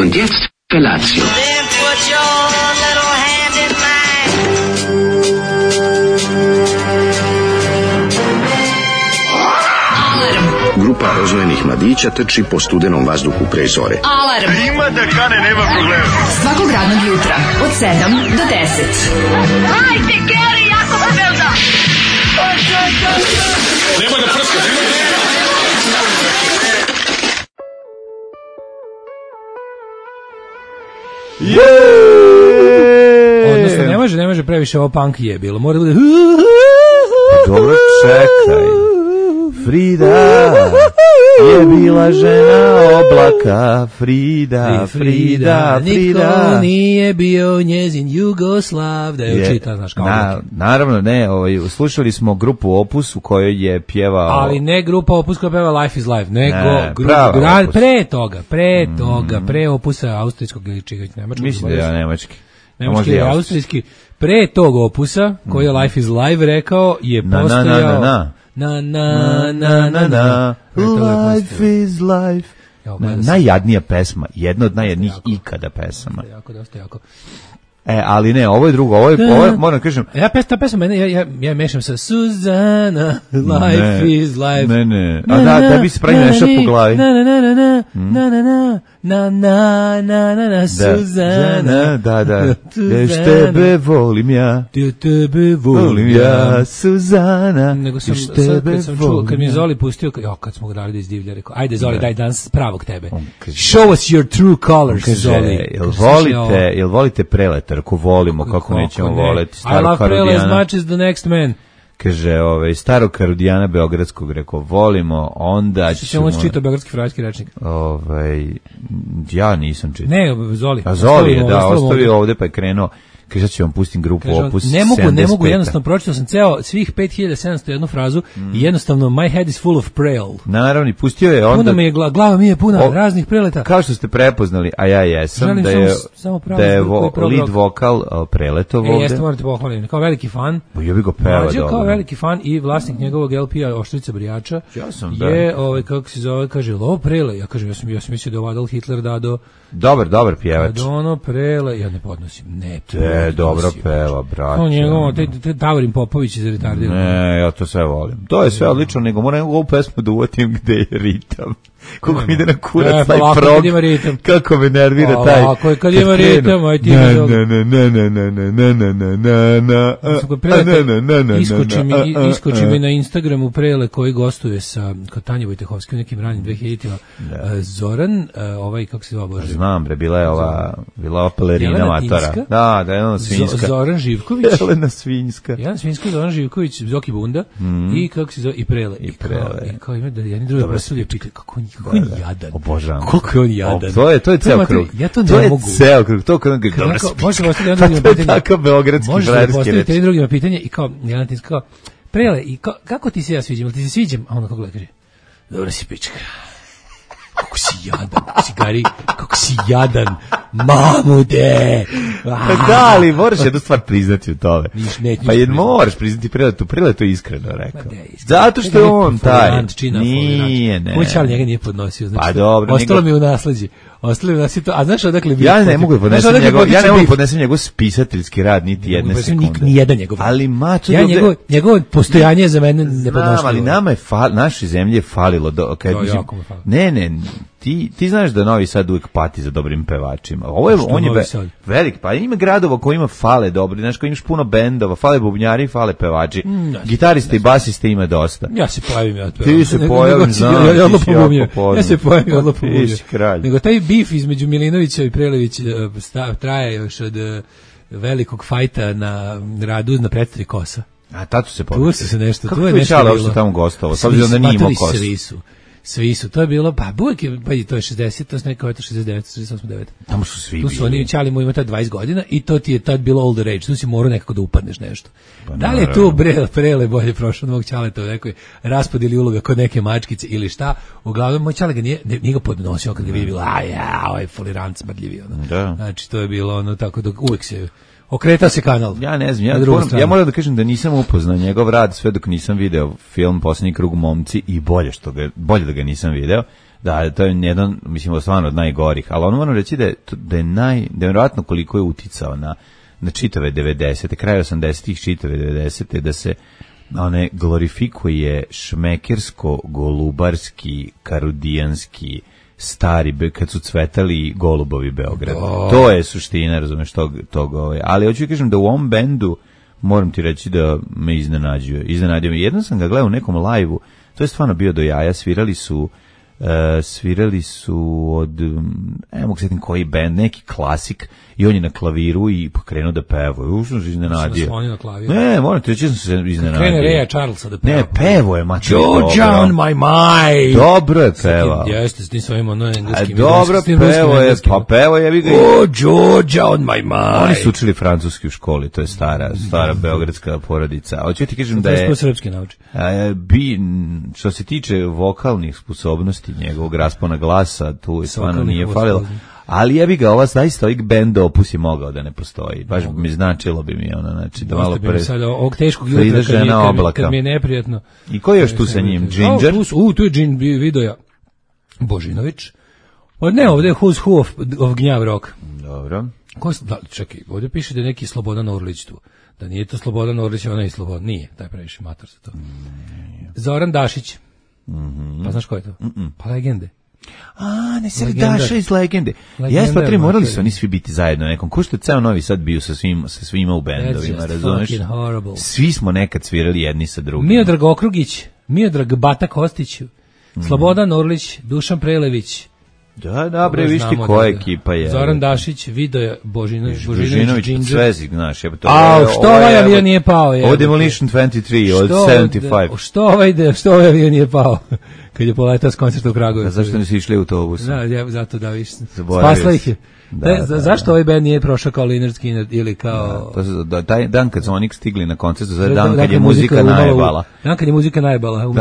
Und jetzt Felatio. Then put your little hand in mine. Grupa rozvojenih mladića trči po studenom vazduhu pre zore. Alarm! Ima da kane, nema problema. Svakog radnog jutra, od 7 do 10. Hajde, Geri, jako se velda! Nemoj da prskaš, Odnosno, ne može previše ovo punk je bilo. Mora da bude... Dobro, čekaj. Frida je bila žena oblaka. Frida. Niko nije bio njezin Jugoslav. Da je učita, znaš kao. Naravno, ne, slušali smo grupu Opus u kojoj je pjevao... Ali ne grupa Opus koja pjeva Life is Life, nego pre Opusa austrijskog ili nemačkog. Mislim da je nemački. Nemački je austrijski. Pre tog Opusa, koji je Life is Live rekao, je postojao... Life is life. Najjadnija pesma, jedna od najjadnijih ikada pesama. Jako. Ali ne, ovo je drugo, ovo je moram kažem. Ta pesma, ja mešam sa Suzana, Life is life. Ne. A da bi se pravi nešto po glavi. Na, Suzana. Da. Još tebe volim ja. Suzana. Nego sam sad čuo, kad mi je Zoli pustio, kad smo ga dali da izdivlja, rekao, ajde Zoli, daj danas pravog tebe. Show us your true colors, Zoli. Jel volite Preleta? Ako volimo, kako nećemo voleti starog Karudijana. I love Prele as much as the next man. Kaže, starog Karudijana Beogradskog, rekao, volimo, onda ćemo... Što čitao Beogradski frajski rečnik? Ja nisam čitao. Ne, Zoli. A Zoli je, ostavio ovde pa je krenuo. Kaže, ću vam pustim grupu Opus 75. Ne mogu, jednostavno, pročitao sam svih 5701 frazu i jednostavno, my head is full of prel. Naravno, i pustio je onda... Puna mi je glava mi je puna raznih preleta. Kao što ste prepoznali, a ja jesam, želim da je lead vokal Preletov ovde. Jeste, morate pohvaliti, kao veliki fan. Ja bih go peva dobro. Kao veliki fan i vlasnik njegovog LP-a Oštrica Brijača je, kako se zove, kaže, ovo Prele. Ja kažem, ja sam mislio da je Adolf Hitler dado... Dobar pjevač. Kad ono Prele, ja ne podnosim. Dobro peva, brate. Njegovo, te Davorin Popović iz retardirano. Ne, ja to sve volim. To je sve odlično, nego moram ovu pesmu da uvatim gde je ritam. Kako mi ide na kurac taj prog, kako me nervira taj. Ako kad ima ritam, aj ti me dobro. Iskoči mi na Instagramu Prele koji gostuje sa Tanja Vojtehovskim nekim ranim 2000-ima. Zoran, kako se zove Bože? Znam, bre, bila je ova pelerina matora. Da, Jelena Svinjska. Zoran Živković. Jelena Svinjska, Zoran Živković, Zoki Bunda i kako se zove, i Prele. I kao ima da jedni drugi predstavljaju, pitaju kako on jadan. Obožavam. Koliko je on jadan. To je ceo krug. Ja to ne mogu. To je ceo krug. To kao dobro spika. Možemo postaviti jedno drugima pitanje. Tako beogradski frajerski reč. Možemo postaviti jedno drugima pitanje i kao, Jelena Tinska kao, Prele, i kako ti se ja sviđam? Ili ti se sviđam? A ona kako gleda kaže, dobro si pička. Kako si jadan, cigari, kako si jadan, mamude. Da, ali moraš jednu stvar priznati u tome. Pa moraš priznati Preletu, Preletu je iskreno rekao. Zato što je on taj. Nije, ne. Moj čal njega nije podnosio. Pa dobro. Ostalo mi je u nasleđi. A znaš odakle bi... Ja ne mogu podnesem njegov spisateljski rad niti jedne sekunde. Ni jedan njegov. Ali mačo... Njegovo postojanje je za mene nepodnošljivo. Ali nama je našoj zemlji je falilo. Ne, ti znaš da Novi Sad uvijek pati za dobrim pevačima. On je velik, pa ima gradova koji ima fale dobri, znaš, koji imaš puno bendova, fale bubnjari, fale pevači. Gitariste i basiste ima dosta. Ja se pojavim ja to. Ti se pojavim, znam, ti si jako podno. Ja se pojavim, odlo pobumio. Ti si kralj. Nego taj bif između Milinovića i Prelevića traje još od velikog fajta na radu na predstavi Kosa. A tato se pobio. Tu se nešto, tu je nešto bilo. Kako je tamo gostovao, s obzirom da nije imao Kosu. Svi su, to je bilo, pa uvijek je, pa i to je 60, to je neko je to 69, 68, Tamo su svi bili. Tu su oni čali mu ima tad 20 godina i to ti je tad bilo older age, tu si morao nekako da upadneš nešto. Pa da li je tu Prele bolje prošao od mog čaleta u nekoj raspodeli uloga kod neke mačkice ili šta, uglavnom moj čale ga nije ga podnosio kad ga vidi bilo, ovaj folirant smrdljivi, ono. Da. Znači to je bilo ono tako da uvijek se... Okretao se kanal. Ja ne znam, ja moram da kažem da nisam upoznao njegov rad sve dok nisam video film Posljednji krug momci i bolje da ga nisam video. Da, to je jedan, mislim, stvarno od najgorih, ali ono moram reći da je nevjerojatno koliko je uticao na čitave 90. kraj 80-ih, čitave 90. da se glorifikuje šmekersko, golubarski, karudijanski, stari, kad su cvetali golubovi Beograda. To je suština, razumeš, tog. Ali hoću kažem da u ovom bendu moram ti reći da me iznenadio me. Jednom sam ga gledao u nekom live-u, to je stvarno bio do jaja, svirali su svirali su od, ne mogu sjetim koji band, neki klasik, i on je na klaviru i krenuo da peva. Užno se iznenadio. Ne, moram ti reći da sam se iznenadio. Krene Reja Charlesa da peva. Ne, pevo je, mače. Georgia on my mind. Dobro je peva. Jeste, s tim svojim engleskim. Dobro pevo je, pa pevo je. Oh, Georgia on my mind. Oni su učili francuski u školi, to je stara beogradska porodica. Hoću ti kažem da je... srpski nauči. Što se tiče vokalnih sposobnosti njegovog raspona glasa, tu je stvarno nije falilo. Ali ja bi ga zaista ovih band opus je mogao da ne postoji. Baš mi značilo bi mi ono, znači da malo pre... Sada ovog teškog jutra kad mi je neprijatno. I ko je još tu sa njim? Ginger? Tu je Ginger Vidoja Božinović. Ne, ovdje je Who's Who of Gnjav Rock. Dobro. Čekaj, ovdje piše da je neki Slobodan Orlić tu. Da nije to Slobodan Orlić, ona je Slobodan. Nije, taj previše mator za to. Zoran Dašić. Pa znaš ko je to? Pa legende. Ne se Daša iz Legende. Jes, pa morali su oni svi biti zajedno nekom. Ko što je ceo Novi Sad bio sa svima u bendovima, razumeš? Svi smo nekad svirali jedni sa drugim. Miodrag Okrugić, Miodrag Bata Kostić, Slobodan Orlić, Dušan Prelević. Da, bre, viš ti koja ekipa je. Zoran Dašić, Vidoja Božinović, Svezik, znaš. Što ovaj avion nije pao? Od Demolition 23, od 75. Što ovaj avion nije pao? Kad je poletao s koncerta u Kragujevcu. Zašto nisi išli u autobusu? Zato da viš. Spasla ih je. Zašto ovaj band nije prošao kao Lynyrd Skynyrd ili kao... Taj dan kad su oni stigli na koncert, dan kad je muzika najbala. Dan kad je muzika najbala.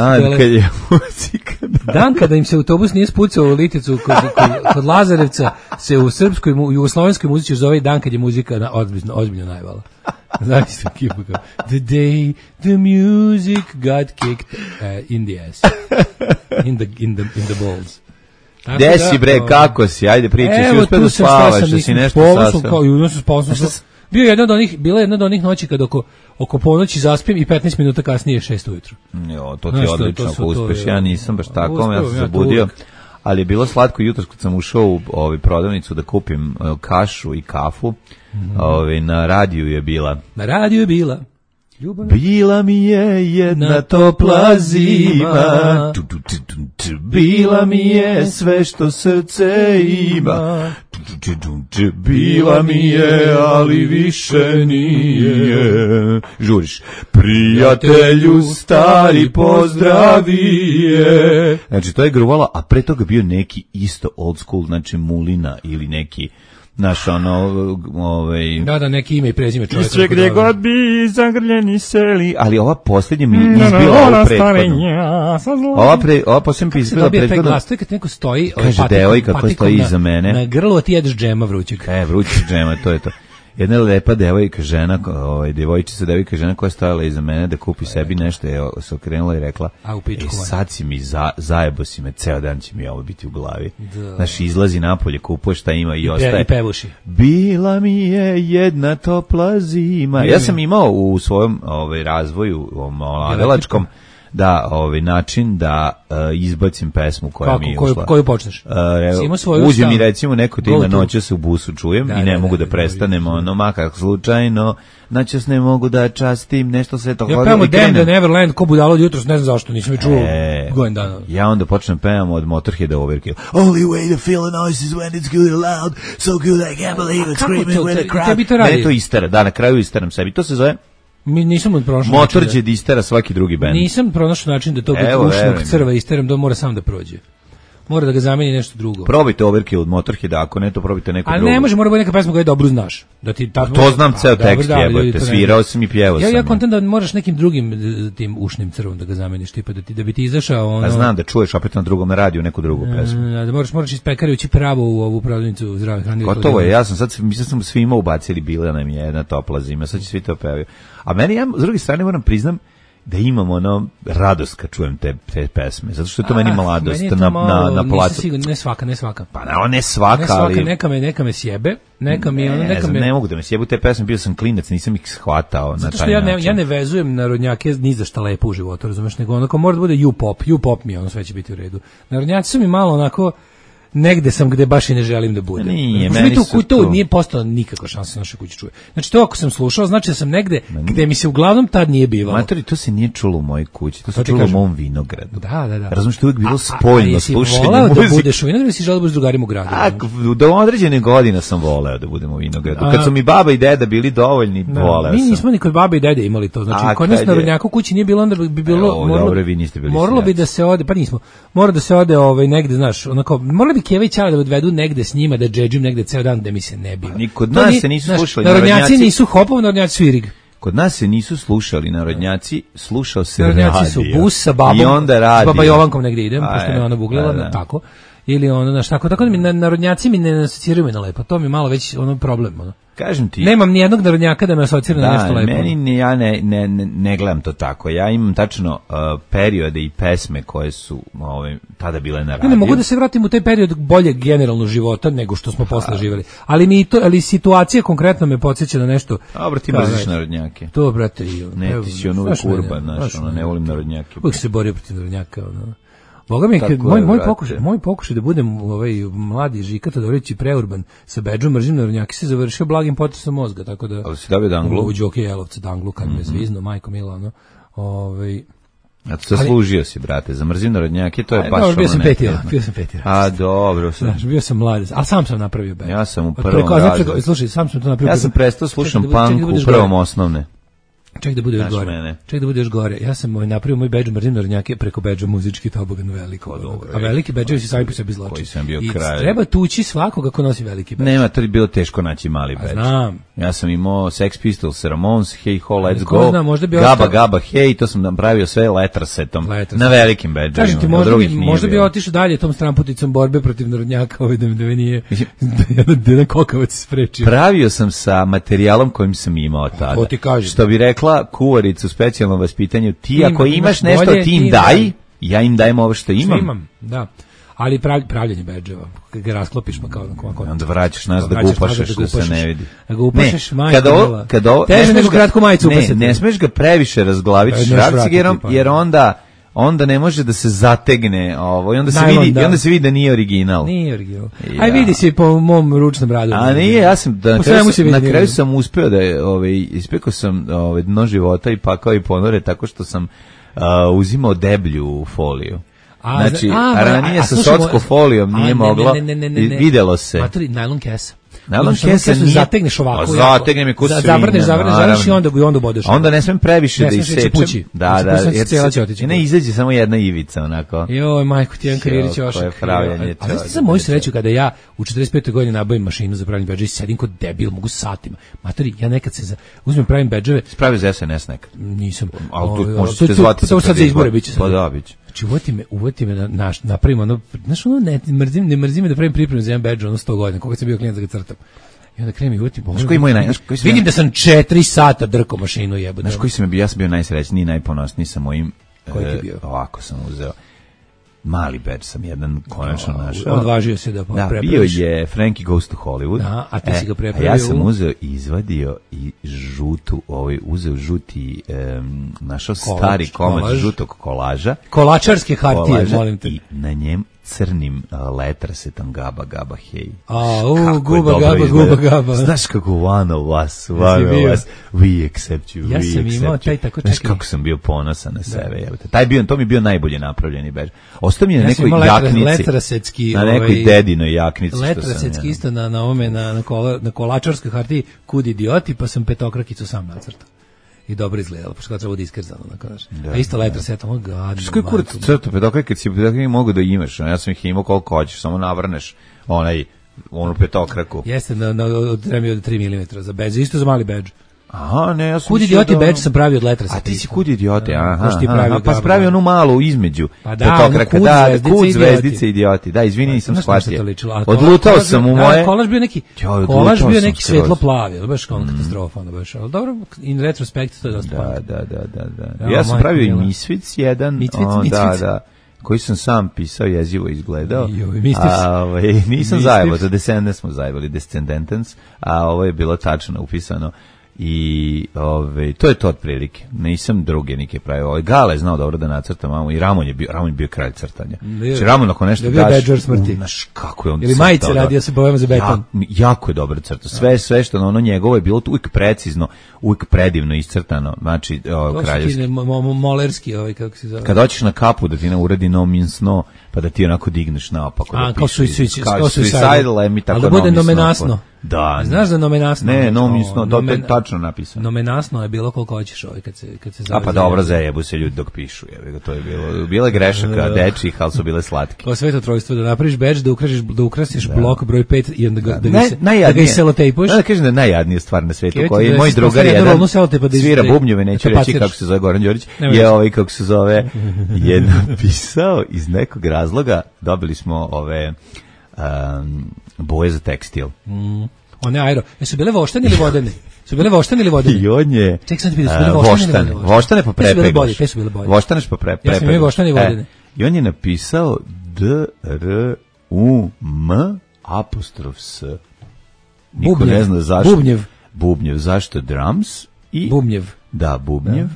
Dan kada im se autobus nije spucao u Liticu kod Lazarevca, se u srpskoj i jugoslovenskoj muzici zove dan kad je muzika ozbiljno najbala. Znači se ekipa kao the day the music got kicked in the ass. In the balls. Gde si bre, kako si? Ajde pričaj, si uspio da spavaš, da si nešto sasao. Bila je jedna od onih noći kad oko ponoći zaspim i 15 minuta kasnije 6 ujutru. Jo, to ti je odlično ako uspeš, ja nisam baš tako, ja sam se budio. Ali je bilo slatko jutros kad sam ušao u prodavnicu da kupim kašu i kafu. Na radiju je bila. Na radiju je bila. Bila mi je jedna topla zima, bila mi je sve što srce ima, bila mi je, ali više nije. Žuriš, prijatelju stari pozdravi je. Znači to je gruvala, a pre toga bio neki isto old school, znači Mulina ili neki naš Da, neki ime i prezime čovjeka. Sve gdje god bi zagrljeni seli. Ali ova posljednja mi izbila ovu prethodnu. Ova posljednja mi izbila prethodnu. Glas, to je kad neko stoji, kaže devojka koja stoji iza mene. Na grlu, a ti jedeš džema vrućeg. Vrućeg džema, to je to. Jedna lepa devojka žena, devojka žena koja je stojala iza mene da kupi sebi nešto, je se okrenula i rekla, sad si mi zajebo si me, ceo dan će mi ovo biti u glavi. Znaš, izlazi napolje, kupuje šta ima i ostaje. I pevuši. Bila mi je jedna topla zima. Ja sam imao u svojom razvoju, mladelačkom, način da izbacim pesmu koja mi je ušla. Koju počneš? Uđe mi recimo neko tima noća se u busu čujem i ne mogu da prestanem, makar slučajno, noćas ne mogu da častim, nešto sve to. Ja pevamo Damn the Neverland, ko budalo od jutros, ne znam zašto, nisam je čuo godin dana. Ja onda počnem pevamo od Motorheada Overkill. Only way to feel a noise is when it's good and loud, so good I can't believe it, screaming with a crowd. Ne, to istera, na kraju isteram sebi, to se zove nisam pronašao Motorhead istera svaki drugi bend. Nisam pronašao način da to ušnog crva isteram, da mora sam da prođe. Mora da ga zameni nešto drugo. Probajte Overkill od Motorheada, ako ne to probajte neko drugo. Ali ne može, mora biti neka pesma koju dobro znaš. To znam ceo tekst, jebote, svirao sam i pjevao sam. Ja kontent da moraš nekim drugim tim ušnim crvom da ga zameniš, tipa da bi ti izašao. A znam da čuješ opet na drugom radiju neku drugu pesmu. Da moraš iz pekare ući pravo u ovu prodavnicu zdrave hrane. Gotovo je, ja sam sad, mislim sam svima ubacili, bila nam je jedna topla zima, sad će svi to pevaju. A meni, ja s druge strane moram priznam da imam radost kad čujem te pesme, zato što je to meni mladost na placu. Ne svaka. Pa ne svaka, ali... Neka me sjebe, neka mi... Ne mogu da me sjebu te pesme, bio sam klinac, nisam ih shvatao na taj način. Zato što ja ne vezujem narodnjake ni za šta lepo u životu, razumeš, nego onako mora da bude U-pop mi sve će biti u redu. Narodnjaci su mi malo onako... negde sam gde baš i ne želim da budem. Nije, Pošto meni mi su to to- nije postala nikakva šansa našoj kući čuje. Znači to ako sam slušao, znači da sam negde gde mi se uglavnom tad nije bivalo. Matori, to se nije čulo u mojoj kući, to se To ti čulo u kažem. mom vinogradu. Da. Razumiješ, to je uvijek bilo A spoljno jesi slušanje voleo da muzike. budeš u vinogradu ili si želeo da budeš s drugarima u gradu? Do određene godine sam voleo da budem u vinogradu. Kad su mi baba i deda bili dovoljni, voleo mi sam. nismo ni kod babe i dede imali to. Znači, A kod nas kad na je? rodnjaku u kući nije bilo, onda bi bilo... Evo, dobro, vi niste bili moralo bi seljaci. da se ode, pa nismo, mora da se ode negde, znaš, onako, morali bi Keva i Ćala da odvedu negde s njima, da džedžim negde ceo dan da mi se ne biva. Ni kod To nas nije- se nisu znaš, slušali narodnjaci narodnjaci. nisu Hopov, narodnjaci su Irig. Kod nas se nisu slušali narodnjaci, slušao se Narodnjaci radio. su bus sa babom, I onda radio. s baba Jovankom negde idem, A, pošto me ona buglila, da. tako. Ili ono, znaš, tako da mi narodnjaci mi ne asociraju me na lepo, to mi je malo već ono problem, ono. Kažem ti. Nemam ni jednog narodnjaka da me asocira na nešto Da, lepo. ja ne gledam to tako. Ja imam tačno periode i pesme koje su tada bile na radiju. Ne mogu da se vratim u taj period boljeg generalnog života nego što smo posle živjeli. Ali situacija konkretno me podsjeća na nešto. Dobro, ti Kao, mrziš znaš, narodnjake. To, brate, Ne, ti si on uvijek urban, znaš, ne volim narodnjake. Uvijek se borio protiv narodnjaka, ono. Boga mi, Tako moj, je, moj, brate. moj pokušaj da budem mladi Žika Todorović i preurban sa bedžom mržim narodnjake se završio blagim potresom mozga, tako da... Ali si dobio Danglu? U Đoke Jelovca Danglu, kad me zvizno, majko mila, ono. A to zaslužio si, brate, za mrzim narodnjake, to je baš Dobro, bio sam ono petira, nekako. bio sam petira. A, dobro sam. Znaš, bio sam mlad, ali sam sam napravio bedž. Ja sam u Od prvom preko- znači, razredu. Slušaj, sam sam to napravio. Ja sam prestao slušam Čekaj da punk u budeš prvom gore. osnovne. Ček da bude još Znaš gore. mene. Ček da bude još gore. Ja sam napravio moj bedž mrzim narodnjake preko bedža muzički tobogan veliko. A veliki bedževi su sami po sebi zločin. Koji sam bio I kralj. treba tući svakoga ko nosi veliki bedž. Nema, to je bilo teško naći mali bedž. Znam. Ja sam imao Sex Pistols, Ramones, Hey Ho, Let's Ko Go, zna, možda bi Gaba ostao- Gaba Hey, to sam napravio sve letrasetom, na velikim bedževima. Kažem ti, na drugih nije možda bi bilo. otišao dalje tom stramputicom borbe protiv narodnjaka, da me nije da jedan kokavac sprečio. Pravio sam sa materijalom kojim sam imao tada. To ti kažem. Što bi rekla kuvarica u specijalnom vaspitanju, ti ako imaš imaš nešto, bolje, ti im ti im daj, daj. ja im dajem ovo što imam. Imam, da. Ali pravljenje bedževa, kad ga rasklopiš pa kao Onda vraćaš nas da vraćaš gupašeš, nazad da se ne vidi. Da ga upašeš, majko kada ovo, mila. kada ovo, Teže ne nego smeš ga- kratku majicu ne, upasati. ne smeš ga previše razglaviti Neš šrafcigerom, vratiti, pa. jer onda ne može da se zategne ovo, i onda se Najlon, vidi, da. i onda se vidi da nije original. Nije original. Ja. Aj vidi se po mom ručnom radu. A nije, ja sam da Po na kraju svemu se sam, vidi na nije kraju original. sam uspeo da je ispekao sam dno života i pakao i ponore tako što sam uzimao deblju foliju. Znači, ranije sa sotskom folijom nije moglo, videlo se. Matori, najlon kesa. Najlon Znači, kesa nije... zategneš ovako. Zategnem je ko svinja. Zavrneš i onda bodeš. Onda ne smem previše da isečem. Pući. Da, Jer cijela će otići. Ne, izađe samo jedna ivica, onako. Joj, majko, ti jedan karirić Koje ošak. pravljanje. A znaš ti za moju sreću kada ja u 45. godini nabavim mašinu za pravljanje bedža i sedim kod debil, mogu satima. Matori, ja nekad uzmem pravim bedževe. Spravio za SNS nekad. Nisam. Ali tu možete se zvati. To sad za izbore biće sad. Pa da, biće. Znači, uvoti me da napravim ono, znaš ono, ne mrzim me da pravim pripremu za jedan bedž, ono 100 godina, koga sam bio klijent da ga crtam. I onda krenem i uvetim. Vidim da sam 4 sata drkao mašinu jebote. Znaš koji sam bio? Ja sam bio najsrećniji, najponosniji sa mojim. Koji ti bio? Ovako sam uzeo. Mali bedž sam jedan konačno našao. Odvažio se da prepraviš. Bio je Frankie Goes to Hollywood. Da, a ti si ga prepravio. Ja sam uzeo i izvadio i uzeo žuti, našao stari komad žutog kolaža. Kolačarske hartije, molim te. I na njem crnim letrasetom Gaba Gaba Hey. Guba Gaba. Znaš kako one of us, we accept you, ja sam imao taj tako čekaj. Znaš kako sam bio ponosan na sebe. To mi je bio najbolje napravljeni bedž. Ostao mi je na nekoj jaknici. Letrasetski. Na nekoj dedinoj jaknici. Letrasetski isto na ovome, na kolačarskoj hartiji kud idioti, pa sam petokrakicu sam nacrtao. I dobro izgledalo, pošto treba da iskrzano, a isto letraset, ono gadno. Što je kurac crto, petokrake, kad si petokrake mogu da imaš, ja sam ih imao koliko hoćeš, samo navrneš onu petokraku. Jeste, od 3 mm za bedž, isto za mali bedž. Aha, ne, ja sam kud idioti bedž sam pravio od letraseta. A ti si kud idiote, aha. Pa si pravio onu malu između. Pa da, kud zvezdice idioti. Da, izvini, nisam shvatio. Odlutao sam u moje. Kolaž bio neki svetlo plavi, baš kao katastrofa, ono baš. Ali dobro, in retrospekt to je dosta. Da. Ja sam pravio i Misfits jedan. Da. Koji sam sam pisao, jezivo izgledao. Nisam zajebao, za Descendants smo zajebali, Descendants, a ovo je bilo tačno upisano. I to je to otprilike. Nisam druge neke pravio. Gale je znao dobro da nacrta mamu i Ramon je bio kralj crtanja. Znači Ramon ako nešto daš, znaš kako je on ili majice radio se bojama za beton. Jako je dobro crta. Sve što ono njegovo je bilo uvijek precizno, uvijek predivno iscrtano. Znači kraljevski. Molerski kako se zove. Kad hoćeš na kapu da ti ne uradi no means no, pa da ti onako digneš naopako. Kao suicidal, mi tako. Ali da bude nomenasno. Da. Znaš da nomenasno? Ne, nomenasno, to je tačno napisano. Nomenasno je bilo koliko hoćeš kad se zove. A pa dobro, zajebu se ljudi dok pišu, to je bilo grešaka dečih, ali su bile slatke. Kao sveto trojstvo, da napraviš bedž, da ukrasiš blok broj 5 i onda da ga selotejpuješ. Da kažem da je najjadnija stvar na svetu, koji je moj drugar jedan svira bubnjeve, neću reći kako se zove Goran Đorić, je kako se zove, je napisao iz nekog razloga, dobili smo ove boje za tekstil. One aero. Jesu bile voštane ili vodene? I on je ček sad ti bile voštane. Voštane po prepeglaš. Voštane po prepeglaš. Ja sam imao voštane i vodene. I on je napisao D-R-U-M-S. Niko ne zna zašto. Bubnjev. Zašto drums? Bubnjev. Da, Bubnjev.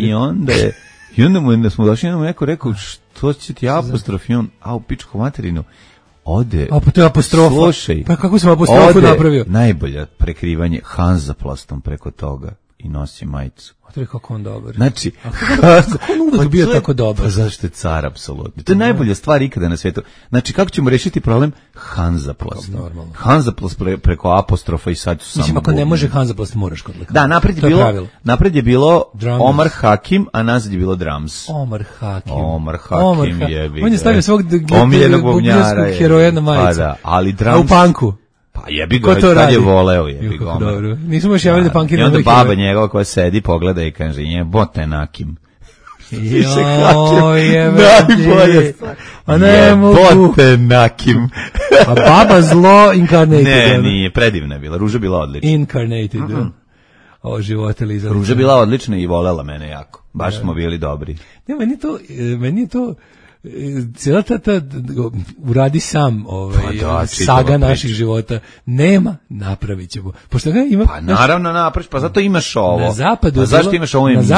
I onda je i onda smo došli, jednom neko rekao, što će ti apostrof? I on, u pičku materinu. Ode. Pa to je apostrofa. Slušaj. Pa kako sam apostrofu napravio? Najbolja prekrivanje Hanzaplastom preko toga i nosi majicu. To je kako on dobar. Znači, kako on uvek bio tako dobar? Pa zašto je car, apsolutno. To je najbolja stvar ikada na svetu. Znači, kako ćemo rešiti problem? Hanzaplast. Hanzaplast preko apostrofa i sad su samo... Mislim, ako ne može Hanzaplast, moraš kod lekara. Da, napred je bilo Omar Hakim, a nazad je bilo drums. Omar Hakim jebi. On je stavio svog bubnjarskog heroja na majicu. Pa da, ali drums... A u panku? Pa jebi ga, kad je voleo, jebi ga. Dobro, nismo još javili da pankiramo. I onda baba njegova koja sedi, pogleda i kaže, jebote nakim. Najbolje stvar. Jebote nakim. A baba zlo incarnated. Ne, nije, predivna je bila, Ruža bila odlična. Incarnated, o živote Liza. Ruža bila odlična i volela mene jako. Baš smo bili dobri. Ne, meni je to cijela ta uradi sam saga naših života nema, napravit ćemo. Pošto ga ima... Pa naravno napraviš, pa zato imaš ovo. Na zapadu imaš ovu emisiju?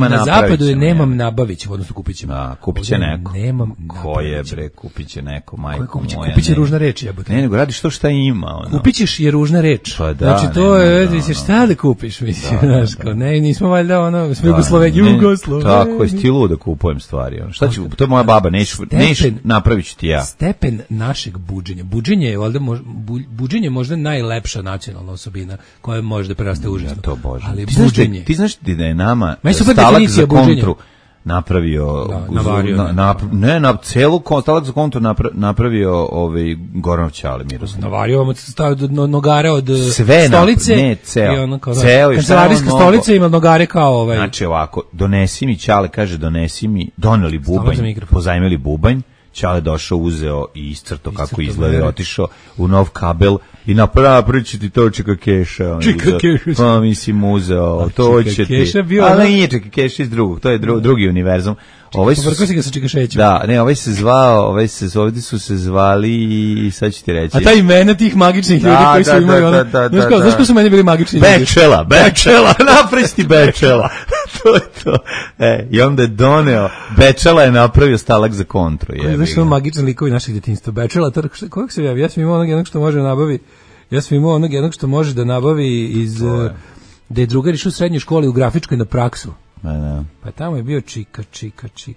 Na zapadu je nemam, nabavit ćemo, odnosno kupit ćemo. Kupit će neko. Nemam, ko je bre, kupit će neko, majko moja. Kupit će ružna reč, jebote. Ne, nego radiš to šta ima. Kupit ćeš je ružna reč. Pa da. Znači to je, šta da kupiš, mislim, znaš, kao, ne, nismo valjda, smo Jugosloveni. Tako, jesi ti lud da kupujem stvari, šta ću, to je moja baba, napravit ću ti ja. Stepen našeg buđenja. Buđenje je možda najlepša nacionalna osobina koja može da preraste užasno. Ja to božem. Ali buđenje. Ti znaš da je nama stalak za kontru napravio celu stalak za kontru napravio Goranov Ćale Miroslav. Navario vam stavio nogare od stolice. Ne, ceo. Kancelarijska stolica ima nogare kao Znači ovako, donesi mi Ćale, kaže donesi mi, doneli bubanj, pozajmili bubanj, Ćale došao, uzeo i iscrto kako izgleda, otišao u nov kabel i napravit ću ti to Čika Keša. Pa mislim uzeo, to će ti. Ali nije Čika Keša iz drugog, to je drugi univerzum. Povrko si ga sa Čikašećem. Da, ne, ovdje su se zvali i sad ću ti reći. A ta imena tih magičnih ljudi koji su imali ono... Znaš ko su meni bili magični ljudi? Bečela, napristi Bečela. To je to. I onda je doneo, Bečela je napravio stalak za kontru. Znaš što magični likovi naših djetinjstva? Bečela, kojeg se javi? Ja sam imao onog jednog što može da nabavi iz... Da je drugar išao u srednjoj školi u grafičkoj na praksu. Pa tamo je bio Čika.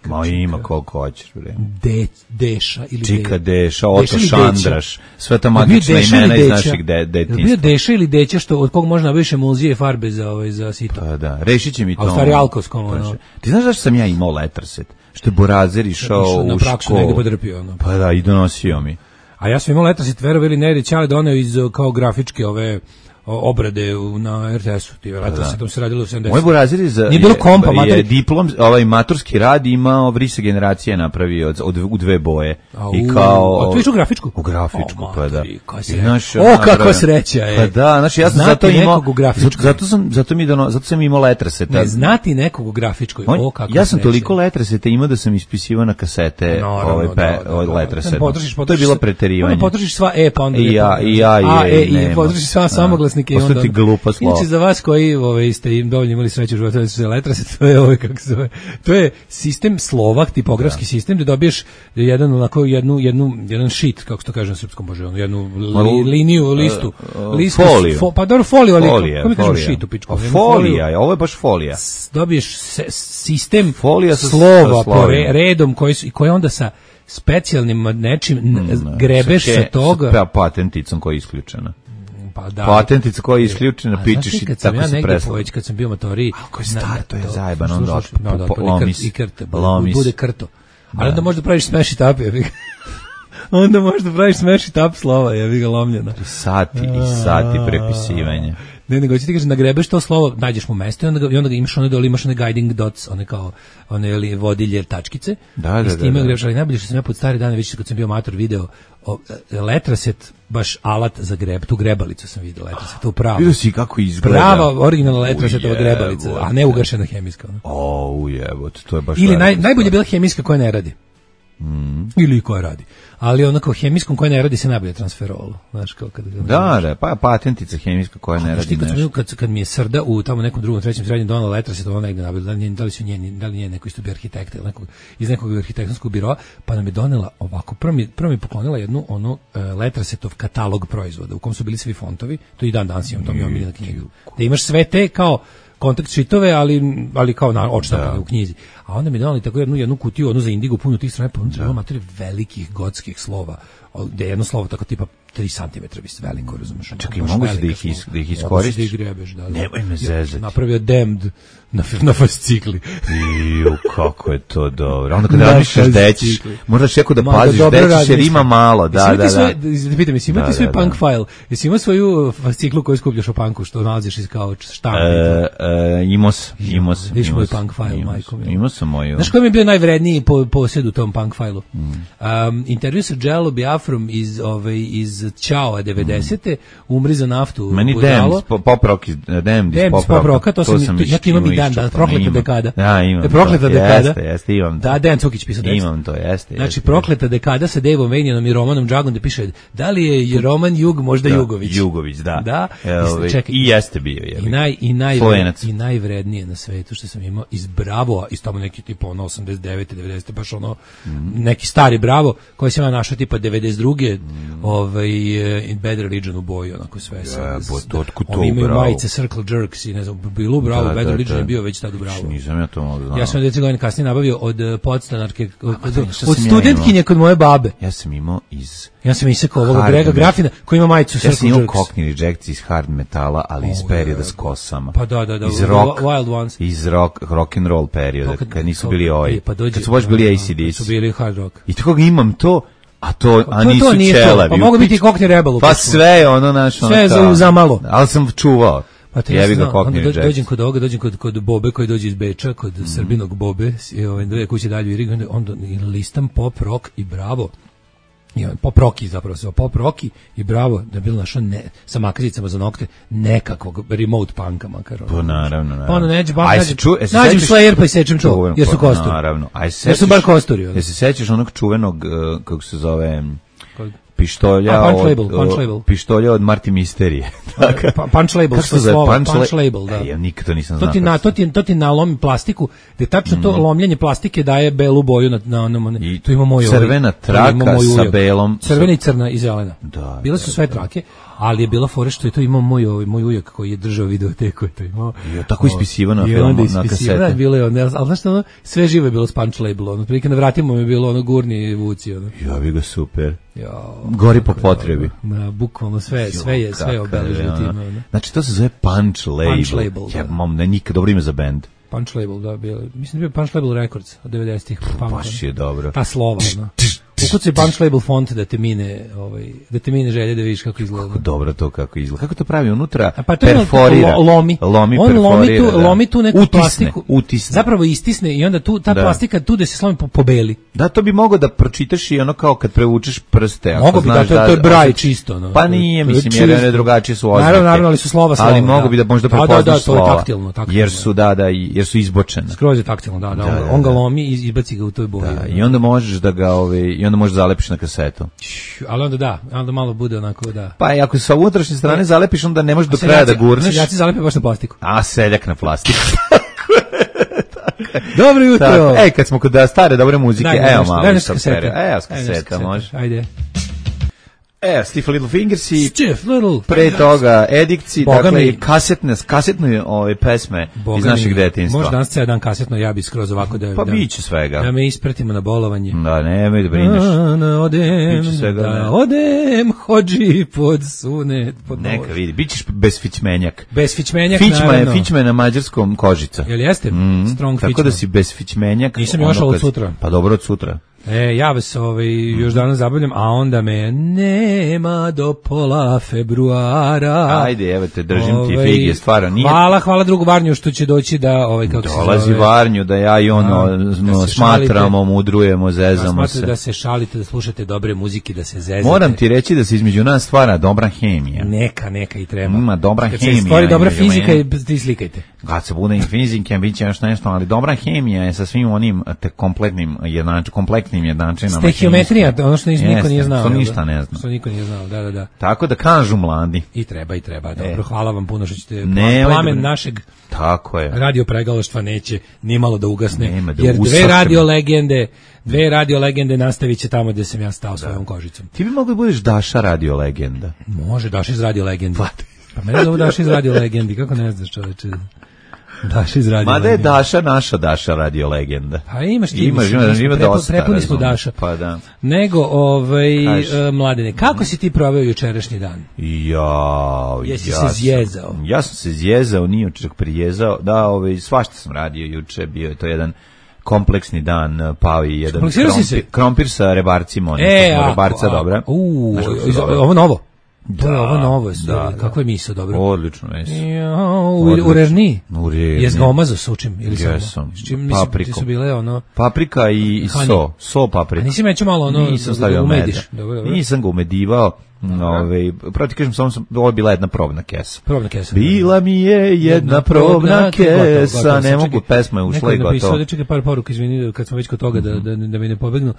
Ma ima koliko hoćeš, bre. Deša ili Čika Deša, Oto Šandraš, sve ta magična imena iz naših detinjstva. Bio Deša ili Deća, od kog možda nabaviš emulzije farbe za sito. Pa da, rešit će mi to. A u stvari alkoskom. Ti znaš zašto sam ja imao letarset? Što je Borazer išao u na praksu negdje podrpio. Pa da, i donosio mi. A ja sam imao letarset, verovali ne, jer Ćale doneo iz kao grafičke ove obrade na RTS-u, ti vjerojatno se tam se radilo u 70. Moj Borazir je diplom, maturski rad imao Vrisa generacije napravio u dve boje. I kao... A tu u grafičku? U grafičku, pa da. Kako sreća je. Pa da, znači ja sam zato imao... Zato sam imao letreseta. Ne znati nekog u grafičkoj, ja sam toliko letreseta imao da sam ispisivao na kasete letreseta. To je bilo preterivanje. Potrošiš sva pa onda... I ja, potrošiš sva samoglasnika glasnike. Ostati glupa slova. Inače, za vas koji ste im dovoljno imali sreće u životu, da su letrase, to je kako se zove. To je sistem slova, tipografski sistem, da dobiješ jedan sheet, kako se to kaže na srpskom, bože, jednu liniju, listu. Foliju. Pa dobro, foliju, ali kako mi kažem sheet u pičku? Folija, ovo je baš folija. Dobiješ sistem folija slova po redom koji onda sa specijalnim nečim grebeš sa toga. Patenticom koja je isključena. Pa da. Patentica koja je isključena, pičeš i tako se presla. Kad sam bio matori. Ako je star, to je zajeban, onda lomis. Bude krto. Ali onda možda praviš smash it up, onda možda praviš smash it up slova, je ga lomljena. Sati i sati prepisivanja. Ne, nego ti kažeš, nagrebeš to slovo, nađeš mu mesto i onda ga imaš imaš one guiding dots, one vodilje tačkice. Da. I s time grebeš, ali najbolje što sam ja pod stare dane, već kad sam bio mator video, letraset, baš alat za greb, tu grebalicu sam vidio, letraset, tu pravo. Vidio si kako izgleda. Prava, originalna letrasetova grebalica, a ne ugašena hemijska. Ujebote, to je baš... Ili najbolje je bila hemijska koja ne radi. Ili koja radi. Ali onako hemijskom koja ne radi se najbolje transferolu. Znaš, kao da, pa patentica hemijska koja ne radi nešto. Kad mi je Srda u tamo nekom drugom, trećem srednjem donala letraset, ona negde nabila, da li nije neko isto bio arhitekta ili iz nekog arhitektonskog biroa, pa nam je donela ovako, prvo mi poklonila jednu letrasetov katalog proizvoda u kom su bili svi fontovi, to i dan danas imam, to mi je omiljena knjiga. Da imaš sve te kao kontakt šitove, ali kao na odštampane u knjizi. A onda mi dali tako jednu kutiju, za indigo, puno tih strana, pa unutra materije velikih gotskih slova, gde je jedno slovo tako tipa 3 cm veliko, razumeš? Čekaj, mogu si da ih iskoristiš? Nemoj me zezati. Napravio damned na fascikli. Kako je to dobro. Onda kada razmišljaš da ćeš, možda čekao da paziš da ćeš, jer ima malo. Da. Pitam, jesi imati svoj punk file? Jesi imao svoju fasciklu koju skupljaš o punku, što nalaziš iz kao štampa? Imao sam. Viš moj punk file, majko mi. Imao sam moju. Znaš koji mi je bio najvredniji posjed u tom punk file-u? Intervju sa Jello Biafrom iz Ćao 90. Umri za naftu. Meni Damned, Pop Rock iz Pop Rocka, to sam ja imam i dan, prokleta dekada. Ja, imam. Prokleta dekada. Jeste, imam. Da, Dejan Cukić pisao tekst. Imam to, jeste. Znači, prokleta dekada sa Daveom Vanijanom i Romanom Džagom, da piše, da li je Roman Jug, možda Jugović? Jugović, da. Da. I jeste bio. I najvrednije na svetu što sam imao iz Bravo, iz tamo neki tipa 89. 90. baš neki stari Bravo, koji sam ja našao tipa 92. In Bad Religion u boji, onako sve. Oni imaju majice Circle Jerks i ne znam, bilo u Bravo, Bad Religion je bio već tad u Bravo. Nisam ja to mogu znao. Ja sam 10 godina kasnije nabavio od podstanarke, od studentkinje kod moje babe. Ja sam imao isekao ovoga Grega Grafina koji ima majicu Circle Jerks. Ja sam imao Cockney Rejects iz hard metala, ali iz perioda s kosama. Pa da, iz rock, Wild Ones. Iz rock and roll perioda, kad nisu bili kad su baš bili ACDC. Su bili hard rock. I tako imam to, a nisu čelavi. Pa mogu biti Cockney Rebel. Pa sve našo. Sve za malo. Ali sam čuvao. Pa te dođem kod ovoga, dođem kod Bobe koji dođe iz Beča, kod Srbinog Bobe, dve kuće dalje u Irigu, onda listam Pop Rock i Bravo. Pop Rocky i Bravo, da je bilo našo sa makricama za nokte nekakvog remote punka makar. Pa naravno. Pa ono nađem Slayer pa i sečem čuvu, jer su kosturi. Naravno. Jer su bar kosturi. Jel se sećaš onog čuvenog, kako se zove... pištolja od Marti Misterije. Punch label, što je punch label, da. Ja nikad to nisam znao. To ti nalomi plastiku, gde tačno to lomljenje plastike daje belu boju na onom. Tu ima moj crvena traka sa belom. Crvena i crna i zelena. Bile su sve trake, ali je bila fora što je to imao moj ujak koji je držao videoteku, je to imao. I tako ispisivano na filmu, na kasete. Bilo je ali znaš što sve živo je bilo s punch labelom. Prilike na vratima mi je bilo gurni i vuci. Ja bi ga super. Gori po potrebi. Bukvalno sve je obeleženo time. Znači to se zove punch label. Ja mam nikad dobro ime za bend. Punch label, da, mislim da je Punch Label Records od 90-ih. Baš je dobro. Ta slova, ukucaj Punch Label font da te mine želje da vidiš kako izgleda. Kako dobro to kako izgleda. Kako to pravi unutra? Pa to perforira. Lomi tu neku plastiku. Utisne. Zapravo istisne i onda ta plastika tu da se slomi pobeli. Da, to bi mogao da pročitaš i ono kao kad prevučeš prste. Mogu bi da, to je braj čisto. Pa nije, mislim, jer one drugačije su oznake. Naravno, ali su slova. Ali mogu bi da možda prepoznaš slova. To je taktilno. Jer su izbočene. Skroz je taktilno, da. On ga lomi i izbaci ga u toj boji. I onda možeš da ga onda možeš zalepiš na kasetu. Ali onda malo bude onako, da. Pa ako sa unutrašnje strane zalepiš, onda ne možeš do kraja da gurneš. Seljaci zalepe baš na plastiku. A, seljak na plastiku. Dobro jutro. Kad smo kod stare dobre muzike, evo malo. Daj nešto kaseta. Evo kaseta, može. Ajde. Stiff Little Fingers i Stiff Little pre toga Edikci, dakle i kasetne ove pesme iz našeg detinjstva. Možda danas cijel dan kasetno, ja bi skroz ovako da... Pa biće svega. Da me ispratimo na bolovanje. Da, nemoj da brineš. Odem, hođi pod sunet. Neka vidi, bićeš bezfićmenjak. Bezfićmenjak, naravno. Fićma je na mađarskom kožica. Jel jeste? Strong fićma. Tako da si bezfićmenjak. Nisam još od sutra. Pa dobro od sutra. Ja vas još danas zabavljam, a onda me nema do pola februara. Ajde, evo te, držim ti fige, stvarno nije. Hvala drugu Varnju što će doći da kako dolazi se zove, Varnju, da ja i ono smatramo, mudrujemo, zezamo se. Da se šalite, da slušate dobre muzike, da se zezate. Moram ti reći da se između nas stvara dobra hemija. Neka i treba. Ima dobra hemija. Kad se stvori dobra fizika, ti slikajte. Kad se bude i fizike, bit će još nešto, ali dobra hemija je sa svim onim kompletnim jednačinama. Stehijometrija, ono što niko nije znao. Što ništa ne zna. Što niko nije znao, da. Tako da kažu mladi. I treba. Dobro, hvala vam puno što ćete plamen našeg radio pregalaštva neće nimalo da ugasne. Jer dve radio legende nastavit će tamo gde sam ja stao svojom kožicom. Ti bi mogli budeš Daša radio legenda. Može, Daša iz radio legendi. Pa mene zove Daša iz radio legendi, kako ne znaš, čoveče. Daša iz radio legenda. Mada je Daša naša Daša radio legenda. Pa imaš ti. Ima dosta. Prepuni smo Daša. Pa da. Nego, Mladene, kako si ti proveo jučerašnji dan? Jesi se zjezao? Ja sam se zjezao, nije čak prijezao. Da, svašta sam radio juče, bio je to jedan kompleksni dan, pao i jedan krompir sa rebarcima, rebarca dobra. Ovo novo. Ovo novo, kako je miso, dobro. Odlično, jesi. U Rerni? Jes ga omazo s učim? Jesam. Paprika i so paprika. A nisi meću malo nisam stavio umediš? Nisam ga umedivao. Pravo ti kažem, ovo je bila jedna probna kesa. Bila mi je jedna probna kesa. Ne mogu, pesma je ušla i gotovo. Čekaj par poruka, izvini, kad smo već kod toga da mi ne pobegnu.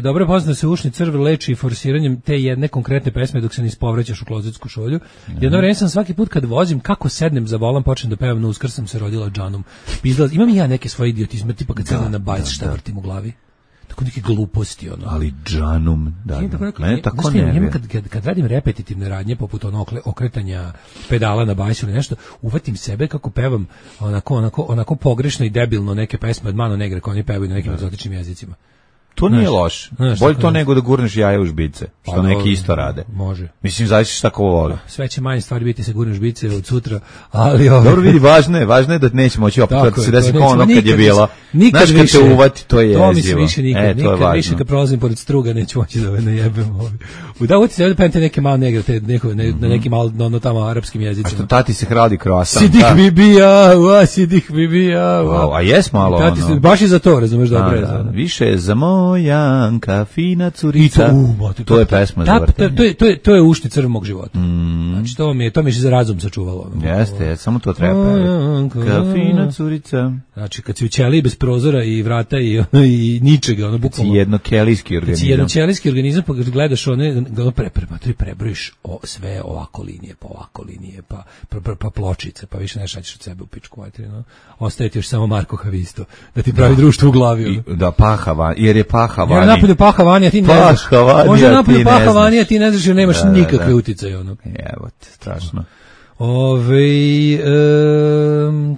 Dobro je poznat da se ušni crv leči forsiranjem te jedne konkretne pesme dok se ne ispovraćaš u klozetsku šolju. Jedno vreme sam svaki put kad vozim, kako sednem za volan, počnem da pevam na Uskrs sam se rodila džanom. Imam i ja neke svoje idiotizme, tipa kad sednem na bajs, šta vrtim u glavi. Tako neke gluposti, Ali džanum, mene tako ne. Kad radim repetitivne radnje, poput okretanja pedala na bajsu ili nešto, uvatim sebe kako pevam onako pogrešno i debilno neke pesme od Mano Negre koje oni pevaju na nekim egzotičnim jezicima. To nije loš. Bolje to nego da gurneš jaja u žbice, što neki isto rade. Može. Mislim, zavisi šta ko voli. Sve će manje stvari biti se gurneš žbice od sutra, ali... Dobro vidi, važno je da neće moći opet da se desi kao ono kad je bilo. Znaš kad te uvati, to je jezivo. To mi se više nikad više kad prolazim pored struga neću moći da najebem. Da uvati se da pente neke malo negre, na nekim malo tamo arapskim jezicima. A što tati se hradi kroasan. Sidih bibija. A jes malo ono. Baš i za to, razumeš, dobro. Više je za Janka, fina curica. To je pesma za vrtenje. To je ušni crv mog života. Znači, to mi je za razum sačuvalo. Jeste, samo to treba pevati. Fina curica. Znači, kad si u ćeliji bez prozora i vrata i ničega, bukvalno. Kad si jednokelijski organizam, pa gledaš prebrojiš sve ovako linije, pa pločice, pa više ne šaćeš od sebe u pičku materinu. Ostaje ti još samo Marko Havisto, da ti pravi društvo u glavi. Da, jer je paha vani. Jer napolju paha vani, a ti ne znaš. Može napolju paha vani, a ti ne znaš jer nemaš nikakve uticaje. Evo te, strašno.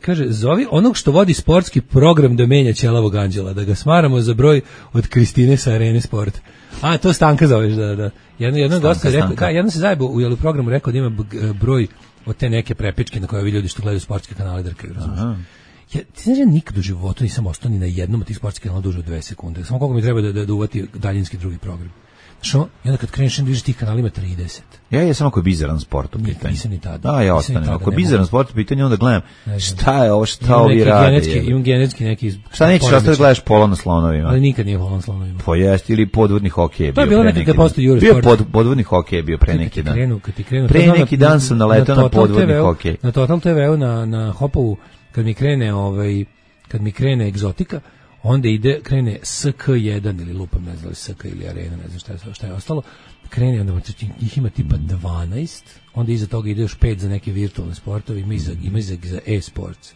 Kaže, zovi onog što vodi sportski program da menja ćelavog anđela, da ga smaramo za broj od Kristine sa Arene Sport. A, to Stanka zoveš, da. Jedno dosta rekao, jedno se zajebo u programu rekao da ima broj od te neke prepičke na koje ovi ljudi što gledaju sportske kanale drkaju, razumiješ? Ti znaš, ja nikad u životu nisam ostao ni na jednom od tih sportskih kanala duže od 2 sekunde. Samo koliko mi treba da uvati daljinski drugi program. Znaš, onda kad kreneš da vidiš tih kanalima 30. Ja sam ako je bizaran sport u pitanju. Nisam ni tada. Da, ja ostanem. Ako je bizaran sport u pitanju, onda gledam šta je ovo, šta ovi rade. Imam genetski neki... Šta nećeš ostati gledaš polo na slonovima? Ali nikad nije polo na slonovima. Pa jest, ili podvodni hokej. To je bilo nekad kad postoji Eurosport. Bio podvodni hokej, bio pre neki dan. Pre neki dan sam naletao na podvodni hokej. Na Total TV-u, na Hopovu, kad mi krene egzotika, onda krene SK1 ili lupam, ne znam, SK ili Arena, ne znam šta je ostalo, krene, onda njih ima tipa 12, onda iza toga ide još 5 za neke virtualne sportove, ima za e-sports.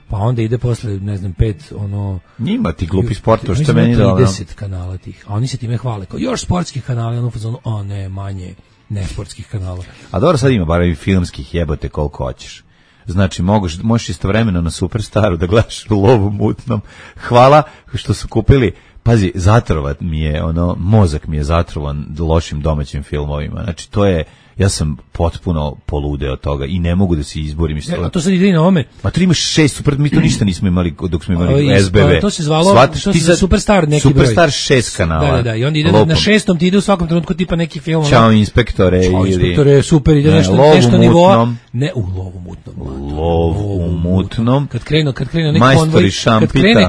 Pa onda ide posle, ne znam, 5, ono... Njima ti glupi sportova, što meni da... 30 kanala tih, a oni se time hvale, kao još sportskih kanala, ono fazonu, ne, manje nesportskih kanala. A dobro, sad ima bar i filmskih, jebote koliko hoćeš. Znači, možeš istovremeno na Superstaru da gledaš Lov u mutnom. Hvala što su kupili, pazi, zatrovat mi je, mozak mi je zatrovan lošim domaćim filmovima. Znači, to je, ja sam potpuno poludeo od toga i ne mogu da se izborim. A to sad ide i na ome. Ma to imaš 6 super, mi to ništa nismo imali dok smo imali SBB. To se zvalo, to se Superstar neki broj. Superstar 6 kanala. Da, i onda ide na 6. ti ide u svakom trenutku tipa neki film. Ćao inspektore. Ćao inspektore, super, ide nešto nivoa. Ne, u Lovu mutnom. Lov u mutnom. Kad krenu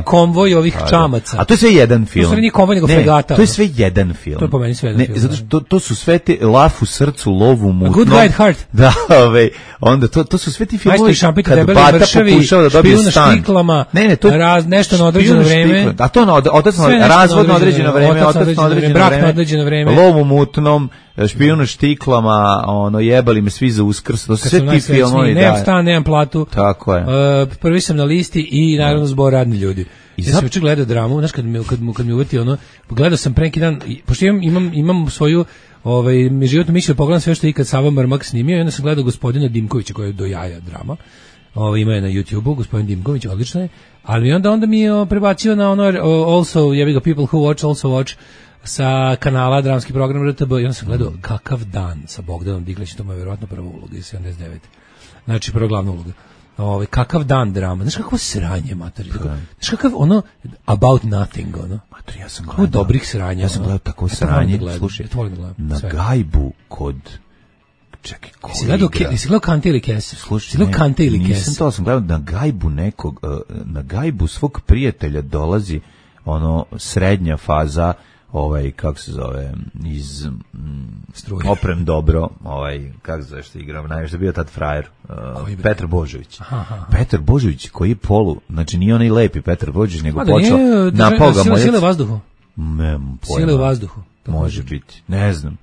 konvoj ovih čamaca. A to je sve jedan film. To nije konvoj nego fregata. To je sve jedan film. To je po meni sve jedan film. Zato što to su sve te Laf u srcu, Lov u mutnom. Good Guy at Heart. Da, onda to su sve ti filmovi kad Bata pokušava da dobije stan. Ne, to je nešto na određeno vreme. A to razvod na određeno vreme, otac na određeno vreme, Lov u mutnom, Špijun na štiklama, jebali me svi za Uskrs, to su sve ti filmovi. Nemam stan, nemam platu. Tako je. Prvi sam na listi i naravno Zbor radni ljudi. Ja sam juče gledao dramu, znaš kad mi uveti gledao sam pre neki dan, pošto imam svoju mi životnu mišlju, pogledam sve što je ikad Sava Mrmak snimio i onda sam gledao gospodina Dimkovića koji je do jaja drama. Ima je na YouTube-u, gospodin Dimković, odlično je, ali onda mi je prebacio na also, jebi ga, People Who Watch, Also Watch, sa kanala dramski program RTB i onda sam gledao Kakav dan sa Bogdanom Diglićem, to mu je vjerojatno prva uloga iz 79. Znači prva glavna uloga. Kakav dan drama, znaš kakvo sranje, mater, znaš kakav about nothing, mater, ja sam gledao dobrih sranja, ja sam gledao tako sranje, slušaj, na gajbu kod, čekaj, koji igra, jesi gledao Kante ili Kese? Slušaj, nisam to, sam gledao na gajbu nekog, na gajbu svog prijatelja dolazi srednja faza, kako se zove, iz Oprem dobro, kako se zove što igram, najviše bio tad frajer, Petar Božović. Petar Božović koji je znači nije onaj lepi Petar Božović, nego počeo napao ga Moljac. Sile u vazduhu? Nemam pojma. Sile u vazduhu? Može biti, ne znam.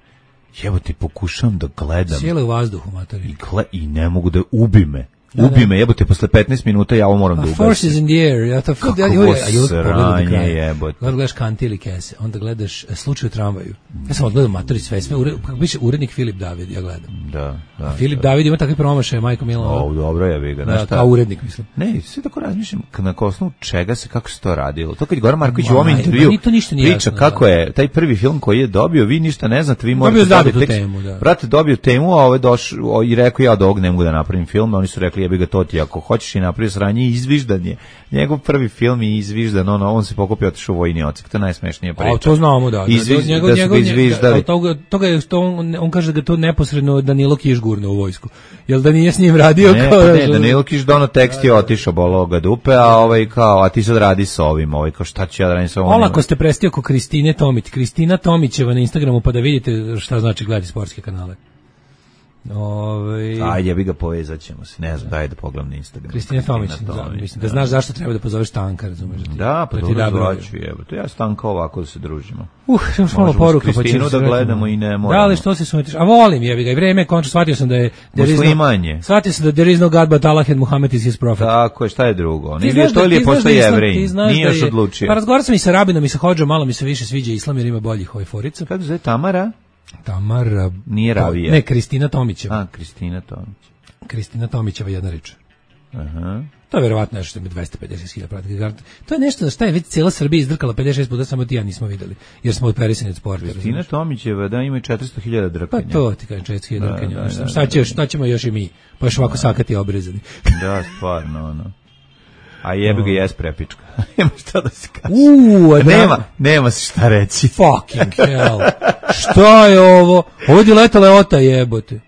Evo ti pokušavam da gledam. Sile u vazduhu, matori. I ne mogu da ubi me. Ubi me, jebote, posle 15 minuta ja ovo moram da ugasim. Forces in the air. Ja to kakvo sranje, jebote. Gledaš Kante ili Kese, onda gledaš Slučaj u tramvaju. Ja sam odgledao matori sve, kako biće urednik Filip David, ja gledam. Da. Filip David ima takve promašaje, Majko Milo. Dobro je, vi ga. Da, kao urednik, mislim. Ne, sve tako razmišljam, na osnovu čega se, kako se to radilo. To kad je Goran Marković u ovom intervju priča kako je taj prvi film koji je dobio, vi ništa ne znate, vi morate dobiti temu. Brate, dobio temu, a ovo je došao i rekao ja od ovog ne mogu da napravim film, oni su rekli jebi ga to ti, ako hoćeš i napravio sranje, izviždan je. Njegov prvi film je izviždan, on se pokupio, otišao u vojni odsek, to je najsmešnija priča. A to znamo, da. On kaže da ga to neposredno Danilo Kiš gurne u vojsku. Jel da nije s njim radio? Ne, Danilo Kiš dono tekst je otišao, bolo ga dupe, a ti sad radi sa ovim, kao šta ću ja da radim sa ovim? Olako ste prestio oko Kristine Tomić. Kristina Tomićeva na Instagramu, pa da vidite šta znači gledati sportske kanale. Ajde, ja bi ga povezat ćemo se, ne znam, daj da pogledam na Instagram. Kristina Tomić, mislim da znaš zašto treba da pozoveš Stanka, razumeš? Da, pa dobro zvaću, to ja Stanka ovako da se družimo. Još malo poruka, pa Kristinu da gledamo i ne moramo. Da, ali što se sumetiš? A volim, jebi ga, i vreme, končno shvatio sam da je... Muslimanje. Shvatio sam da there is no God but Allah and Muhammad is his prophet. Tako je, šta je drugo? Nije što ili je postoji Jevrej, nije još odlučio. Pa razgovaram sam i sa Rabinom i sa Hodžom, malo mi se više sviđa islam jer ima boljih forica. Kako zove Tamara? Tamara... Nije Ravija. Ne, Kristina Tomićeva. Kristina Tomić. Kristina Tomićeva, jedna reč. Aha. To je verovatno nešto što ima 250.000 pratitelja. To je nešto za šta je već cijela Srbija izdrkala 56 puta, samo ti ja nismo videli, jer smo operisani od sporta. Kristina Tomićeva, da, ima 400.000 drkanja. Pa to ti kažem, 400.000 drkanja. Šta ćemo još i mi? Pa još ovako sakati obrezani. Da, stvarno, A jebi ga jes prepička. Nema šta da se kaže. Nema se šta reći. Fucking hell. Šta je ovo? Ovo je letala Leota jebote.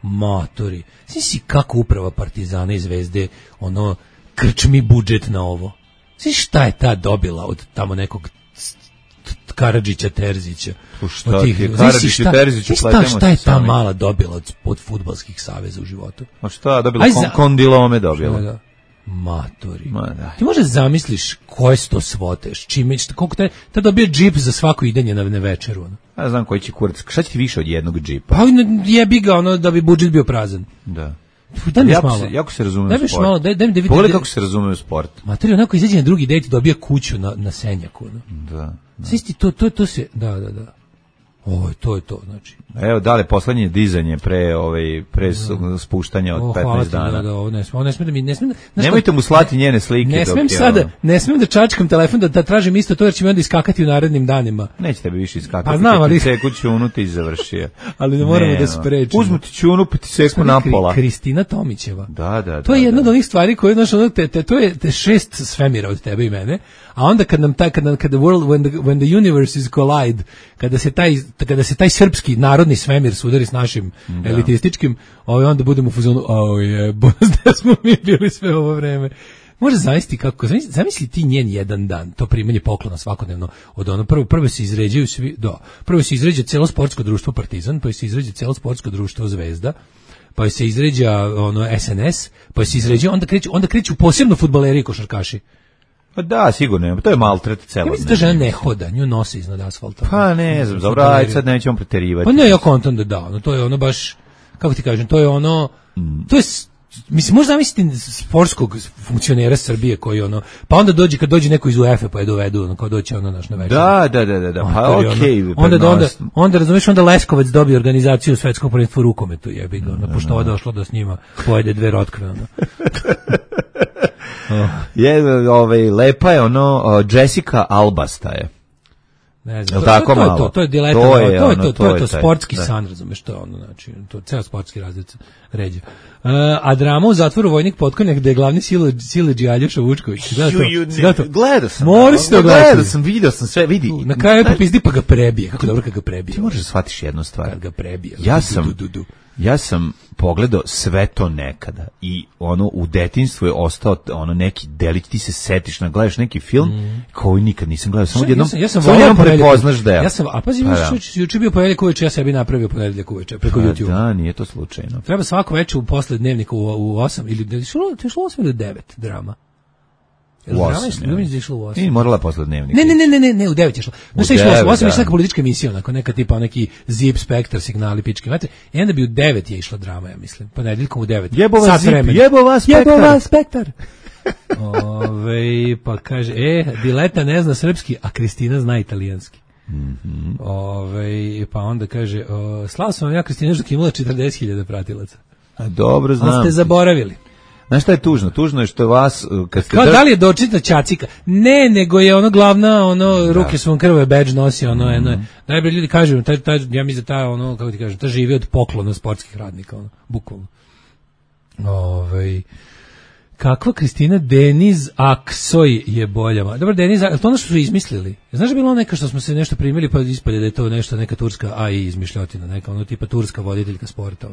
Matori. Znači kako uprava Partizana i Zvezde krčmi budžet na ovo. Znači šta je ta dobila od tamo nekog Karadžića Terzića. Šta ti je Karadžiću Terziću pletemo? Šta je ta mala dobila od fudbalskih saveza u životu? A šta dobila? Kondilome dobila. Matori. Ma, da. Ti možeš zamisliš koje su to svote, čime će, koliko te dobije džip za svako idenje na večeru. Ono. Ja znam koji će kurac. Šta će ti više od jednog džipa? Pa jebi ga ono da bi budžet bio prazan. Da. Daj mi malo. Jako se razume u sport. Malo, daj mi da vidim. Pogledaj kako se razume u sport. Matori, onako izađe na drugi dejt i dobija kuću na Senjaku. No. Da. Isti, to se, da. Ovo, to je to, znači. Evo, dale, poslednje dizanje pre spuštanja od 15 dana. Da, ovo ne sme da mi, nemojte mu slati njene slike. Ne smem da čačkam telefon da tražim isto to, jer će mi onda iskakati u narednim danima. Neće tebi više iskakati. Pa znam, ali... Seku ćunu ti završio. Ali ne moramo da sprečimo. Uzmu ti ćunu pa ti seku napola. Kristina Tomićeva. Da. To je jedna od onih stvari koje, znaš, to je 6 svemira od tebe i mene, a onda kada when the universes collide, kada se taj srpski narodni svemir sudari s našim elitističkim, onda budemo u fazonu, da smo mi bili sve ovo vreme. Može zamisliti kako, zamisli ti njen jedan dan, to primanje poklona svakodnevno od ono, prvo se izređaju svi, prvo se izređa celo sportsko društvo Partizan, pa se izređa celo sportsko društvo Zvezda, pa se izređa SNS, pa se izređa, onda kreću posebno fudbaleri i košarkaši. Pa da, sigurno, to je maltret celo. Ja mislim da žena ne hoda, nju nosi iznad asfalta. Pa ne znam, dobro, ajde sad nećemo preterivati. Pa ne, ja kontam da, to je ono baš, kako ti kažem, to je ono, to je, mislim, možda zamisliti sportskog funkcionera Srbije koji pa onda kad dođe neko iz UEFA pa je dovedu, kao doće naš na večer. Da, pa okej. Onda razumeš, onda Leskovac dobije organizaciju svetskog prvenstva u rukometu, jebi ga, pošto ovo došlo da s njima pojede 2 rotkve, lepa je Jessica Albasta je. Ne znam, to je dileta, to je sportski san, razumeš, to je znači, to ceo sportski razred ređa. A drama u zatvoru Vojnik Potkonjak, gde je glavni siledži Aljoša Vučković. Gledao sam. Moraš to gledati. Gledao sam, vidio sam sve, vidi. Na kraju popizdi pa ga prebije, kako dobro kad ga prebije. Ti možeš da shvatiš jednu stvar. Kad ga prebije. Ja sam pogledao sve to nekada i u detinjstvu je ostao neki delić, ti se setiš, gledaš neki film koji nikad nisam gledao, samo jednom prepoznaš deo. A pazi, juče bio ponedeljak uveče, ja sebi napravio ponedeljak uveče preko YouTube. Da, nije to slučajno. Treba svako večer posle dnevnika u 8 ili šlo 8 ili 9 drama. U 8. Nije morala posle dnevnika. Ne, u 9 je šlo. Znaš šta je šlo? U 8 je neka politička emisija, neka tipa neki Zip, Spektar, Signali, pičke. I onda bi u 9 je išla drama, ja mislim. Ponedeljkom u 9. Jebova Zip, jebova Spektar. Pa kaže, Dileta ne zna srpski, a Kristina zna italijanski. Pa onda kaže, slao sam vam ja, Kristina, dok imala 40.000 pratilaca. Dobro, znam. Ali ste zaboravili. Znaš šta je tužno? Tužno je što vas... Kao da li je dočita Ćacika? Ne, nego je glavna, ruke su vam krve, badge nosi, najbolji ljudi kažu, ja mislim da kako ti kažem, ta živi od poklona sportskih radnika, bukvalno. Kakva Kristina Deniz Aksoj je bolja. Dobro, Deniz, to ono što su izmislili. Znaš da je bilo neka što smo se nešto primili pa ispade da je to nešto, neka turska AI izmišljotina, neka tipa turska voditeljka sporta,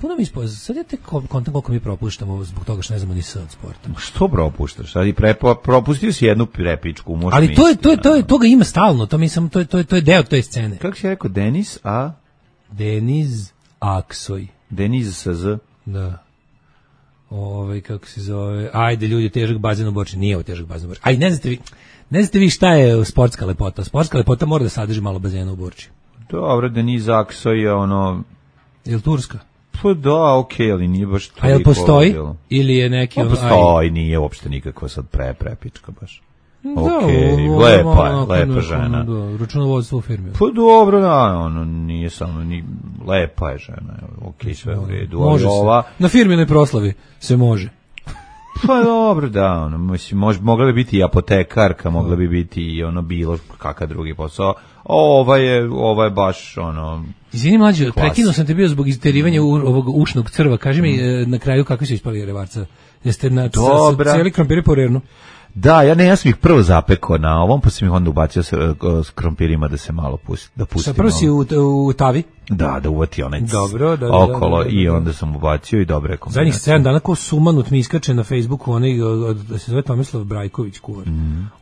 Puno mi ispoznam, sad je te kontam koliko mi propuštamo zbog toga što ne znamo ni sve od sporta. Što propuštaš? Sad propustio si jednu repičku. Ali toga ima stalno, to je deo te scene. Kako si rekao, Deniz Aksoj. Deniz sa Z? Da. Kako se zove, ajde ljudi, težak bazen u Borči, nije ovo težak bazen u Borči. Aj, ne znate vi šta je sportska lepota? Sportska lepota mora da sadrži malo bazena u Borči. Dobro, Deniz Aksoj je Je li turska? Pa da, okej, ali nije baš toliko. A jel postoji? Ili je neki... Postoji, nije uopšte nikakva sad prepička baš. Okej, lepa žena. Računovodstvo u firmi. Pa dobro, da, nije samo, lepa je žena, okej, sve u redu. Može se, na firminoj proslavi se može. Pa dobro, da, mogla bi biti i apotekarka, mogla bi biti i bilo kakav drugi posao. Ova je baš Izvini mlađe, prekinuo sam te bio zbog izterivanja ovog ušnog crva. Kaži mi na kraju kakvi su ispali revarca. Jeste na cijeli krompiri po rernu? Da, ja sam ih prvo zapekao na ovom, pa sam ih onda ubacio s krompirima da se malo da pustim. Prvo si u tavi? Da uvati onaj okolo i onda sam ubacio i dobre kombinacije. Zadnjih 7 dana kao sumanut mi iskače na Facebooku onaj, da se zove Tomislav Brajković kuvar.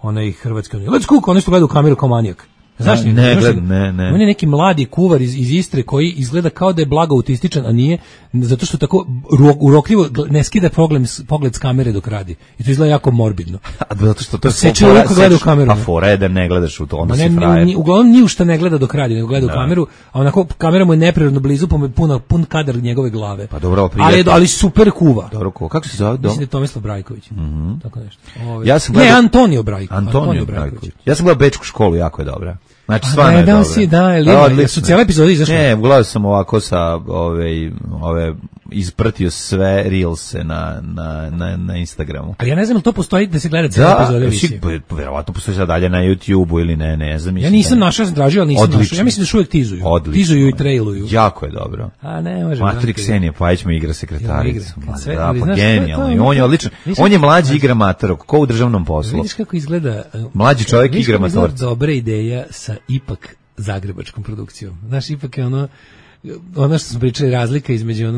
Onaj hrvatski, let's cook, onaj što gleda u kameru kao manijak. Znaš, Ne gledam, ne. On je neki mladi kuvar iz Istre koji izgleda kao da je blago autističan, a nije, zato što tako urokljivo ne skida pogled s kamere dok radi. I to izgleda jako morbidno. A zato što to je seče uvijek gleda u kameru. A fora je da ne gledaš u to, onda si frajer. Uglavnom ni u šta ne gleda dok radi, nego gleda u kameru, a onako kamera mu je neprirodno blizu, pa mu je pun kadar njegove glave. Pa dobro, ali super kuva. Dobro, kako se zove? Mislim da je Tomislav Brajković. Tako nešto. Ja sam gledao... Ne, Antonio Brajković. Ja sam gledao Bečku školu, jako je dobra. Znači, stvarno je dobra. Si, da, su cijele epizode izašle? Ne, gledao sam ovako sa ispratio sve reelse na Instagramu. Ali ja ne znam li to postoji da se gleda cijele epizode emisije. Da, verovatno postoji sad dalje na YouTubeu ili ne znam. Ja nisam našao, sam tražio, ali nisam našao. Ja mislim da još uvijek tizuju. Tizuju i trailuju. Jako je dobro. A ne, može. Matrik Ksenija Pajić mu igra sekretaricu. Da, pa znaš, genijalno. On je odličan. On je mlađi igra matorog, ko u državnom poslu. Vidiš kako izgleda... Mlađi čovjek igra matorca. Vidiš kako dobra ideja sa ipak zagrebačkom produkcijom. Znaš, ipak je ono što smo pričali, razlika između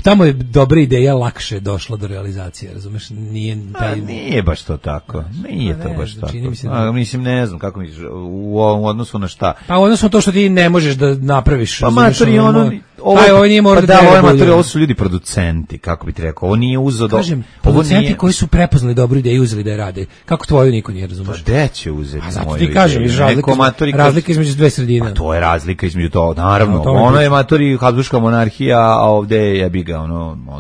tamo je dobra ideja lakše došla do realizacije, razumeš? Nije baš to tako. Nije to baš tako. Mislim, ne znam kako misliš, u odnosu na šta. Pa u odnosu na to što ti ne možeš da napraviš. Pa matori, ovo nije možda ovo su ljudi producenti, kako bi ti rekao. Ovo nije uzeo do... Kažem, producenti koji su prepoznali dobru ideju, uzeli da je rade. Kako tvoju niko nije, razumeš? Pa gde će uzeti moju ideju? Ti kažem, razlika između dve sredine. Pa to je razlika između to, naravno. Ono je matori Habsburška monarhija, a ovde jebi ga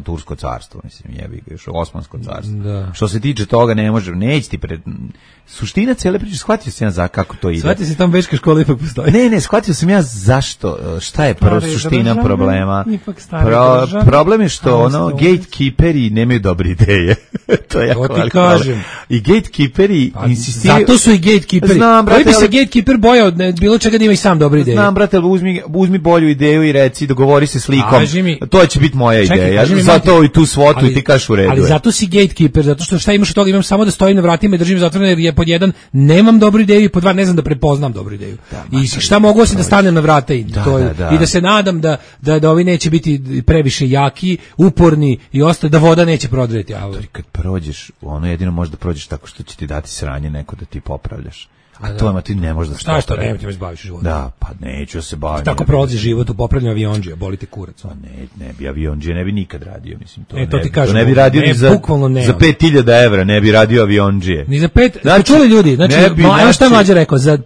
Tursko carstvo, mislim, jebi ga još Osmansko carstvo. Što se tiče toga, neće ti suština cijele priče, shvatio sam ja za kako to ide. Shvatio se tam Bečka škola ipak postoji. Ne, shvatio sam ja zašto, šta je prvo suština problema. Problem je što gatekeeperi nemaju dobre ideje. To je jako ti kažem. I gatekeeperi insistiraju. Zato su i gatekeeperi. Koji bi se gatekeeper bojao bilo čega da ima i sam dobre ideje. Znam, brate, uzmi bolju ideju i reci, dogovori se s likom. To će biti moja ideja. Zato i tu svotu i ti kažeš u redu. Ali zato si gatekeeper, zato što šta imaš od toga, imam samo da stojim na vratima i držim zatvorene, jer je pod jedan nemam dobru ideju i pod dva ne znam da prepoznam dobru ideju. I šta mogu osim da stanem na vrata i da se nadam da ovi neće biti previše jaki, uporni i ostalo, da voda neće prodreti. Kad prođeš, jedino može da prođeš tako što će ti dati sranje neko da ti popravljaš. A to ti ne možeš da šta što ne ti me zbaviš života. Da, pa neću se baviti. Tako prolazi život u popravljanju aviondžija, boli te kurac. Pa ne bi aviondžija, ne bi nikad radio, mislim to. To ti kažem. Ne bi radio ni za 5.000 evra, ne bi radio aviondžije. Ni za 5. Znači čuli ljudi, znači šta Mlađa rekao, za do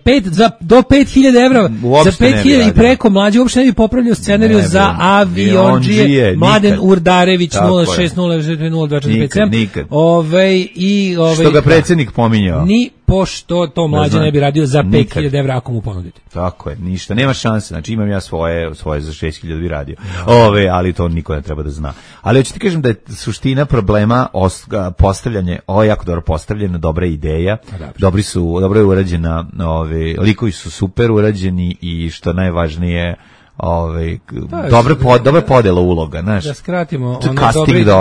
5.000 evra, za 5.000 i preko Mlađa uopšte ne bi popravljao scenariju za aviondžije. Mladen Urdarević 0600245. Što ga predsjednik pominjao. Ni pošto to Mlađa ne bi radio za 5.000 evra ako mu ponudite. Tako je, ništa, nema šanse. Znači imam ja svoje za 6.000 bi radio. Ali to niko ne treba da zna. Ali hoću ti kažem da je suština problema postavljanje, ovo je jako dobro postavljena, dobra ideja. Dobro je urađena, likovi su super urađeni i što najvažnije dobra podela uloga, znaš. Da skratimo,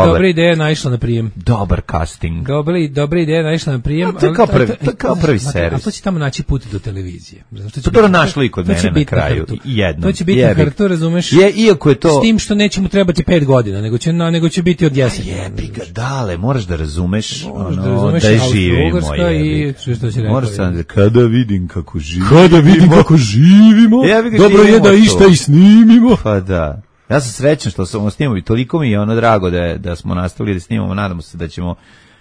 dobra ideja naišla na prijem. Dobar casting. Dobra ideja naišla na prijem. To je kao prvi servis. A to će tamo naći put do televizije. To je našlo i kod mene na kraju. To će biti na hrtu, razumeš? Iako je to... S tim što neće mu trebati 5 godina, nego će biti od jeseni. Jebi ga, dale, moraš da razumeš da je živimo. Moraš sam kada vidim kako živimo. Dobro je da išta i snimimo. Pa da. Ja sam srećan što smo snimali, toliko mi je drago da smo nastavili da snimamo, nadamo se da ćemo,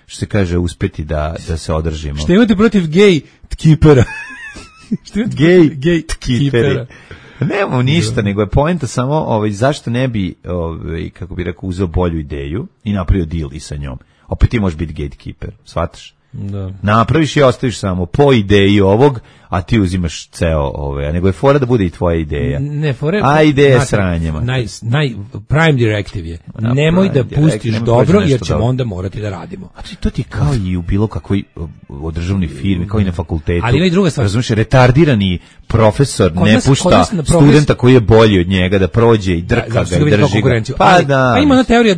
što se kaže, uspeti da se održimo. Što imate protiv gay tkipera? Gay tkiperi. Nemamo ništa, nego je poenta samo zašto ne bi, kako bi rekao, uzeo bolju ideju i napravio deal i sa njom. Opet ti možeš biti gatekeeper, shvataš? Da. Napraviš i ostaviš samo po ideji ovog, a ti uzimaš ceo a nego je fora da bude i tvoja ideja. A ideja sranjema. Prime directive je, nemoj da pustiš dobro, jer ćemo onda morati da radimo. A to ti kao i u bilo kakvoj državnoj firmi, kao i na fakultetu. Ali ima i druga stvar. Razumiješ, retardirani profesor ne pušta studenta koji je bolji od njega da prođe i drka ga i drži ga. Pa ima ona teorija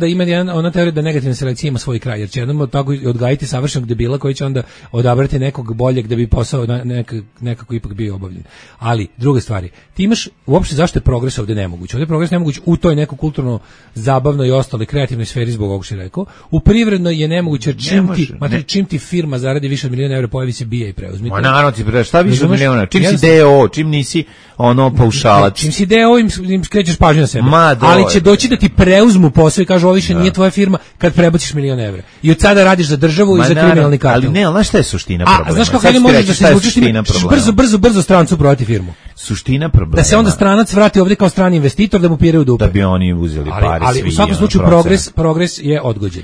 da negativna selekcija ima svoj kraj, jer će jednom tako odgajiti savršenog debila koji će onda odabrati nekog boljeg da bi posao nekako ipak bio obavljen. Ali, druga stvari, ti imaš, uopšte zašto je progres ovde nemoguć? Ovde je progres nemoguć u toj neko kulturno, zabavnoj i ostale kreativnoj sferi zbog ovog što je rekao. U privrednoj je nemoguće, čim ti firma zaradi više od miliona evra, pojavi se bija i preuzmi. Ma naravno ti šta više od miliona? Čim si DO, čim nisi ono paušalac. Čim si DO im skrećeš pažnju na sebe. Ali će doći da ti preuzmu posao i kažu ovo više nije tvoja firma kad prebaciš milion evra. I od sada radiš za državu i za kriminalni kartel. Ali ne, znaš šta je suština problema? Znaš kako ne možeš da se izvučeš brzo strancu prodati firmu. Suština problema. Da se onda stranac vrati ovde kao strani investitor da mu piraju dupe. Da bi oni uzeli pare. Ali u svakom slučaju progres je odgođen.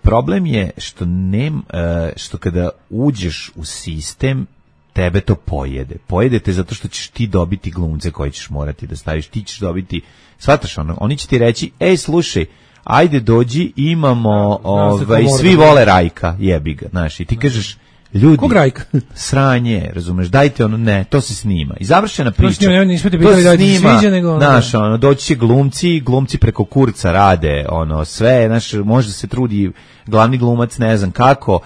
Problem je što kada uđeš u sistem tebe to pojede. Pojede te zato što ćeš ti dobiti glumce koje ćeš morati da staviš. Ti ćeš dobiti, shvataš ono, oni će ti reći, ej slušaj, ajde dođi, imamo, svi vole Rajka, jebi ga, znaš, i ti kažeš, ljudi, kog Rajka? Sranje, razumeš, dajte ono, ne, to se snima. I završena priča. To se snima, znaš, ono, doći će glumci preko kurca rade, ono, sve, znaš, možda se trudi glavni glumac, ne znam kako,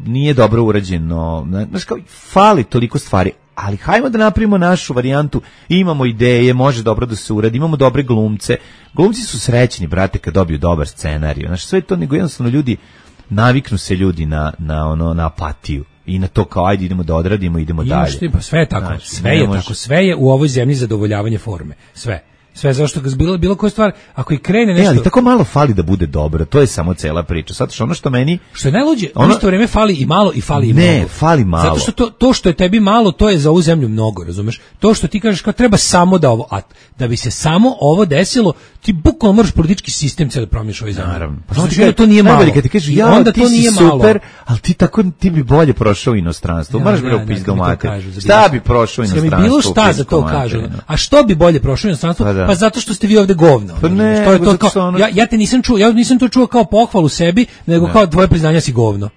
nije dobro urađeno, znaš, kao, fali toliko stvari, ali hajmo da napravimo našu varijantu, imamo ideje, može dobro da se uradi, imamo dobre glumce, glumci su srećni, brate, kad dobiju dobar scenarij, znaš, sve to, nego jednostavno ljudi, naviknu se ljudi na apatiju i na to kao, ajde idemo da odradimo, idemo dalje. Pa sve je tako, znači, sve je u ovoj zemlji zadovoljavanje forme, sve zašto bilo koja stvar, ako i krene nešto... ali tako malo fali da bude dobro, to je samo cela priča. Sad što ono što meni... Što je najluđe, u isto vreme fali i malo i fali i mnogo. Ne, fali malo. Zato što to što je tebi malo, to je za ovu zemlju mnogo, razumeš? To što ti kažeš kao treba samo da ovo, a da bi se samo ovo desilo, ti bukvalno moraš politički sistem da promijeniš ovaj zemlju. Naravno. Pa znači da to nije malo. Kad ti kažeš, ja, ti si super, ali ti bi bolje prošao u inostranstvo. Moraš bre u pizdu mater. Šta bi prošao u inostranstvo? Bilo šta za to kažu. A što bi bolje prošao u inostranstvo? Pa zato što ste vi ovde govno. Pa ne, ja te nisam čuo, ja nisam to čuo kao pohvalu sebi, nego kao tvoje priznanja si govno.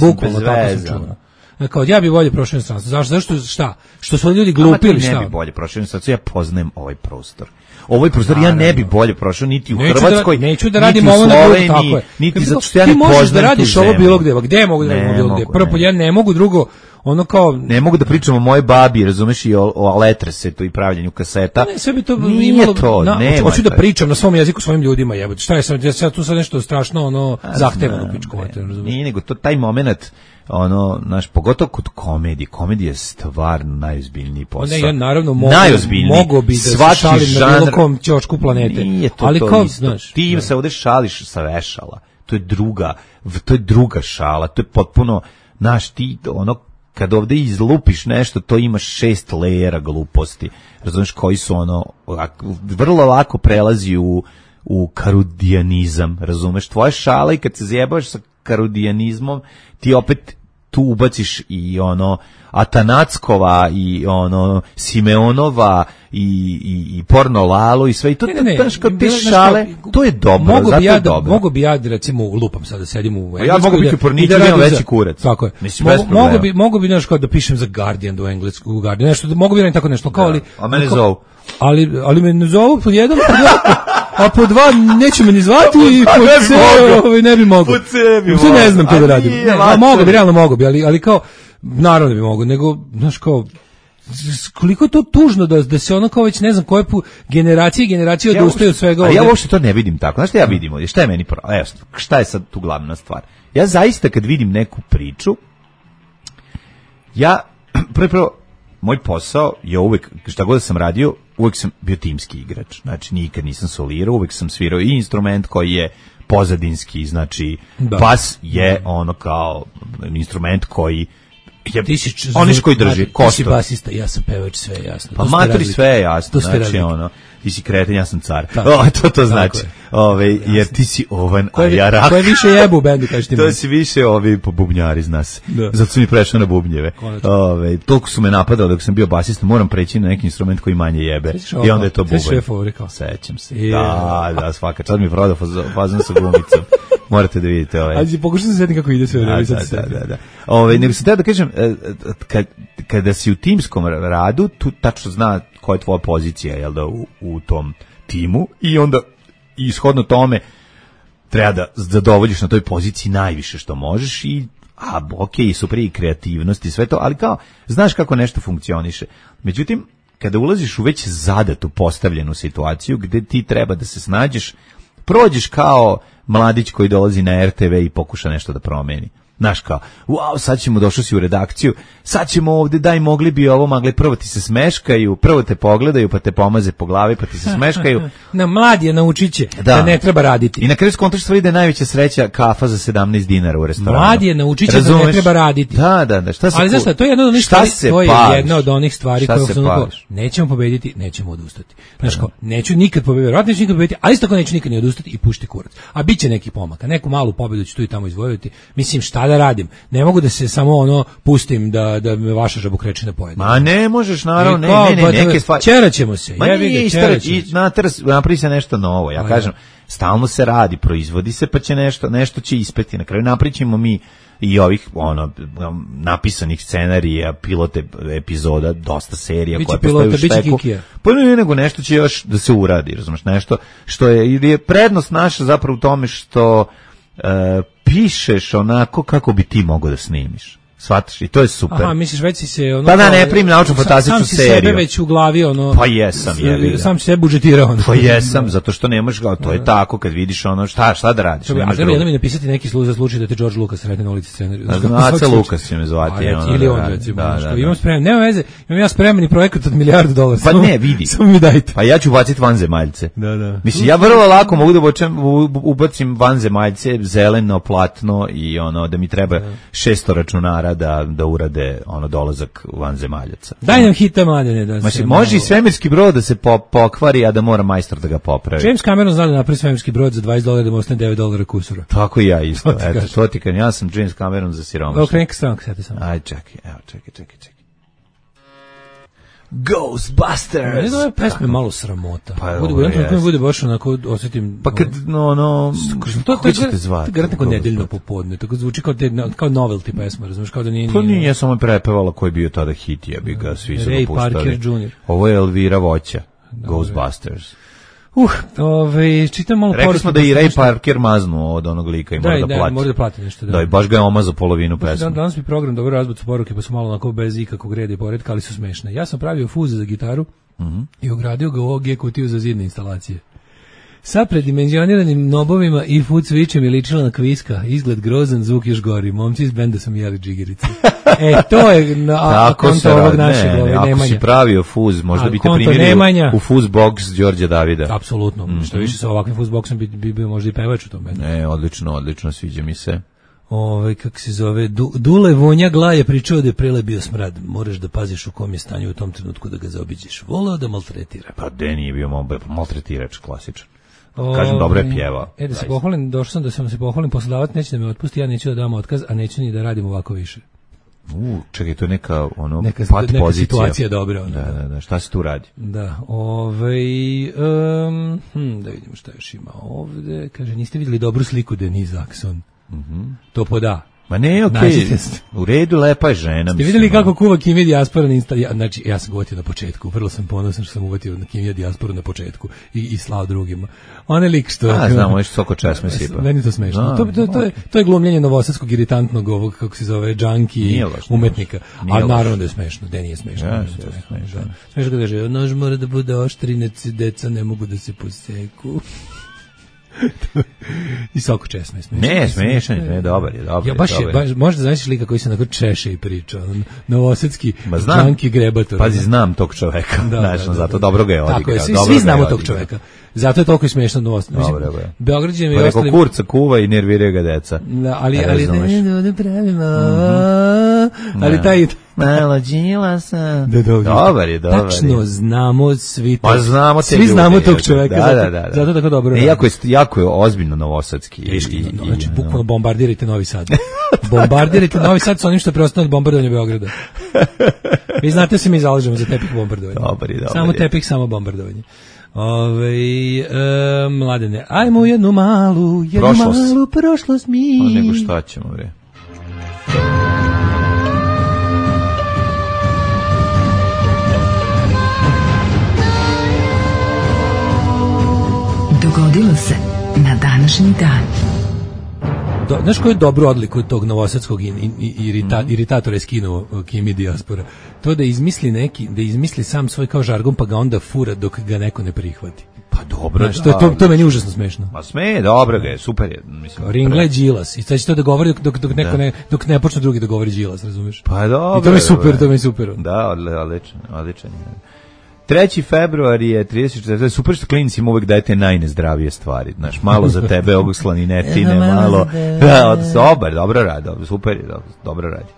Bukvalno tako sam čuo. Kao ja bih bolje prošao inostranstvo. Zašto šta? Što su ljudi glupili šta? Ne bi bolje prošao inostranstvo. Ja poznajem ovaj prostor. Ovaj prostor ja ne bi bolje prošao niti u Hrvatskoj, neću da radim ovo na Sloveniji, tako je. Niti zato što ja ne poznajem. Ti možeš da radiš ovo bilo gde, gde mogu da radim bilo gde. Prvo ja ne mogu, drugo ono kao ne mogu da pričam o moje babi, razumeš, i o letresetu i pravljenju kaseta. Ne, sve bi to imalo. Hoću da pričam na svom jeziku svojim ljudima, jebote. Šta je sad tu sad nešto strašno ono zahtevano pičku mater, razumeš? Nije nego to taj momenat ono, naš, pogotovo kod komedija je stvarno najozbiljniji posao. Ne, ja naravno mogu bi da se šalim na bilo kom ćošku planete. Nije to ali to kao, znaš, ti se ovdje šališ sa vešala. To je druga šala. To je potpuno, znaš, ti ono, kad ovdje izlupiš nešto, to imaš 6 lejera gluposti. Razumiješ, koji su ono, vrlo lako prelazi u karudijanizam, razumeš? Tvoja šala i kad se zjebaš sa karudijanizmom, ti opet tu ubaciš i ono Atanackova i ono Simeonova i Porno Lalo i sve i to te šale, to je dobro, zato je dobro. Mogu bi ja recimo lupam sada sedim u ja mogu biti pornič, imam veći kurac. Tako je. Mislim, mogu bi nešto da pišem za Guardian do engleskog Guardian, nešto mogu bi tako nešto kao ali a mene zovu. Ali me ne zovu pod jedan, a po dva neće me ni zvati i po C ne bi mogu. Po C bi mogu. Ne znam to da radim. Realno mogu bi, ali kao, naravno bi mogu, nego, znaš kao, koliko je to tužno da se ono kao već ne znam koje generacije odustaju od svega. Ali ja uopšte to ne vidim tako. Znaš šta ja vidim? Šta je meni evo, šta je sad tu glavna stvar? Ja zaista kad vidim neku priču, ja prvo moj posao je uvek, šta god sam radio, uvek sam bio timski igrač. Znači, nikad nisam solirao, uvek sam svirao i instrument koji je pozadinski, znači, bas je ono kao instrument koji je, oniš koji drži, Ti si basista, ja sam pevač, sve je jasno. Pa matori sve je jasno, znači ono, ti si kreten, ja sam car. To znači. Jer ti si ovan, a ja rak. Ko je više jebu u bendu, kažeš ti mi? To si više po bubnjari, zna se. Zato su mi prešao na bubnjeve. Toliko su me napadali dok sam bio basista, moram preći na neki instrument koji manje jebe. I onda je to bubanj. Sećam se. Da, svaka. Sad mi prodao fazon sa gumicom. Morate da vidite ovaj. Ajde, pokušaj se sjetiti kako ide sve. Da. Nego sam da kažem, kada si u timskom radu, tu tačno zna koja je tvoja pozicija, jel da, u tom timu i onda ishodno tome treba da zadovoljiš na toj poziciji najviše što možeš i a okej, super i kreativnost i sve to, ali kao, znaš kako nešto funkcioniše. Međutim, kada ulaziš u već zadatu postavljenu situaciju gde ti treba da se snađeš, prođeš kao mladić koji dolazi na RTV i pokuša nešto da promeni. Znaš kao, wow, sad ćemo, došao si u redakciju, sad ćemo ovde, daj, mogli bi ovo, mogli, prvo ti se smeškaju, prvo te pogledaju, pa te pomaze po glavi, pa ti se smeškaju. Na mlad je, naučit će da ne treba raditi. I na kraju skontaš stvari da je najveća sreća kafa za 17 dinara u restoranu. Mlad je, naučit će da ne treba raditi. Da, šta se... Ali znaš šta, to je jedna od onih stvari, to je jedna od onih stvari koje nećemo pobediti, nećemo odustati. Znaš kao, neću nikad pobediti, verovatno neću nikad pobediti, ali isto tako neću nikad ni odustati i pušti kurac. A bit će neki pomaka, neku malu pobedu ću tu i tamo izvojiti. Mislim, šta da radim? Ne mogu da se samo pustim da me vaša žabokrečina pojede. Ma ne možeš, naravno, ne, neke stvari. Čeraćemo se. Napravi se nešto novo. Ja kažem, stalno se radi, proizvodi se, pa će nešto će ispeti. Na kraju napričimo mi i ovih napisanih scenarija, pilote epizoda, dosta serija koje postoje u šteku. Pa ne, nego nešto će još da se uradi, razumeš, nešto što je prednost naša zapravo u tome što pišeš onako kako bi ti mogao da snimiš. Shvataš? I to je super. Aha, misliš, već si se... Pa da, ne primim naučno fantastičnu seriju. Sam si sebe već u glavi, Pa jesam, sam si sebe budžetirao. Pa jesam, zato što nemaš, to je tako, kad vidiš šta da radiš. A treba jednom mi napisati neki slučaj da te George Lucas sretne na ulici scenariju. Aca Lucas će me zvati. Ili on, recimo. Imam spreman, nema veze, imam ja spremani projekat od $1 milijardu. Pa ne, vidi. Samo mi dajte. Pa ja ću baciti vanzemaljce. Da. Mislim, ja vrlo lako mogu da ubacim vanzemaljce, zeleno, platno i da mi treba 600 računara da urade dolazak vanzemaljaca. Daj nam hita, Mladene. Može i svemirski brod da se pokvari, a da mora majstor da ga popravi. James Cameron zna da napravi svemirski brod za $20 da mu ostane $9 kusura. Tako i ja isto. Eto, to ti kažem, ja sam James Cameron za siromašno. Okrenka stranka, sjeti sam. Aj, čekaj. Ghostbusters! Ne da ove pesme malo sramota. Pa bude baš onako, osjetim... Pa kad, ko ćete zvati? To je neko nedeljno popodne, tako zvuči kao novelty pesma, razumiješ, kao da nije... To nije samo prepevala koji je bio tada hit, ja bi ga svi su dopuštali. Ray Parker Jr. Ovo je Elvira Voća, Ghostbusters. Čitam malo poruke. Rekli smo da i Ray Parker maznu od onog lika i mora da plati. Mora da plati nešto. Da, i baš ga je omazao polovinu pesme. Danas mi program dobro razbacu poruke, pa su malo onako bez ikakvog reda i poretka, ali su smešne. Ja sam pravio fuz za gitaru i ugradio ga u OG kutiju za zidne instalacije. Sa predimenzioniranim nobovima i food switchem je ličila na kviska. Izgled grozan, zvuk još gori. Momci iz benda sam jeli džigerice. To je na konto ovog našeg Nemanja. Ako si pravio fuz, možda bi te primili u fuz box Đorđa Davida. Apsolutno. Što više sa ovakvim fuz boxom bi bio možda i pevač u tom bendu. Odlično, sviđa mi se. Kako se zove, Dule Vonja Gla je pričao da je prele bio smrad. Moraš da paziš u kom je stanju u tom trenutku da ga zaobiđeš. Volao da maltretira. Pa de nije bio maltretirač klasičan. Kažem, dobro je pjevao. Da se pohvalim, došao sam da sam se pohvalim, poslodavac neće da me otpusti, ja neću da dam otkaz, a neću ni da radim ovako više. Čekaj, to je neka neka situacija dobra. Da, šta se tu radi? Da, da vidimo šta još ima ovde. Kaže, niste vidjeli dobru sliku Denise Axon? To poda. Ma ne, okej, u redu, lepa je žena. Ste vidjeli kako kuva Kimija Dijaspora na Instagramu? Znači, ja sam ga uvatio na početku, vrlo sam ponosan što sam uvatio na Kimija Dijasporu na početku i slao drugima. On je lik što... znam, on je soko česme sipa. Meni to smešno. To je glumljenje novosadskog iritantnog ovog, kako se zove, džanki umetnika. Ali naravno da je smešno, da nije smešno. Smešno kada kaže, nož mora da bude oštrinac, deca ne mogu da se poseku. I soko česme. Ne, smešan je, dobar je. Ja baš možda znaš lika koji se onako češe i priča. Novosadski džanki grebator. Pazi, znam tog čoveka. Zato dobro ga je odigrao. Svi znamo tog čoveka. Zato je toliko smešno Novosadski. Beograđani i ostali... Kurca kuva i nerviraju ga deca. Ali da pravimo. Ali taj... Malo džila sam. Dobar je. Tačno znamo svi to. Pa znamo svi znamo tog čoveka. Zato tako dobro. Jako je ozbiljno novosadski. Znači, bukvalno bombardirajte Novi Sad. Bombardirajte Novi Sad sa onim što je preostalo od bombardovanja Beograda. Vi znate se mi zalažemo za tepih bombardovanja. Samo tepih, samo bombardovanje. Mladene, ajmo jednu malu prošlost mi. Nego šta ćemo, bre. Dogodilo se na današnji dan. znaš koju dobru odliku tog novosadskog iritatora je skinuo Kimi Diaspora? To da izmisli sam svoj kao žargon pa ga onda fura dok ga neko ne prihvati. Pa dobro, znaš, to je meni užasno smešno. Pa sme, dobro ga je, super je. Mislim, Ringle je Đilas i sad će to da govori dok ne počne drugi da govori Đilas, razumeš? Pa dobro. I to mi je super. Da, odličan. 3. februar je 34. Super što klinicima uvek dajete najnezdravije stvari. Znaš, malo za tebe ovog slaninetine, malo. Dobro radi, super je, dobro radi.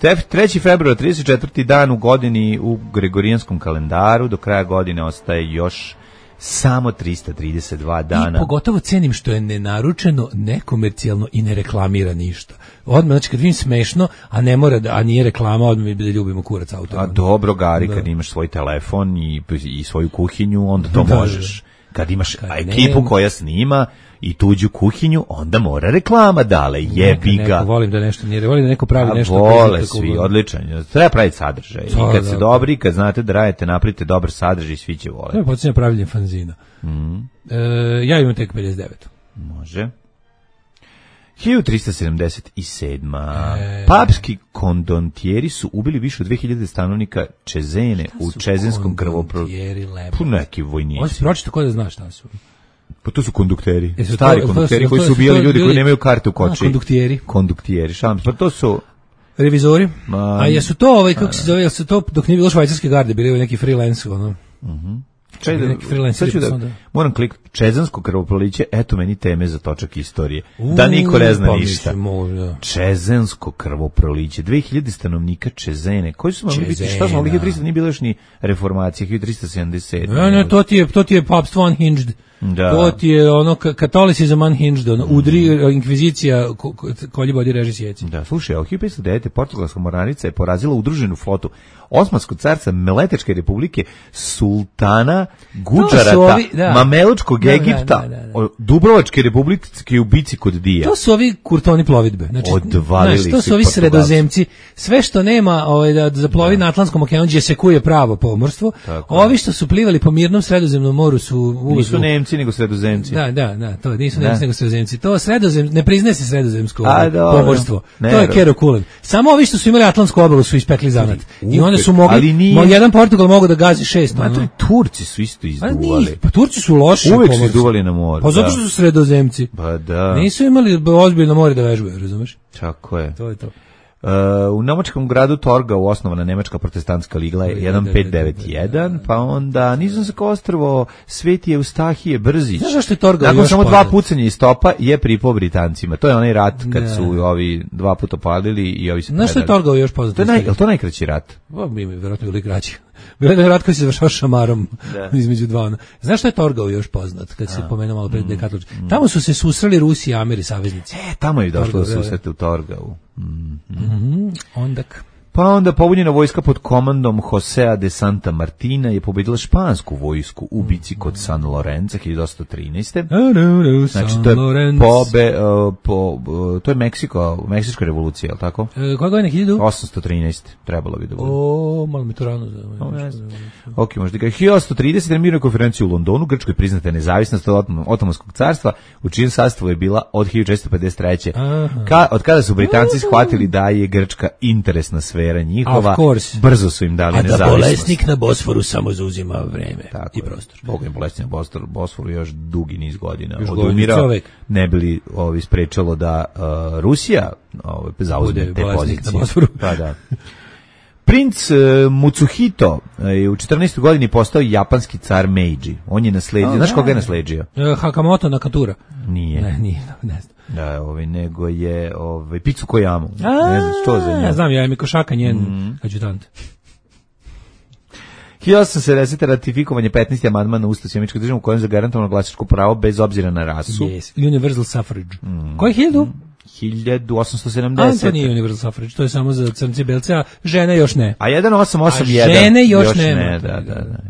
3. februar, 34. dan u godini u Gregorijanskom kalendaru, do kraja godine ostaje još samo 332 dana. I pogotovo cenim što je nenaručeno, nekomercijalno i ne reklamira ništa. Odmah, znači kad vidim smešno, a ne mora a nije reklama, odmah mi da ljubimo kurac auto. A dobro, Gari, kad imaš svoj telefon i svoju kuhinju, onda to možeš. Kad imaš ekipu koja snima i tuđu kuhinju, onda mora reklama, dale, jebi ga. Volim da nešto nije, volim da neko pravi nešto. Vole svi, odličan. Treba praviti sadržaj. I kad ste dobri, kad znate da radite, napravite dobar sadržaj, svi će voleti. To je počinje pravljenje fanzina. Ja imam tek 59. Može. 1377. Papski kondontijeri su ubili više od 2000 stanovnika Čezene u Čezenskom krvoproliću. Neki vojnici. Ovo si pročito ko da znaš šta su. Pa to su kondukteri, stari kondukteri koji su ubijali ljudi koji nemaju karte u koči. Konduktijeri, pa to su revizori. A jesu to kako se zove, jesu to dok nije bilo švajcarske garde, bili neki freelance, ono. Moram kliknuti Čezansko krvoproliće, eto meni teme za točak istorije. Da niko ne zna ništa. Čezansko krvoproliće, 2000 stanovnika Čezene. Koji su mogli biti? Šta smo mogli? 1300 nije bilo još ni reformacije, 1377. Ne, to ti je papstvo unhinged. Da. To ti je ono katolicizam unhinged, ono, udri, inkvizicija, kolji bodi reži sjeci. Da, slušaj, u 1509. portugalska mornarica je porazila udruženu flotu Osmanskog carca Meletečke republike, sultana Gudžarata, Mamelučkog Egipta, Dubrovačke republike u bici kod Dija. To su ovi kurtoni plovidbe. Znači, odvalili to su ovi sredozemci. Sve što nema da zaplovi na Atlantskom okeanu, gdje se kuje pravo pomorstvo, ovi što su plivali po mirnom Sredozemnom moru su nisu Nemci nego Sredozemci. Da, to nisu Nemci nego Sredozemci. To ne priznaje se sredozemsko pomorstvo. To je Kero Kulen. Samo ovi što su imali Atlantsku obalu su ispekli zanat. I onda su mogli, jedan Portugal mogu da gazi 6. Turci su isto izduvali. Pa Turci su loši. Uvek su izduvali na moru. Pa zato što su sredozemci. Pa da. Nisu imali ozbiljno more da vežbaju, razumeš? Tako je. To je to. U nemačkom gradu Torgau osnovana nemačka protestantska ligla je 1591, pa onda Nizozemsko ostrvo Sveti Eustahije Brzić. Znaš zašto je Torgau nakon samo 2 pucanja iz topa je pripao Britancima. To je onaj rat kad su ovi 2 puta palili i ovi se predali. Znaš što je Torgau još poznat? Je to najkraći rat? Vjerojatno ili kraći. Bilo je rat koji se završao šamarom između dva. Znaš što je Torgau još poznat, kad se pomenuo malo pred dekatloč? Tamo su se susreli Rusi i Ameri saveznici. Tamo je došlo do susreta u Torgau. Ondak. Pa onda pobunjena vojska pod komandom Josea de Santa Martina je pobedila špansku vojsku u bici kod San Lorenza 1813. Znači to je to je Meksička revolucija, je li tako? Koja godina 813 trebalo bi da bude. Malo mi to rano. Ok, možda ga 1830 na mirnoj konferenciji u Londonu Grčkoj priznata je nezavisnost od Otomanskog carstva, u čijem sastavu je bila od 1453. Od kada su Britanci shvatili da je Grčka interesna sfera njihova, brzo su im dali nezavisnost. A da bolesnik na Bosforu samo zauzima vreme i prostor. Boga je bolesnik na Bosforu još dugi niz godina odumirao, ne bi li sprečalo da Rusija zauzme te pozicije. Da. Princ Mutsuhito je u 14. godini postao japanski car Meiji. On je nasledio, znaš koga je nasledio? Hakamoto Nakatura. Nije. Ne znam. Da, nego je Pitsu Kojamu. Ne znam što za nju. Znam, ja je Mikošaka njen adjutant. 1870. ratifikovanje 15. amandman na Ustav Sjemičke države u kojem je zagarantovano glasačko pravo bez obzira na rasu. Yes, universal suffrage. Koji 1870. To nije universal suffrage, to je samo za crnce i belce, a žene još ne. A 1881. A žene još ne. Da.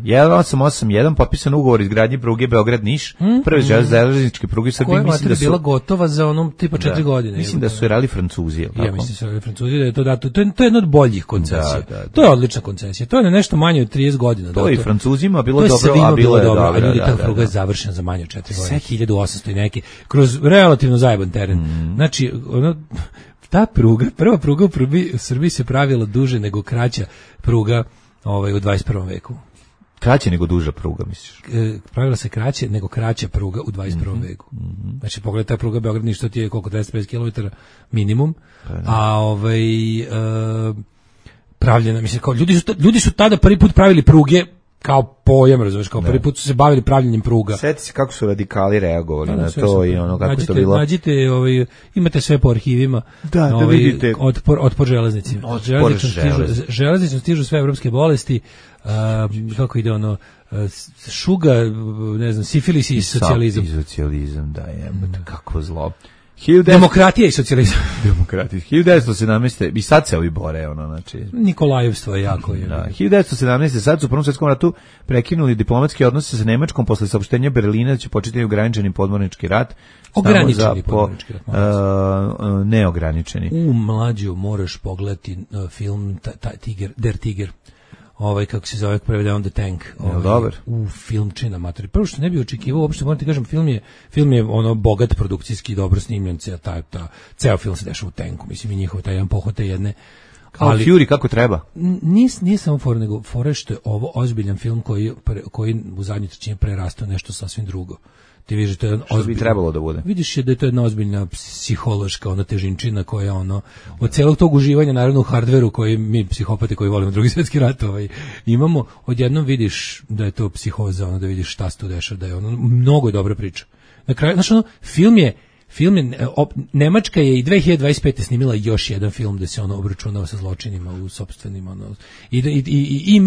1881, potpisan ugovor izgradnje pruge Beograd-Niš, prve železničke pruge u Srbiji. Koja je bila gotova za onom tipa 4 godine. Mislim da su je rali Francuzi. Ja mislim da su rali Francuzi, da je to dato. To je jedna od boljih koncesija. To je odlična koncesija. To je nešto manje od 30 godina. To je i Francuzima bilo dobro, a bilo je dobro. A ljudi, ta pruga je završena za manje od 4 godine. 1800 i neki, kroz relativno zajeban teren. Znači, Znači, ono, ta pruga, prva pruga u Srbiji se pravila duže nego kraća pruga u 21. veku. Kraće nego duža pruga, misliš? Pravila se kraće nego kraća pruga u 21. veku. Znači, pogledaj, ta pruga Beograd Niš, to ti je koliko, 250 km minimum, a pravljena, mislim, kao ljudi su tada prvi put pravili pruge kao pojam, razumiješ, kao prvi put su se bavili pravljenjem pruga. Sjeti se kako su radikali reagovali na to i ono kako je to bilo. Nađite, imate sve po arhivima. Da vidite. Otpor železnici. Železnicom stižu sve evropske bolesti, kako ide ono, šuga, ne znam, sifilis i socijalizam. I socijalizam, da je, kako zlo. Demokratija i socijalizam. Demokratija. 1917. I sad se ovi bore, ono, znači. Nikolajevstvo je jako. Da, 1917. Sad su u Prvom svjetskom ratu prekinuli diplomatske odnose sa Nemačkom posle saopštenja Berlina da će početi ograničeni podmornički rat. Ograničeni podmornički rat. Neograničeni. Mlađu, moraš pogledati film Der Tiger. Kako se zove, prevede on The Tank. Dobar. Filmčina matori. Prvo što ne bi očekivao, uopšte moram ti kažem, film je ono bogat produkcijski, dobro snimljen, ceo film se dešava u tanku, mislim i njihov taj jedan pohote jedne. Ali Fury kako treba? Nije samo fora, nego fora što je ovo ozbiljan film koji u zadnjoj trećini prerastao nešto sasvim drugo. Ti vidiš, to je što bi trebalo da bude. Vidiš da je to jedna ozbiljna psihološka težinčina koja od celog tog uživanja naravno u hardveru koji mi psihopati koji volimo Drugi svjetski rat imamo, odjednom vidiš da je to psihoza, da vidiš šta se tu dešava, da je mnogo dobra priča. Na kraju, znači film je Nemačka je i 2025. snimila još jedan film da se obračunava sa zločinima u sopstvenim i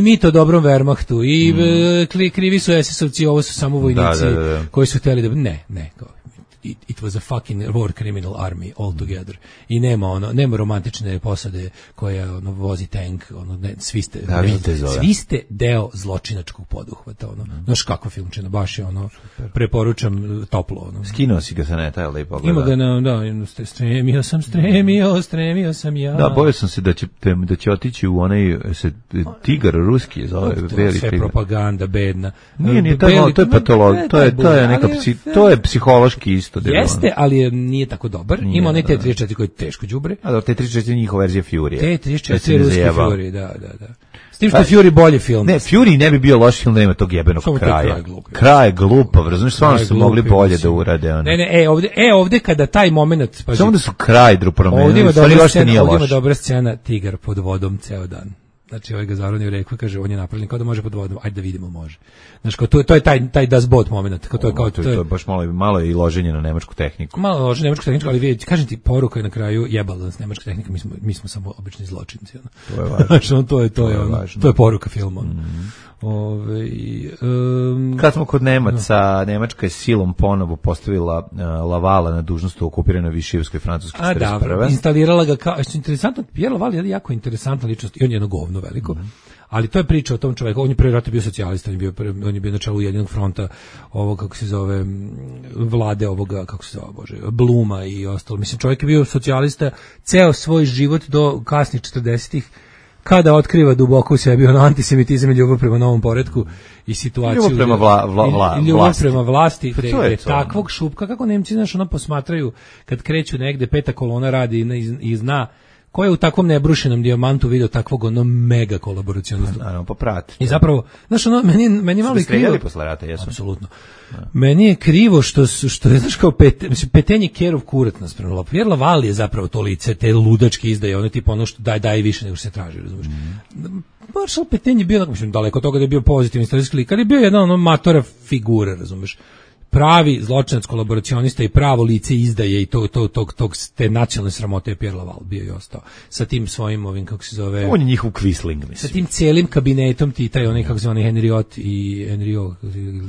mit o dobrom Wehrmachtu i krivi su SS-ovci, ovo su samo vojnici koji su htjeli da ne it was a fucking war criminal army all together. I nema romantične posade koja vozi tank, svi ste deo zločinačkog poduhvata, znaš kakva filmčina, baš je preporučam toplo. Skinuo si ga sa neta, ali pogleda. Ima ga stremio sam ja. Da, bojao sam se da će otići u onaj tigar ruski, zove Beli sve tigar. Propaganda bedna. Nije, to je patologija, to je psihološki isto. Jeste, ali nije tako dobar. Ima onaj T-34 koji je teško đubre. A da, T-34 je njihova verzija Fury. T-34 je ruski Fury, da. S tim što je Fury bolji film. Ne, Fury ne bi bio loš film da nema tog jebenog kraja. Kraj je glupav, razumiješ, stvarno su mogli bolje da urade. Ne, ovde kada taj moment... Samo da su kraj promenili, ovdje ima dobra scena, tigar pod vodom ceo dan. Znači, ovaj ga zaronio u reku i kaže, on je napravljen kao da može pod vodom, ajde da vidimo, može. Znači, to je taj Das Boot moment. To je baš malo i loženje na nemačku tehniku. Malo loženje na nemačku tehniku, ali vidite, kažem ti, poruka je na kraju jebala nas nemačka tehnika, mi smo samo obični zločinci. To je važno. To je poruka filma. Kad smo kod Nemaca, Nemačka je silom ponovo postavila Lavala na dužnost u okupiranoj Višijevskoj Francuskoj 41. Da, instalirala ga kao, interesantno, Pierre Laval je jako interesantna ličnost i on je jedno govno veliko, ali to je priča o tom čoveku, on je prvi rat bio socijalista, on je bio na čelu Ujedinjenog fronta ovog, kako se zove, vlade ovoga, kako se zove, Bluma i ostalo. Mislim, čovjek je bio socijalista ceo svoj život do kasnih 40-ih, kada otkriva duboko u sebi antisemitizam i ljubav prema novom poretku i situaciju. Ljubav prema vlasti. Ljubav prema vlasti. Takvog šupka, kako Nemci, znaš, posmatraju kad kreću negde, peta kolona radi i zna ko je u takvom nebrušenom dijamantu video takvog mega kolaboracionista. Naravno, poprati. I zapravo, znaš, meni malo i krivo. Streljali posle rata, jesu? Apsolutno. Meni je krivo što je, znaš, kao Petenje Kerov kurat nas prema. Pierre Laval je zapravo to lice, te ludačke izdaje, tipa ono što daje više nego što se traži, razumiješ. Maršal Petain je bio, mislim, daleko od toga da je bio pozitivni istorijski lik, ali je bio jedna matora figura, razumiješ. Pravi zločinac, kolaboracionista i pravo lice izdaje i te nacionalne sramote je Pierre Laval bio i ostao. Sa tim svojim ovim, kako se zove... On je njihov Quisling, mislim. Sa tim cijelim kabinetom ti taj onaj, kako se zove, Henriot i Henriot,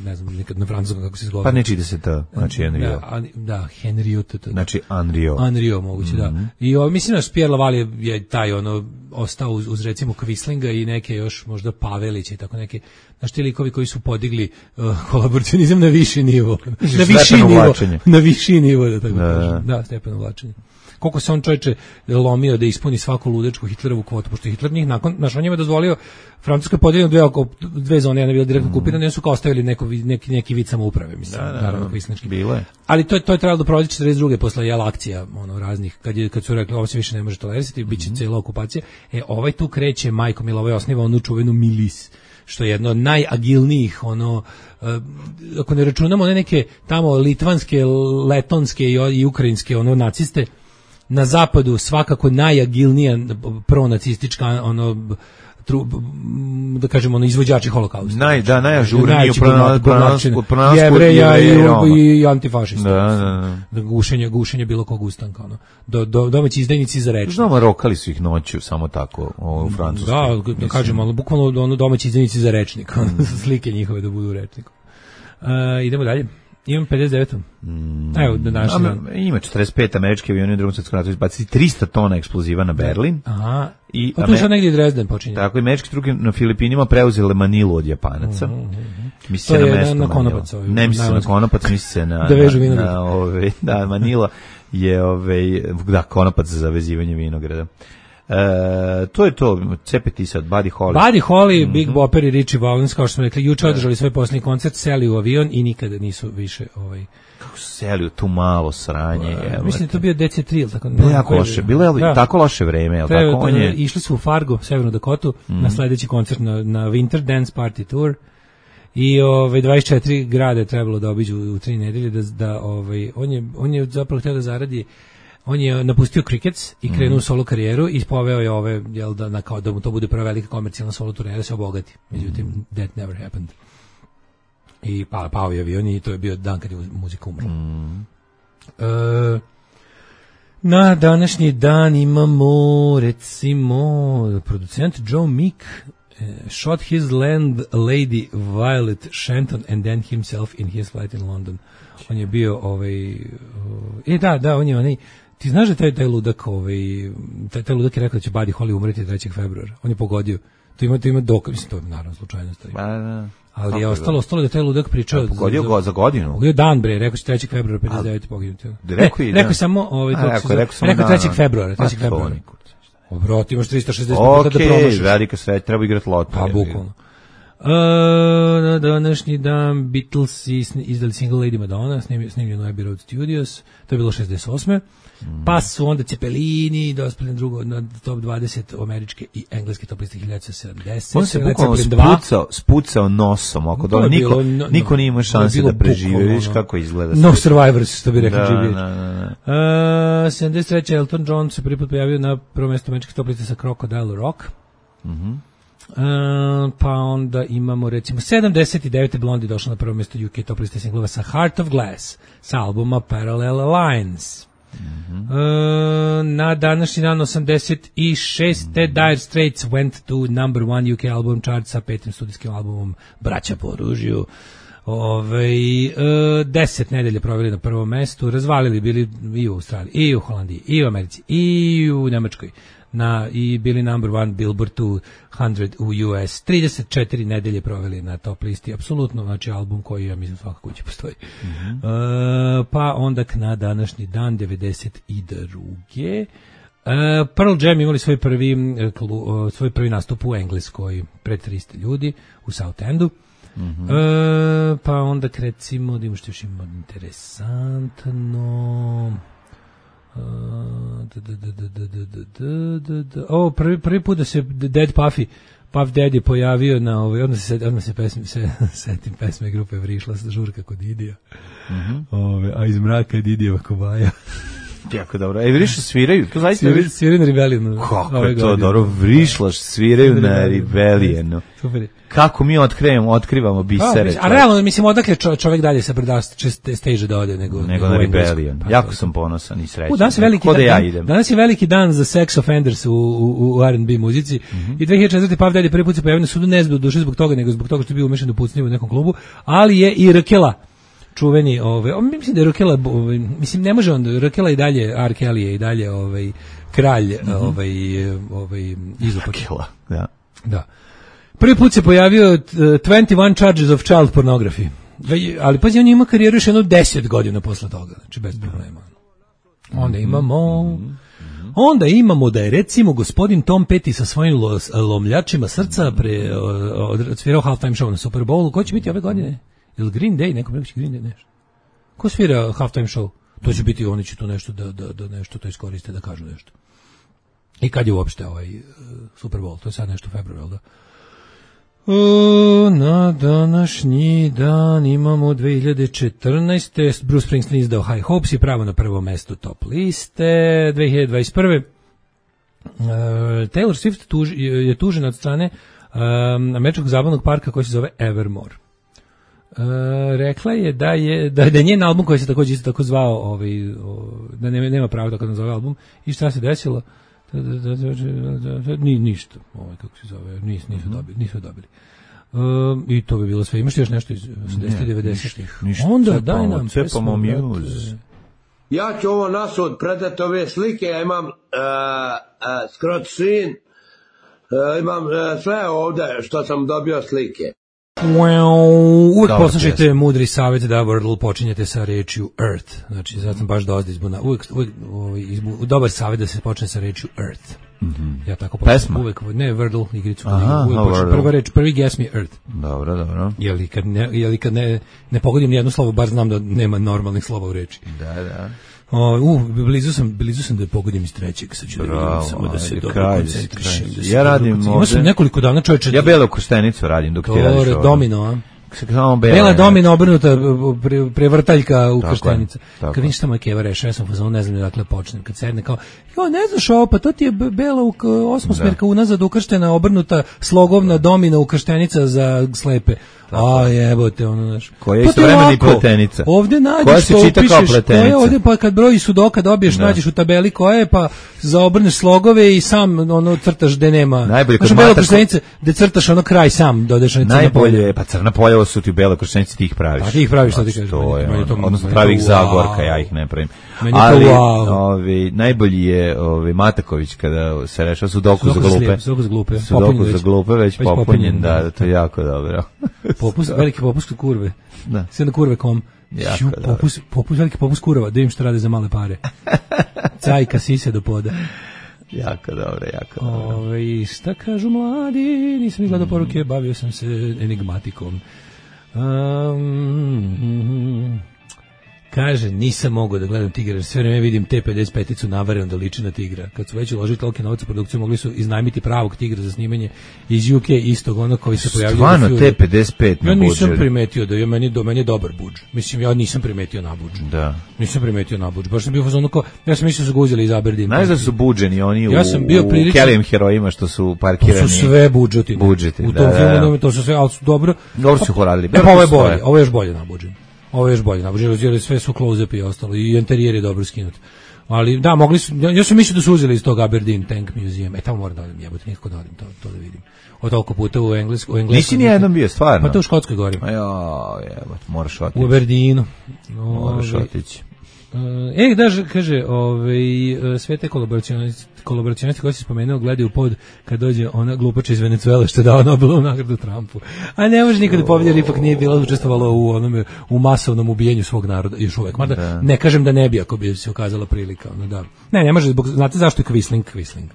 ne znam, nekad na francuskom kako se zove. Pa ne čide se to, znači Henriot. Da, Henriot. Znači Henriot. Henriot, moguće, da. I mislim da Pierre Laval je taj ostao uz recimo Quislinga i neke još možda Pavelića i tako neke, znaš, ti likovi koji su podigli kolaboracionizam na viši nivo. Na viši nivo, da tako kažem. Da, stepen uvlačenja. Koliko se on čovječe lomio da ispuni svaku ludačku Hitlerovu kvotu, pošto je Hitler njih nakon, znaš, on njima dozvolio, Francuska je podijeljena dve zone, jedna je bila direktno okupirana, su kao ostavili neki vid samouprave, mislim, naravno kvisnički. Bilo je. Ali to je trebalo da provodi 42. posle jel akcija, raznih, kad su rekli ovo se više ne može tolerisati, bit će cijela okupacija. Ovaj tu kreće, majko mila, ovaj osniva onu čuvenu milis, što je jedno od najagilnijih, ako ne računamo one neke tamo litvanske, letonske i ukrajinske naciste, na zapadu svakako najagilnija pronacistička da kažemo izvođači holokausta. Najažurniji u pronalasku Jevreja i antifašista. Gušenje bilo kog ustanka. Domaći izdajnici za rečnik. Znamo, rokali su ih noću samo tako u Francuskoj. Da kažemo, ali bukvalno domaći izdajnici za rečnik. Slike njihove da budu u rečniku. Idemo dalje. Imam 59. Evo, ima 45 američki avioni u drugom svjetskom ratu izbacili 300 tona eksploziva na Berlin. Aha. Pa tu je sad negdje i Dresden počinje. Tako, američki truke na Filipinima preuzele Manilu od Japanaca. Misli se na mesto na Konopac. Ne misli se na Konopac, misli se na da vežu vinograd. Da, Manila je Konopac za vezivanje vinograda. To je to, cepeti sad, Buddy Holly, Big Bopper i Richie Valens, kao što smo rekli, juče održali svoj posljednji koncert, seli u avion i nikada nisu više Kako su seli u tu malo sranje? Mislim da to bio DC3, ili tako? Bilo jako loše, bilo je tako loše vreme, jel tako? Išli su u Fargo, Severnu Dakotu, na sledeći koncert na Winter Dance Party Tour i 24 grade je trebalo da obiđu u 3 nedelje, on je zapravo htio da zaradi. On je napustio Crickets i krenuo u solo karijeru i poveo je ove, jel da mu to bude prva velika komercijalna solo turneja da se obogati. Međutim, that never happened. I pao je avion i to je bio dan kad je muzika umrla. Na današnji dan imamo, recimo, producent Joe Meek shot his landlady Violet Shenton and then himself in his flight in London. On je bio on je onaj. Ti znaš da taj ludak, taj ludak je rekao da će Buddy Holly umreti 3. februara. On je pogodio. To ima dokaz, mislim, to je naravno slučajnost. Ali je ostalo da taj ludak pričao. Pogodio ga za godinu. Pogodio dan, bre, rekao će 3. februara 59. poginuti. Rekao samo rekao 3. februara. Brot, imaš 360 puta da promašiš. Velika sreća, treba igrati loto. Pa, bukvalno. Na današnji dan Beatles izdali single Lady Madonna, snimljeno Abbey Road Studios, to je bilo 68. Pa su onda Cepelini dospeli na top 20 američke i engleske top liste 1970. On se bukvalno spucao nosom, oko dole, niko nije imao šanse da prežive, vidiš kako izgleda. No survivors, što bi rekli GBH. 73. Elton John se prvi put pojavio na prvo mjesto američke top liste sa Crocodile Rock. Pa onda imamo recimo 79. Blondie došla na prvo mjesto UK top liste singlova sa Heart of Glass sa albuma Parallel Lines. Na današnji dan 86. Dire Straits went to number 1 UK album chart sa 5. studijskim albumom Braća po oružju. 10 nedelje proveli na prvom mestu, razvalili bili i u Australiji, i u Holandiji, i u Americi, i u Nemačkoj. I bili number 1 Billboard 200 u US. 34 nedelje proveli na top listi. Apsolutno, znači album koji ja mislim svakako kući postoji. Pa onda na današnji dan 92. Pearl Jam imali svoj prvi nastup u Engleskoj pred 300 ljudi u Southendu. Pa onda recimo da imamo što još ima interesantno. Prvi put da se Dead Puff Daddy pojavio na odmah se setim pesme grupe Vrišla žurka kod Didija. A iz mraka je Didijeva kobaja. Jako dobro. Vrišla sviraju, to zaista sviraju na Rebellionu. Kako je to dobro, Vrišla sviraju na Rebellionu. Super. Kako mi otkrivamo bisere. A realno, mislim, odakle čovjek dalje sa brdaste stage da ode nego na Rebellion. Jako sam ponosan i srećan. Danas je veliki dan za sex offenders u R&B muzici i 2004. Puff Daddy prvi put se pojavio na sudu, ne zbog duše zbog toga, nego zbog toga što je bio umešan do pucnje u nekom klubu, ali je i Rkela čuveni, mislim da je Rokela, mislim ne može on, Rokela i dalje, R. Kelly je i dalje kralj, izopak. Da. Da. Prvi put se pojavio 21 charges of child pornography. Ali pazi, on ima karijeru još jedno 10 godina posle toga, znači bez problema. Onda imamo da je recimo gospodin Tom Petty sa svojim lomljačima srca odsvirao halftime show na Super Bowlu. Ko će biti ove godine? Ili Green Day? Neko preko će Green Day nešto. Ko svira halftime show? To će biti, oni će tu nešto da nešto to iskoriste, da kažu nešto. I kad je uopšte Super Bowl? To je sad nešto u februaru, da? Na današnji dan imamo 2014. Bruce Springsteen izdao High Hopes i pravo na prvo mesto top liste. 2021. Taylor Swift je tužena od strane američkog zabavnog parka koji se zove Evermore. Rekla je da je njen album koji se također isto tako zvao, da nema pravo tako nazove album. I šta se desilo? Ništa, kako se zove, nisu dobili. I to bi bilo sve. Imaš još nešto iz 80-90-ih? Onda daj nam pesmu. Ja ću ovo nasud predati ove slike, ja imam scrot screen, imam sve ovde što sam dobio slike. Uvijek poslušajte mudri savjet da Wordle počinjete sa rečju Earth. Znači, sad sam baš dosta izbuna. Uvijek dobar savjet da se počne sa rečju Earth. Ja tako pesma? Uvijek, ne Wordle igricu. Prva reč, prvi guess me Earth. Dobro. Jeli kad ne pogodim nijedno slovo, bar znam da nema normalnih slova u reči. Da. Blizu sam da pogodim iz trećeg, sad ću da vidim, samo da se dobro koncentrišem. Ja radim ovdje. Imao sam nekoliko dana, čovječe. Ja belu krštenicu radim dok ti radiš ovdje. Domino, a? Bela domina obrnuta prevrtaljka u krštenica. Kad vidiš šta moja keva reša, ja sam fazon, ne znam dakle počnem. Kad sedne kao, ne znaš ovo, pa to ti je bela osmosmerka unazad ukrštena, obrnuta slogovna domina ukrštenica za slepe. A jebote, ono znaš. Koja je istovremena i pletenica. Ovde nađeš što upišeš, koja je ovde, pa kad broji sudoka dobiješ, nađeš u tabeli koja je, pa zaobrneš slogove i sam crtaš gde nema. Najbolje kod bela krštenice, gde crtaš kraj sam, dodeš na crna polja. Najbolje, pa crna polja, ovo su ti bela krštenice, ti ih praviš. Pa ti ih praviš, što ti kažeš. Odnosno pravi ih Zagorka, ja ih ne pravim. Ali najbolji je Mataković kada se rešava sudoku za glupe. Sudoku za glupe, već popunjen, da, to je jako dobro. Veliki popust kod kurve. Da. Sve na kurve.com. Veliki popust kurva, da im što rade za male pare. Cajka sise do poda. Jako dobro. Šta kažu mladi? Nisam gledao poruke, bavio sam se enigmatikom. Kaže, nisam mogao da gledam Tigra, jer sve vreme vidim T-55-icu navarenu da liči na Tigra. Kad su već uložili tolike novce u produkciju, mogli su iznajmiti pravog Tigra za snimanje iz UK, istog onog koji se pojavljaju. Stvarno, T-55 na budžer. Ja nisam primetio da je meni dobar budž. Mislim, ja nisam primetio na budž. Da. Nisam primetio na budž. Baš sam bio fazonu kao, ja sam mislio da su ga uzeli iz Aberdeen. Znaš da su budženi oni u Kellyjem herojima što su parkirani. To su sve budžetine. U tom filmu to su sve, ali su dobro. Dobro su horadili. Ovo je još bolje na budžen. Ovo je još bolje nabožili, sve su close-up i ostalo, i interijer je dobro skinut. Ali da, mogli su, ja sam mislio da su uzeli iz tog Aberdeen Tank Museum. Tamo moram da odim, jebote, nikako da odim to da vidim. Od toliko puta u engleskom. Nisi nijednom bio, stvarno? Pa to u Škotskoj gori. Jebote, moraš otići. U Aberdeenu. Moraš otići. Kaže, sve te kolaboracionisti koji si spomenuo gledaju pod kad dođe ona glupača iz Venecuele što je dao Nobelovu nagradu Trumpu. A ne može nikada pobjedi, jer ipak nije bila učestvovala u masovnom ubijenju svog naroda još uvek. Mada ne kažem da ne bi ako bi se ukazala prilika. Ne može, znate zašto je Quisling?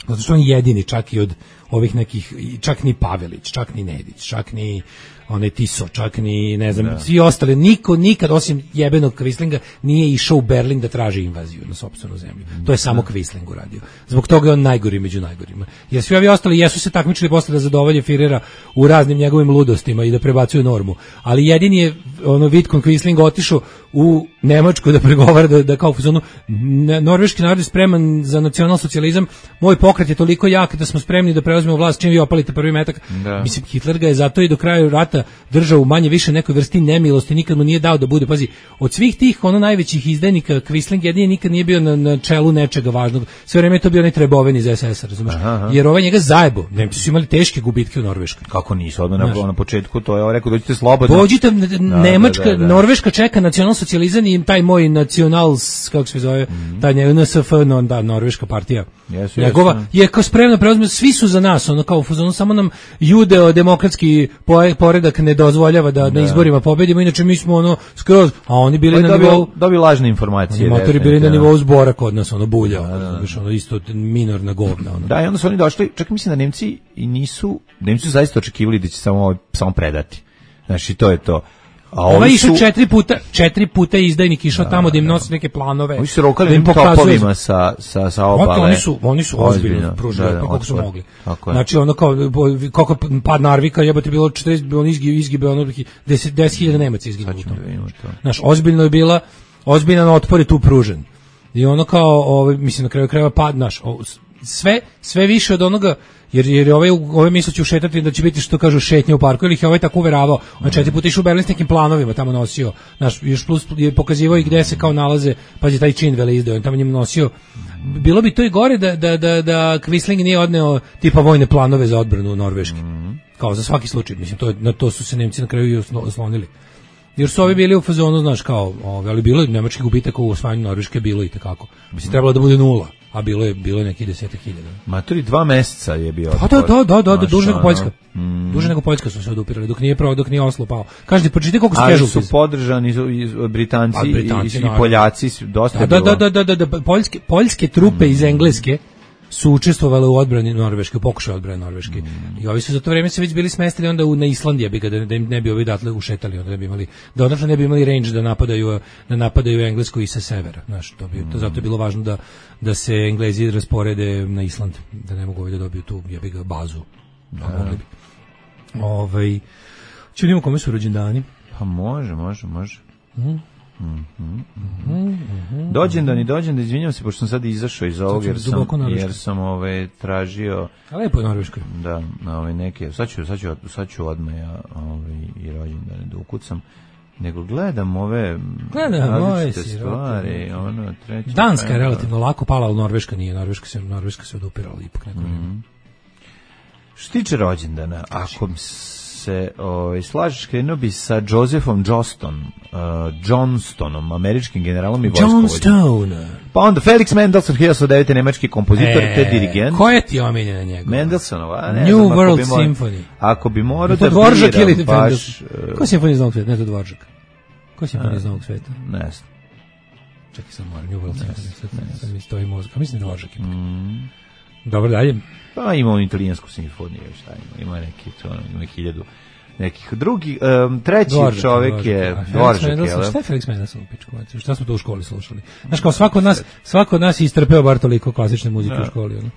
Zato što on jedini, čak i od ovih nekih, čak ni Pavelić, čak ni Nedić, čak ni onaj Tiso, čak ni, ne znam, svi ostali, niko nikad osim jebenog Quislinga nije išao u Berlin da traži invaziju na sopstvenu zemlju. To je samo Quisling uradio. Zbog toga je on najgori među najgorima. Jer svi ovi ostali jesu se takmičili posle da zadovolje Firera u raznim njegovim ludostima i da prebacuju normu. Ali jedini je Vidkun Quisling otišao u Nemačku da pregovara da kao u zonu norveški narod je spreman za nacionalsocijalizam, moj pokret je toliko jak da smo spremni da preuzmemo preuzmemo vlast, čim vi opalite prvi metak. Mislim, Hitler ga je zato i do kraja rata držao u manje više nekoj vrsti nemilosti, nikad mu nije dao da bude, pazi, od svih tih najvećih izdajnika, Quisling jedini nikad nije bio na čelu nečega važnog, sve vreme je to bio onaj Treboven iz SS-a, razumeš? Jer ovaj njega zajebo, Nemci su imali teške gubitke u Norveškoj. Kako nisu, odmah na početku to je rekao, dođite slobodno. Dođite, Nemačka, Norveška čeka nacionalsocijalizam i taj moj nacional, kako se zove, taj NSF, Norveška partija. Njegova je kao spremna preuzme, svi su za nas, ono kao u fazonu, samo nam judeo-demokratski poredak ne dozvoljava da na izborima pobedimo, inače mi smo ono skroz, a oni bili na nivou... Dobili lažne informacije. Motori bili na nivou Zbora kod nas, ono bulja, ono isto minorna govna. Da, i onda su oni došli, čak mislim da Nemci su zaista očekivali da će samo predati. Znači, to je to. Ova išao 4 puta izdajnik išao tamo da im nosi neke planove. Oni su rokali topovima sa obale. Oni su ozbiljno pružili kako su mogli. Znači ono kao kako pad Narvika jebote bilo 40, on izgibe ono 10.000 Nemaca izginulo. Znaš, ozbiljno je bila, ozbiljan otpor je tu pružen. I ono kao, mislim na kraju krajeva pad naš, sve više od onoga, jer ove misle će ušetati da će biti, što kažu, šetnje u parku, ili ih je ovaj tako uveravao. On 4 puta išao u Berlin s nekim planovima, tamo nosio, znaš, još plus je pokazivao i gde se kao nalaze, pazi, taj čin veleizdao, on tamo njim nosio. Bilo bi to i gore da Quisling nije odneo tipa vojne planove za odbranu Norveške, kao za svaki slučaj, mislim, na to su se Nemci na kraju i oslonili. Jer su ovi bili u fazonu, znaš, kao, ali bilo je nemački gubitak u osvajanju Norveške, bilo i tekako. Mislim, trebalo da bude 0, a bilo je neki 10.000. Maturi 2 meseca je bio. Da, duže nego Poljska. Duže nego Poljska su se odupirali, dok nije Oslo pao. Kažete, pročitajte koliko su casualties. Ali su podržani Britanci i Poljaci, dosta je bilo. Da, poljske trupe iz Engleske su učestvovali u odbrani Norveške, u pokušaju odbrane Norveške. I ovi su za to vreme se već bili smestili onda na Islandija, da ne bi ovi odatle ušetali, onda ne bi imali range da napadaju Englesku i sa severa. Znaš, zato je bilo važno da se Englezi rasporede na Island, da ne mogu ovi da dobiju tu bazu. Ču vidimo kome su rođendani? Pa može. Dođen da izvinjam se, pošto sam sad izašao iz ovog, jer sam tražio... A lepo je Norveškoj. Da, neke, sad ću odmah i rođendane da ukucam. Nego gledam ove stvari, treće... Danska je relativno lako pala, ali Norveška nije, Norveška se odupirala ipak neko vreme. Što tiče rođendana, ako se slažeš, krenuo bi sa Josephom Johnstonom, američkim generalom i vojskovođom. Pa onda Felix Mendelssohn, 1909. nemački kompozitor te dirigent. Ko je ti omiljena njegov? Mendelssohnova, New World Symphony. Ako bi morao da biram baš... Ko je simfonija iz Novog sveta? Ne, to Dvoržak. Ko je simfonija iz Novog sveta? Ne znam. Čekaj sam moram, New World Symphony. Sad mi stoji mozak. A mislim Dvoržak. Dobro, dalje. Pa ima italijansku simfoniju, šta ima neki, ima 1000 nekih drugih. Treći čovjek je Dvoržak. Šta je Felix Mendelssohn u pičku? Šta smo to u školi slušali? Znaš, kao svako od nas je istrpeo bar toliko klasične muzike u školi.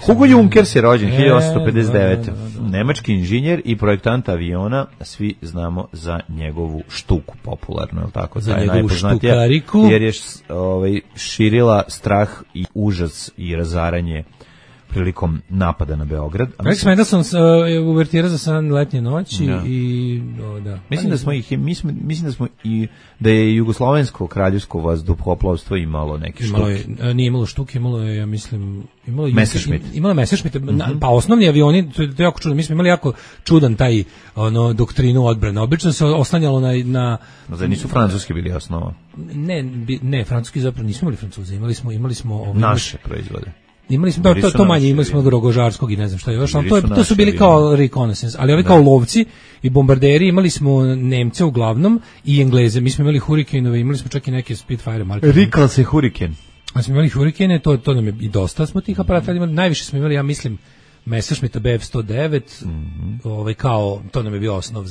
Hugo Junkers je rođen 1859. Nemački inženjer i projektant aviona, svi znamo za njegovu štuku popularno, je li tako? Za njegovu štukariku. Jer je širila strah i užas i razaranje prilikom napada na Beograd. Felix Mendelssohn je uvertira za San letnje noći i da. Mislim da je jugoslovensko kraljevsko vazduhoplovstvo imalo neke štuke. Nije imalo štuke, imalo je, ja mislim, Messerschmitt. Imalo Messerschmitt, pa osnovni avioni, to je jako čudno. Mi smo imali jako čudan taj doktrinu odbrane. Obično se oslanjalo na Zar nisu francuski bili osnova? Ne, francuski zapravo nismo imali Francuze, imali smo naše proizvode. Imali smo to manje, imali smo Rogožarskog i ne znam šta još, ali to su bili kao reconnaissance, ali ovi kao lovci i bombarderi, imali smo Nemce uglavnom i Engleze, mi smo imali Huricanove, imali smo čak i neke Spitfire marke. Rikal se Hurricane. A smo imali Hurricane, to nam je i dosta smo tih aparata imali, najviše smo imali, ja mislim, Messerschmitta BF-109, kao, to nam je bio osnov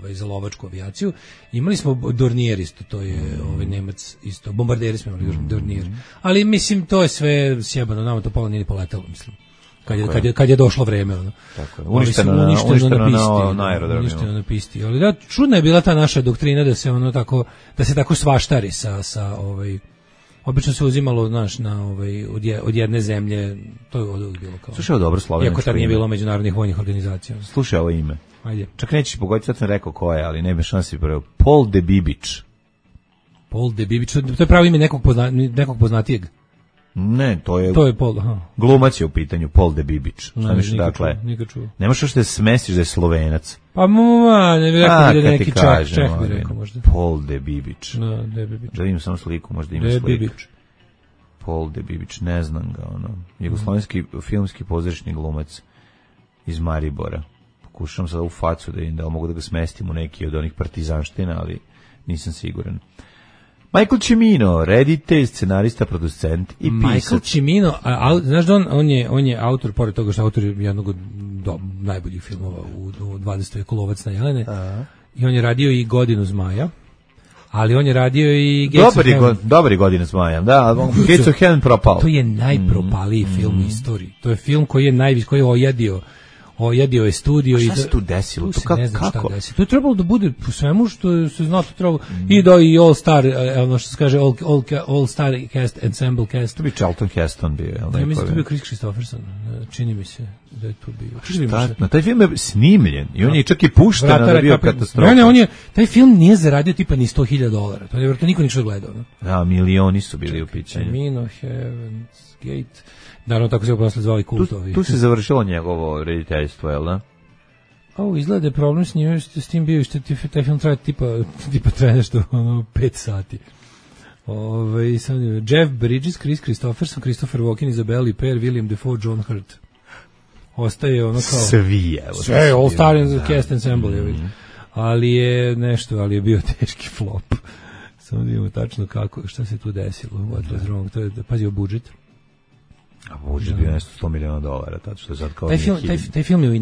za lovačku avijaciju. Imali smo Dornier isto, to je Nemac isto, bombarderi smo imali Dornier. Ali mislim, to je sve sjebano, nama to pola nije poletalo, mislim. Kad je došlo vreme, ono. Tako je. Uništeno na aerodromima. Uništeno na pisti. Ali da, čudna je bila ta naša doktrina da se tako svaštari Obično se uzimalo, znaš, od jedne zemlje, to je od bilo kao. Slušaj, ovo dobro slovenačko. Iako tad nije bilo međunarodnih vojnih organizacija. Slušaj ovo ime. Ajde. Čak nećeš pogoditi, sad sam rekao ko je, ali nema šansi prvo. Paul de Bibić. Paul de Bibić, to je pravo ime nekog poznatijeg. Ne, to je Paul, aha. Glumac je u pitanju, Paul de Bibić. Šta misliš, dakle? Nikad čuo. Nemaš još da smestiš da je Slovenac. Pa ne bih rekao da je neki Čeh bi rekao možda. Paul de Bibić. No, de Bibić. Da vidim samo sliku, možda ima de sliku. Bibić. Paul de Bibić, ne znam ga, jugoslovenski filmski pozorišni glumac iz Maribora. Pokušam sada u facu da mogu da ga smestim u neki od onih partizanština, ali nisam siguran. Michael Cimino, reditelj, scenarista, producent i pisac. Michael Cimino, znaš da on je autor, pored toga što je autor jednog od najboljih filmova u 20. veku, Lovac na Jelene. I on je radio i Godinu zmaja, ali on je radio i Gates of Heaven. Dobar je Godina zmaja, da, Gates of Heaven propao. To je najpropaliji film u istoriji. To je film koji je ojedio je studio. A šta se tu desilo? Tu ne znam šta desilo. To je trebalo da bude po svemu što se zna, to trebalo i All Star, ono što se kaže All Star cast, ensemble cast. To bi Charlton Heston bio. Ja mislim da to bio Chris Christopherson. Čini mi se da je tu bio. Taj film je snimljen i on je čak i pušten, da je bio katastrofa. Taj film nije zaradio tipa ni $100,000. To je vjerojatno niko ništa gledao. Da, milioni su bili u pitanju. Cimino, Heaven's Gate. Naravno, tako se posle zvali kultovi. Tu se završilo njegovo rediteljstvo, jel da? Izgleda je problem s njim, s tim bio, što taj film traje tipa traje nešto 5 sati. Jeff Bridges, Chris Christopherson, Christopher Walken, Isabelle Huppert, William Dafoe, John Hurt. Ostaje ono kao... Sve, All Star Cast Ensemble. Ali je bio teški flop. Samo da imamo tačno šta se tu desilo. What was wrong? To je, pazio, budžet. A budžet bio nešto $100 miliona, tato što je sad kao... Taj film je u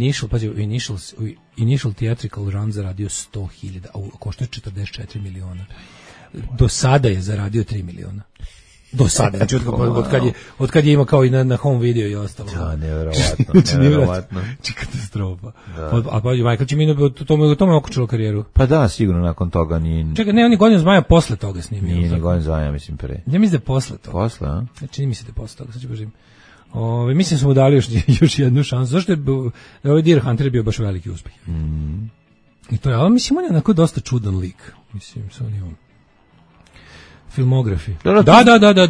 initial theatrical run zaradio 100.000, a košta je 44 miliona. Do sada je zaradio 3 miliona. Do sada, znači od kad je imao kao i na home video i ostalo. Da, nevjerovatno. Katastrofa. A pa Michael Cimino, to me okučilo karijeru. Pa da, sigurno nakon toga nije... Čekaj, ne, on je Godinu zmaja posle toga snimio. Nije ni Godinu zmaja, mislim, pre. Ja mislim da je posle toga. Posle, a? Čini mi se da je posle toga, sad ću poživim. Mislim smo mu dali još jednu šansu. Zašto je ovaj Deer Hunter bio baš veliki uspeh? I to je, ali mislim, on je onako dosta čudan lik. Mislim, sa onim filmografi.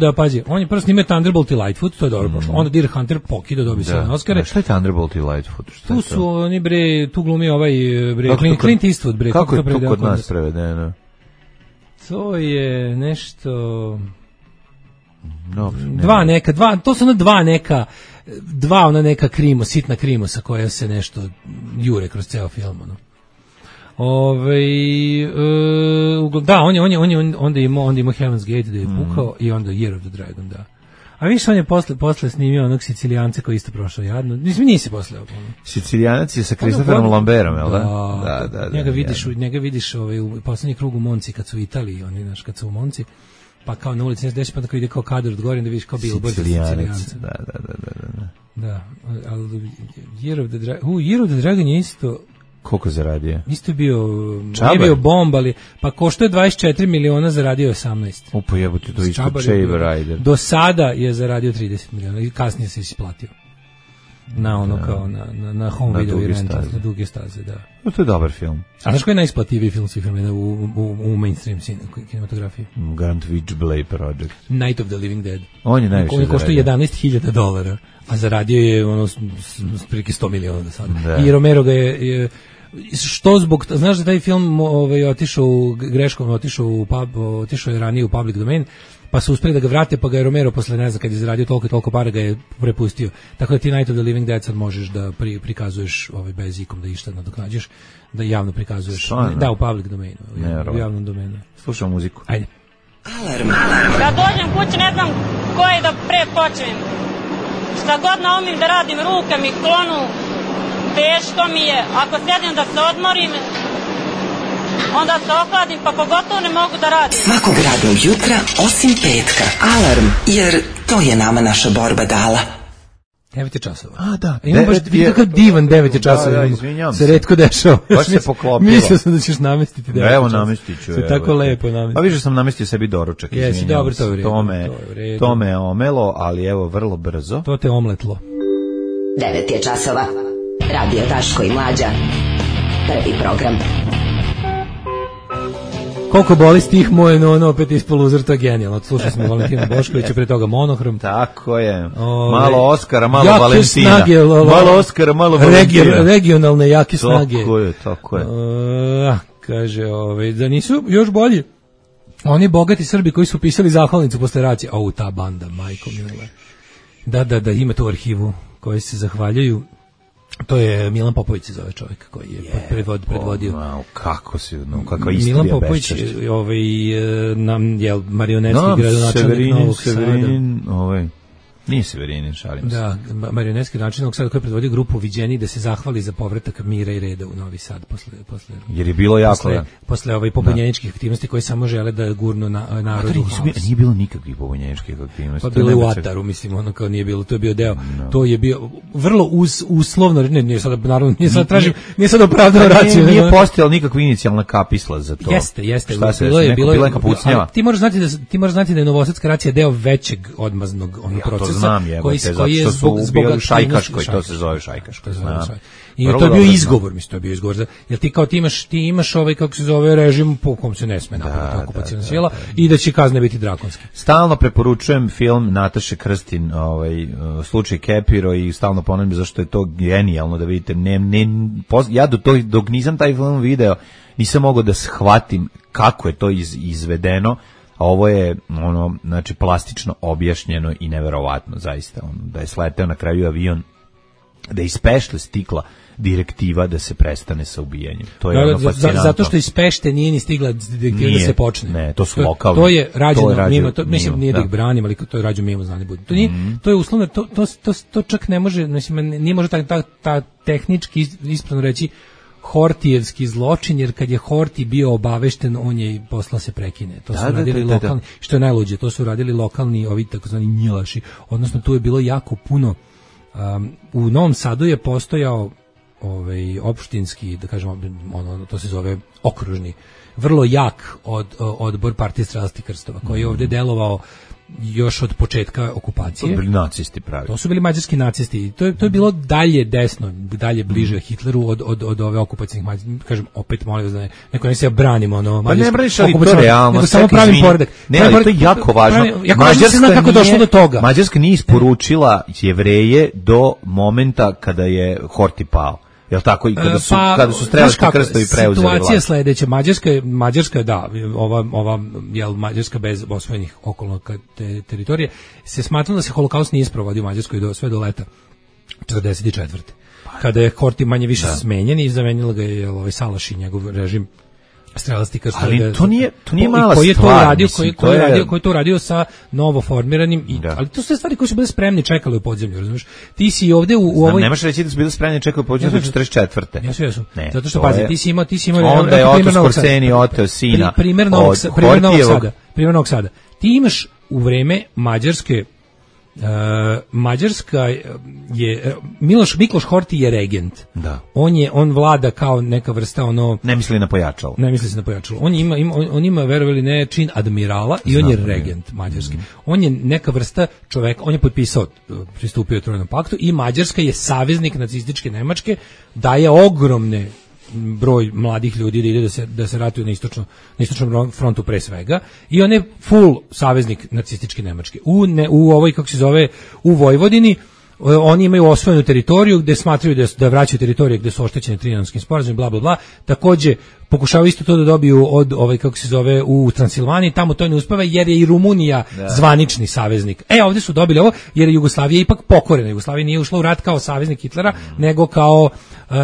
Da, pazi. On je prvo snimio Thunderbolt i Lightfoot, to je dobro pošlo. Onda Deer Hunter pokida, dobio se na Oscare. Šta je Thunderbolt i Lightfoot? Tu su oni, tu glumi ovaj, Clint Eastwood, Kako je to kod nas prevedeno? To je nešto... to su ona neka sitna krimosa koja se nešto jure kroz ceo film, ono. Da, on je onda imao Heaven's Gate da je pukao i onda Year of the Dragon, da. A viš on je posle snimio onog Sicilijanca koji isto prošao jadno. Nisi posle. Sicilijanac je sa Christopherom Lambertom, jel da? Da. Njega vidiš u poslednji krug u Monci kad su u Italiji, oni, znaš, kad su u Monci. Pa kao na ulici nešto deši, pa tako ide kao kadar od gore, da vidiš kao billboard Sicilijanca. Da, ali Year of the Dragon je isto... Koliko zaradio? Isto je bio... Nije bio bomb, ali... Pa košto je 24 miliona, zaradio 18. Upo jebote, to isto Chamber Rider. Do sada je zaradio 30 miliona i kasnije se isplatio. Na ono kao, na home video i rental, na duge staze, da. No, to je dobar film. A znaš koji je najisplativiji film svih vremena u mainstream kinematografiji? Grant Witchblade Project. Night of the Living Dead. On je najviše zaradio. Košto $11,000, a zaradio je ono prilike 100 miliona do sada. I Romero ga je što zbog, znaš da taj film otišao je ranije u public domain, pa su uspeli da ga vrate, pa ga je Romero posle, ne znam, kad je zaradio toliko para, ga je prepustio. Tako da ti Night of the Living Dead sad možeš da prikazuješ bez ikom da išta nadoknađeš, da javno prikazuješ. Da, u public domainu, u javnom domenu. Slušamo muziku. Ajde. Alarm. Kad dođem kući ne znam koje da pre počnem. Šta god naumim da radim, ruke mi klonu, teško mi je. Ako sjedim da se odmorim, onda se ohladim, pa pogotovo ne mogu da radim. Svakog radnog jutra, osim petka. Alarm, jer to je nama naša borba dala. 9 je časova. A, da. Imam baš kakav divan 9 je časova. Da, izvinjam se. Retko dešava. Baš se poklopilo. Mislio sam da ćeš namestiti 9 časova. Evo namestit ću. Se tako lepo namestiti. Pa više sam namestio sebi doručak, izvinjam. Jesi, dobro, to je u redu. To me omelo, ali evo, vrlo brzo. To te omletlo. 9 je časova. Radio Daško i Mlađa. Prvi program. Koliko boli stih moj, no opet ispod loser, to je genijalno. Slušali smo Valentina Boškovića, pre toga Monohrom. Tako je. Malo Oskara, malo Valentina. Snage, malo Oskara, malo Valentina. Regionalne jake snage. Tako je. Kaže, da nisu još bolji oni bogati Srbi koji su pisali zahvalnicu posle racije. Ta banda, majko mila. Da, ima tu arhivu koji se zahvaljuju. To je Milan Popović se zove čovjek koji je predvodio. Kako istorija. Milan Popović, nam je marionetski gradonačelnik Novog Sada. Nije Severinin, šalim se. Da, marionetski način Novog Sada koji je predvodio grupu Viđeni da se zahvali za povratak mira i reda u Novi Sad posle jer je bilo jako posle pobunjeničkih aktivnosti koji samo žele da gurnu narodu. Nije bilo nikakvih pobunjeničkih aktivnosti. Pa bilo je u Ataru, mislim, kao nije bilo, to je bio deo. To je bio vrlo uslovno, nije sad naravno, nije sad opravdano raciju. Nije postojala nikakva inicijalna kapisla za to. Jeste. Bilo je neka pucnjava. Ti moraš znati da je novosadska racija deo većeg odmaznog procesa. Znam, koji je zbog Šajkaškoj, to se zove Šajkaškoj. I to je bio izgovor, mislim, to je bio izgovor. Jer ti kao ti imaš kako se zove režim po kom se ne sme napraviti okupaciona sila i da će kazne biti drakonske. Stalno preporučujem film Nataše Krstin, slučaj Kepiro i stalno ponavljam zašto je to genijalno da vidite. Ja dok nisam taj film video, nisam mogao da shvatim kako je to izvedeno. A ovo je znači plastično objašnjeno i neverovatno zaista, da je sleteo na kraju avion, da je iz Pešte stigla direktiva da se prestane sa ubijanjem. To je fascinantno. Zato što iz Pešte nije ni stigla direktiva da se počne. Ne, to su lokalni. To je rađeno mimo, mislim nije da ih branim, ali to je rađeno mimo znani budi. To je uslovno, to čak ne može, mislim, nije može ta tehnički ispravno reći Hortijevski zločin, jer kad je Hortij bio obavešten, on je poslao se prekine. To su radili lokalni, što je najluđe, to su radili lokalni, ovi takozvani njilaši. Odnosno, tu je bilo jako puno. U Novom Sadu je postojao opštinski, da kažemo, to se zove okružni, vrlo jak odbor Partije stradalih krstova, koji je ovdje delovao još od početka okupacije. To su bili nacisti pravi. To su bili mađarski nacisti. To je bilo dalje desno, dalje bliže Hitleru od ove okupacijnih mađarskih. Kažem, opet molim vas da neko ne se branimo. Pa ne braniš, ali to realno. Samo pravim poredak. Ne, ali to je jako važno. Mađarska nije isporučila Jevreje do momenta kada je Hortij pao. Jel tako, i kada su strelački krstovi preuzeli vlast? Situacija je sledeća. Mađarska, da, ova Mađarska bez osvojenih okolnog teritorije, se smatralo da se holokaust nije sprovodio u Mađarskoj sve do leta 1944. Kada je Hortij manje više smenjen i zamenila ga je Salaš i njegov režim strelasti krstovi. Ali to nije mala stvar. Koji je to radio sa novo formiranim, ali to su stvari koje su bile spremni, čekali u podzemlju, razumiješ? Ti si ovde u ovoj... Nemaš reći da su bile spremni, čekali u podzemlju do 44. Jesu. Zato što, pazi, ti si imao... Onda je Oto Skorceni oteo sina od Hortijevog. Primjer Novog Sada. Ti imaš u vreme Mađarske, Mađarska je Mikloš Hortij je regent. Da. On vlada kao neka vrsta ne misli na pojačalo. On ima verovali ne čin admirala i on je regent mađarski. On je neka vrsta čoveka, on je potpisao, pristupio Trojnom paktu i Mađarska je saveznik nacističke Nemačke, daje ogromne broj mladih ljudi da ide da se ratuju na istočnom frontu pre svega, i on je full saveznik nacističke Nemačke. U ovoj, kako se zove, u Vojvodini oni imaju osvojenu teritoriju gde smatraju da vraćaju teritorije gde su oštećene Trianonskim sporazumom, bla bla bla. Takođe pokušavaju isto to da dobiju od kako se zove u Transilvaniji, tamo to ne uspeva jer je i Rumunija zvanični saveznik. Ovdje su dobili ovo jer je Jugoslavija ipak pokorena. Jugoslavija nije ušla u rat kao saveznik Hitlera, nego kao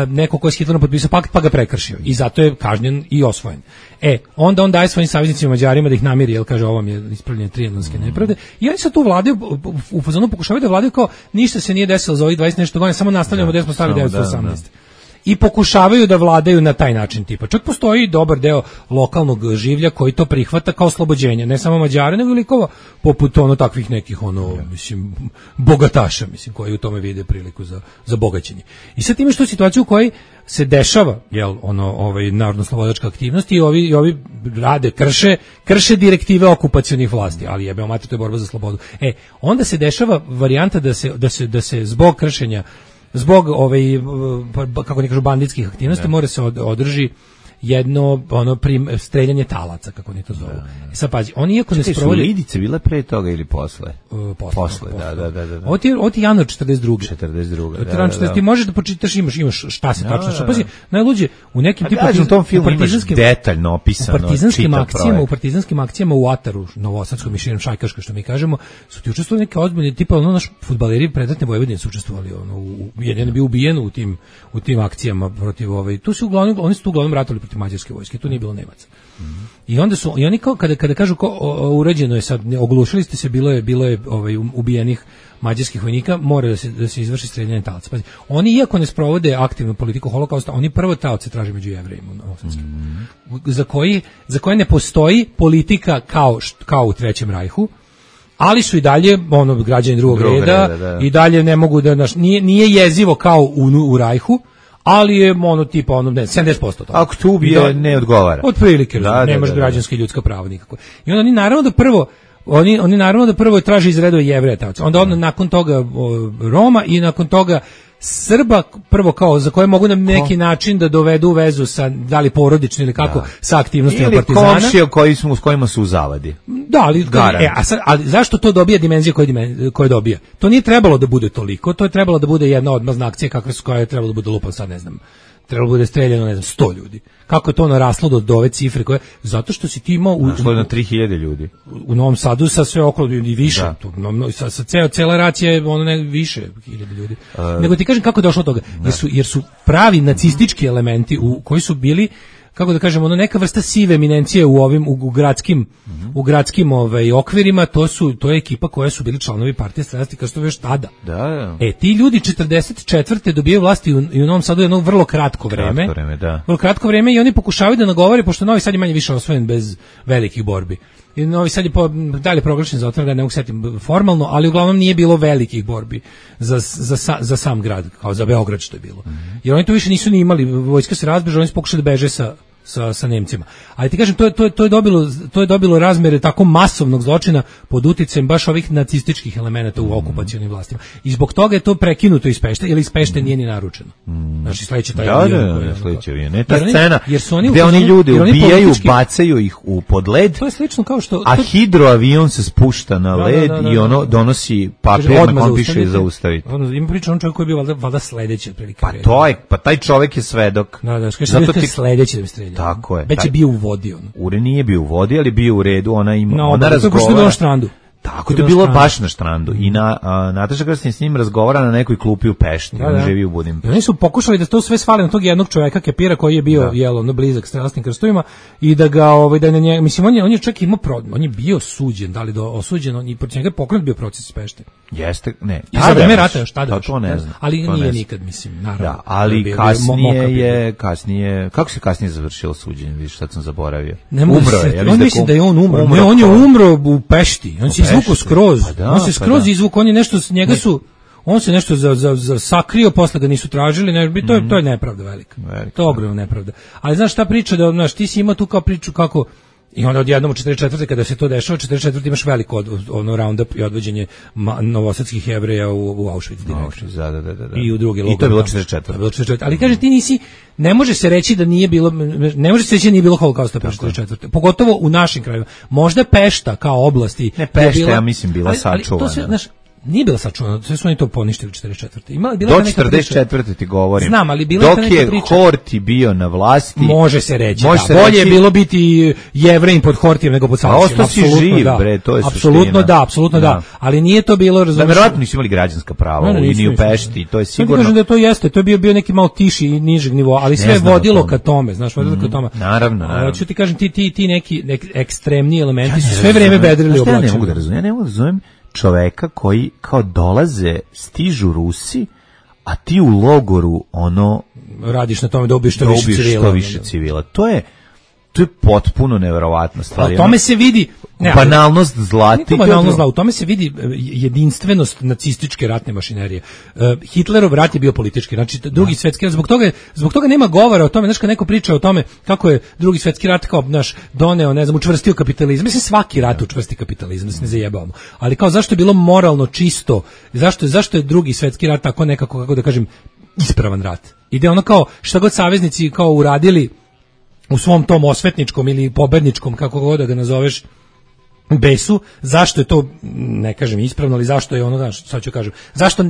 neko ko je s Hitlerom potpisao pakt pa ga prekršio i zato je kažnjen i osvojen. Onda on daje svojim saveznicima Mađarima da ih namiri, jer kaže ovo je ispravljanje trijanonske nepravde, i oni se tu vladaju, u fazonu pokušavaju da vladaju kao ništa se nije desilo za ovih 20 nešto godina, samo nastavljamo gde smo stali 1918. i pokušavaju da vladaju na taj način tipa. Čak postoji dobar deo lokalnog življa koji to prihvata kao oslobođenje, ne samo Mađare, nego i likova poput takvih nekih mislim bogataša, mislim, koji u tome vide priliku za bogaćenje. I sad ima što situaciju u kojoj se dešava, narodno-slobodačka aktivnost i ovi rade, krše direktive okupacionih vlasti, ali jebeo mater, to je borba za slobodu. Onda se dešava varijanta da se zbog kršenja, zbog kako ne kažu banditskih aktivnosti, mora se održi jedno streljanje talaca, kako oni to zovu. Sad pazi, oni iako ne sprovode... Su Lidice bile pre toga ili posle? Posle, da. Ovo ti januar 42. 42. Da. Ti možeš da počitaš, imaš šta se tačno... Šta, pazi, najluđe, u nekim u tom filmu imaš detaljno opisano u partizanskim akcijama u Ataru, novosadskom mišljenom šajkaška, što mi kažemo, su ti učestvovali neke ozbiljne, tipa naš fudbaleri predratne Vojvodine su učestvovali, jedan je bio ubijen u tim akcijama protiv tu su oni su tu uglavnom ratovali protiv mađarske vojske, tu nije bilo Nemaca. I onda su, i oni kao, kada kažu urađeno je sad, oglušili ste se, bilo je ubijenih mađarskih vojnika, mora da se izvrši streljanje talaca. Pazi, oni iako ne sprovode aktivnu politiku holokausta, oni prvo talce traže među Jevrejima, za koje ne postoji politika kao u Trećem rajhu, ali su i dalje građani drugog reda, i dalje ne mogu da, nije jezivo kao u rajhu, ali je tipa 70% toga. Ako tu ubije, ne odgovara. Otprilike, nemaš građanska i ljudska prava nikako. I onda oni naravno da prvo traže iz redova Jevreja, onda nakon toga Roma i nakon toga Srba, prvo kao za koje mogu na neki način da dovedu u vezu sa, da li porodično ili kako, sa aktivnostima partizana. Ili komšije s kojima su u zavadi. Da, ali zašto to dobija dimenzija koje dobija? To nije trebalo da bude toliko, to je trebalo da bude jedna odmazna akcija koja je trebalo da bude lupan, sad ne znam, trebalo bude streljano, 100 ljudi. Kako je to naraslo do ove cifre koje, zato što si ti imao na 3000 ljudi. U Novom Sadu sa sve okolo i više, cela racija je više hiljada ljudi. Nego ti kažem kako je došlo do toga, jer su pravi nacistički elementi koji su bili, kako da kažem, neka vrsta sive eminencije u gradskim okvirima, to je ekipa koja su bili članovi partije Strastika još tada. Da. Ti ljudi 44. dobijaju vlasti i u Novom Sadu jedno vrlo kratko vreme. Vrlo kratko vreme i oni pokušavaju da nagovore, pošto Novi Sad je manje više osvojen bez velikih borbi. I Novi Sad je dalje proglašen za otvoren, ne mogu setim formalno, ali uglavnom nije bilo velikih borbi za sam grad, kao za Beograd što je bilo. Jer oni to više nisu ni imali, vojska se razbežala, oni su pokušali da beže sa Nemcima. Ali ti kažem, to je dobilo razmere tako masovnog zločina pod uticajem baš ovih nacističkih elemenata u okupacionim vlastima. I zbog toga je to prekinuto iz Pešte, ili iz Pešte nije ni naručeno. Znači sledeće taj avion. Ne ta scena gde oni ljude ubijaju, bacaju ih u podled. To je slično kao što... A hidroavion se spušta na led i ono donosi papir na kom piše zaustaviti. Ima priča on čovjek koji je bio valjda sledeći otprilike. Pa taj čovjek je svedok. Zato ti sledeći da bi streljao. Tako je. Već je bio u vodi. Ure nije bio u vodi, ali bio u redu, ona razgovara. To je na štrandu. Tako je bilo baš na štrandu. I Nataša Krstin s njim razgovara na nekoj klupi u Pešti. On živi u Budimpešti. Oni su pokušali da to sve svale na tog jednog čovjeka Kepira koji je bio blizak strelasnim krstovima i da ga da na njega, mislim on je čak imao on je bio suđen, da li osuđen, i protiv njega pokrenut bio proces iz Pešte. Jeste, ne. I za vreme rata šta da. To ne znam. Ali nije nikad, mislim, naravno. Da, ali kasnije kako se kasnije završilo suđenje, vidiš, sad sam zaboravio. Umro je. On misli da je on umro. Ne, on je umro u Pešti. On se izvukao skroz. On se skroz izvukao, on je nešto njega su on se nešto za sakrio, posle ga nisu tražili, to je nepravda velika. To je ogromna nepravda. Ali znaš šta priča, da znaš, ti si imao tu kao priču kako i onda odjednom u 44. kada se to dešava, 44. imaš veliko roundup i odvođenje novosadskih Jevreja u Auschwitz direktno. Da. I u druge logore. I to je bilo 44. Ali kaže ti nisi, ne može se reći da nije bilo holokausta 44. Pogotovo u našim krajevima. Možda Pešta kao oblasti. Ne, Pešta ja mislim bila sačuvana. Ali to se, znaš, nije bila sačuvana, sve su oni to poništili u 44. Do 44. ti govorim. Znam, ali bila dok je Horthy bio na vlasti. Može se reći, bolje je bilo biti Jevrejin pod Horthijem nego pod Savićem. A ostao si živ, bre, to je suština. Apsolutno da. Ali nije to bilo, razumiješ. Da, verovatno nisu imali građanska prava, ni u Pešti, to je sigurno. Kažem da to jeste, to je bio neki malo tiši i nižeg nivoa, ali sve vodilo ka tome, znaš, vodilo ka tome. Naravno. Hoću ti kažem, ti neki ekstremni elementi su sve vreme vedrili oblačenje. Ja ne mogu da razumijem čoveka koji kao dolaze, stižu Rusi, a ti u logoru ono radiš na tome da ubiješ što više civila. To je potpuno neverovatna stvar. U tome se vidi banalnost zla. U tome se vidi jedinstvenost nacističke ratne mašinerije. Hitlerov rat je bio politički, znači drugi svetski rat, zbog toga nema govora o tome, znači kad neko priča o tome kako je drugi svetski rat kao doneo, ne znam, učvrstio kapitalizam. Mislim svaki rat učvrsti kapitalizam, da se ne zajebavamo. Ali kao zašto je bilo moralno čisto? Zašto je drugi svetski rat tako nekako, kako da kažem, ispravan rat? Ide ono kao šta god saveznici kao uradili u svom tom osvetničkom ili pobedničkom, kako god da ga nazoveš, besu, zašto je to, ne kažem ispravno, ali zašto je ono, sad ću kažem,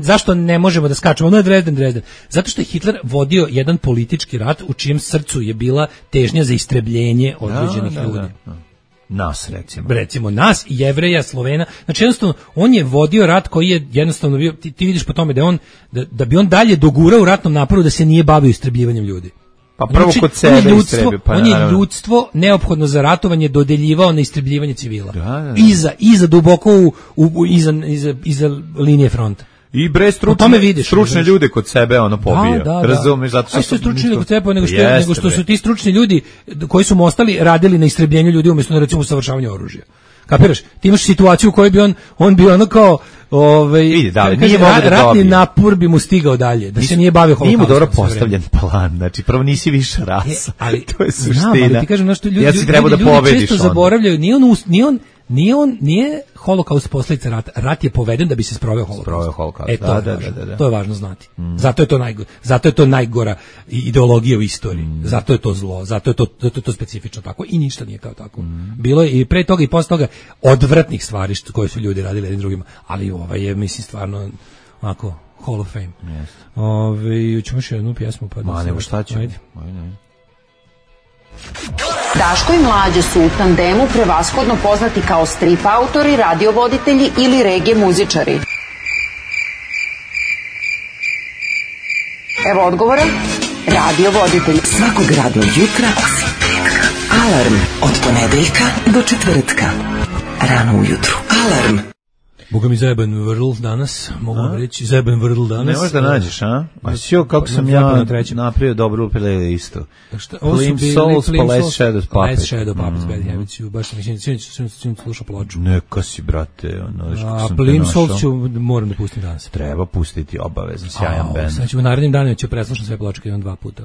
zašto ne možemo da skačemo, ono je Dresden. Zato što je Hitler vodio jedan politički rat u čijem srcu je bila težnja za istrebljenje određenih ljudi. Nas, recimo nas, Jevreja, Slovena, znači jednostavno, on je vodio rat koji je jednostavno bio, ti vidiš po tome da on, da bi on dalje dogurao u ratnom naporu da se nije bavio istrebljivanjem ljudi. Pa prvo kod sebe istrebi, pa on je ljudstvo neophodno za ratovanje dodeljivao na istrebljivanje civila. Da. Iza duboko iza linije fronta. I stručne ljude kod sebe ono pobio. Razumeš, zato što su stručni ljudi kod sebe, nego što su ti stručni ljudi koji su ostali radili na istrebljenju ljudi umjesto na recimo usavršavanju oružja. Kapiraš? Ti imaš situaciju u kojoj bi on bio ono kao ratni napor bi mu stigao dalje, da se nije bavio holokaustom. Nije mu dobro postavljen plan, znači prvo nisi više rasa, ali to je suština. Ali ti kažem, ljudi često zaboravljaju, nije holokaust posljedica rata. Rat je poveden da bi se sproveo holokaust. To je važno znati. Zato je to najgora ideologija u istoriji. Zato je to zlo, zato je to specifično tako i ništa nije kao tako. Bilo je i pre toga i posle toga odvratnih stvari koje su ljudi radili jednim drugima, ali je mislim stvarno onako Hall of Fame. Ćemo još jednu pjesmu pa da nego šta ćemo. Daško i Mlađa su u tandemu prevashodno poznati kao strip autori, radiovoditelji ili regije muzičari. Evo odgovora. Radiovoditelji. Svakog radnog jutra alarm od ponedeljka do četvrtka. Rano ujutru. Alarm. Boga mi zajeban Vrl danas, mogu vam reći, zajeban Vrl danas. Ne možeš da nađeš, a? A sjo, kako sam ja napravio dobru playlistu. Plim Souls, pa Last Shadow Puppet. Last Shadow Puppet, Bad Habits, baš sam mislim slušao ploču. Neka si, brate. A Plim Souls moram da pustim danas. Treba pustiti, obavezno, sjajan band. Znači, u narednim danima ću preslušati sve pločke, imam 2 puta.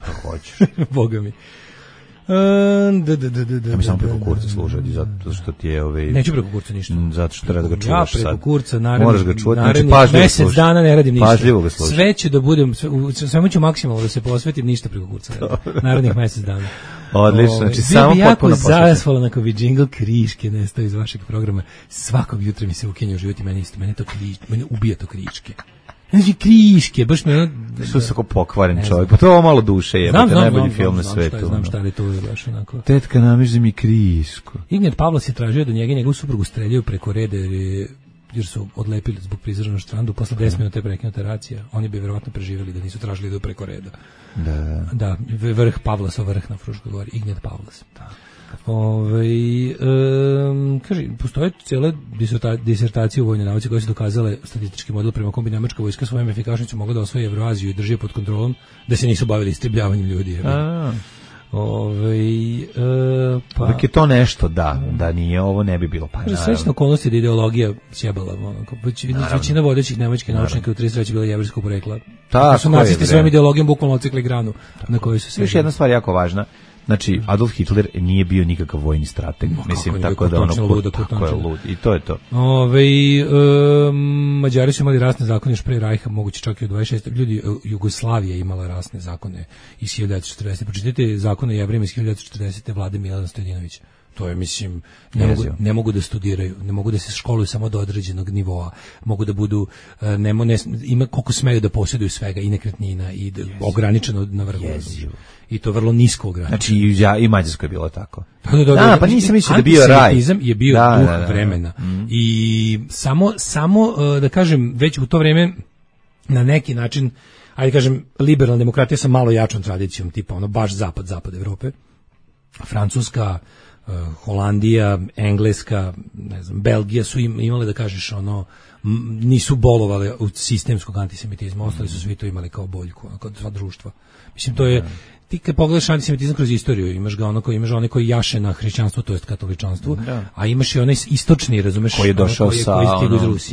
Pa hoćeš. Boga mi. Ja mi samo preko kurca slušati, zato što ti je neću preko kurca ništa. Zato što treba da ga čuvaš sad. Ja preko kurca, moraš ga čuvati, znači mjesec dana ne radim ništa. Pažljivo ga slušati. Sve ću da budem, svemu ću maksimalno da se posvetim, ništa preko kurca. Narednih mjesec dana. Odlično, znači samo potpuno posvetim. Jako zahvalan ako bi džingl kriške nestao iz vašeg programa. Svakog jutra mi se ukenja u život i mene ubija to kriške. Znači kriške, baš me što se kao pokvaren čovjek. Pa to je malo duše, jebote, najbolji film na svetu. Znam šta je to baš onako. Tetka namiži mi krišku. Ignjat Pavlas je tražio da njega i njegovu suprugu streljaju preko reda jer su odlepili zbog prizora na štrandu posle 10 minuta je prekinuta racija. Oni bi verovatno preživjeli da nisu tražili da preko reda. Da, vrh Pavlasov vrh na Fruškoj gori, Ignjat Pavlas. Kaže, postoje cijele disertacije u vojnoj nauci koje su dokazale statistički model prema kom bi nemačka vojska svojom efikasnošću mogla da osvoji Evroaziju i drži je pod kontrolom, da se nisu bavili istribljavanjem ljudi. Uvijek je to nešto, da nije ovo, ne bi bilo. Srećna okolnost je da ideologija sjebala. Većina vodećih nemačkih naučnika u 33. bila jevrejskog porekla. Tako su nacisti svojom ideologijom bukvalno odsekli granu na kojoj su se. Još jedna stvar jako važna. Znači, Adolf Hitler nije bio nikakav vojni strateg. Mislim, tako da tako je lud. I to je to. Mađari su imali rasne zakone još pre Rajha, moguće čak i u 26. Ljudi, Jugoslavija imala rasne zakone iz 1940. Pročitajte zakone Jevrejima iz 1940. vlade Milana Stojadinovića. To je, mislim, ne mogu da studiraju, ne mogu da se školuju samo do određenog nivoa, mogu da budu, ima koliko smeju da posjeduju svega i nekretnina i ograničeno na vrhu. I to vrlo nisko ograničeno. Znači i Mađarsko je bilo tako. Pa nisam mislio da bio raj. Antisemitizam je bio duh vremena. I samo da kažem, već u to vreme na neki način, ajde kažem, liberalna demokratija sa malo jačom tradicijom, tipa ono baš zapad Evrope, Francuska, Holandija, Engleska, ne znam, Belgija su imale, da kažeš, ono, nisu bolovale od sistemskog antisemitizma, ostali su svi to imali kao boljku, kao sva društva. Mislim, to je, ti kad pogledaš antisemitizam kroz istoriju, imaš ga imaš one koji jaše na hrišćanstvo, to jest katoličanstvo, a imaš i onaj istočni, razumeš, koji je došao sa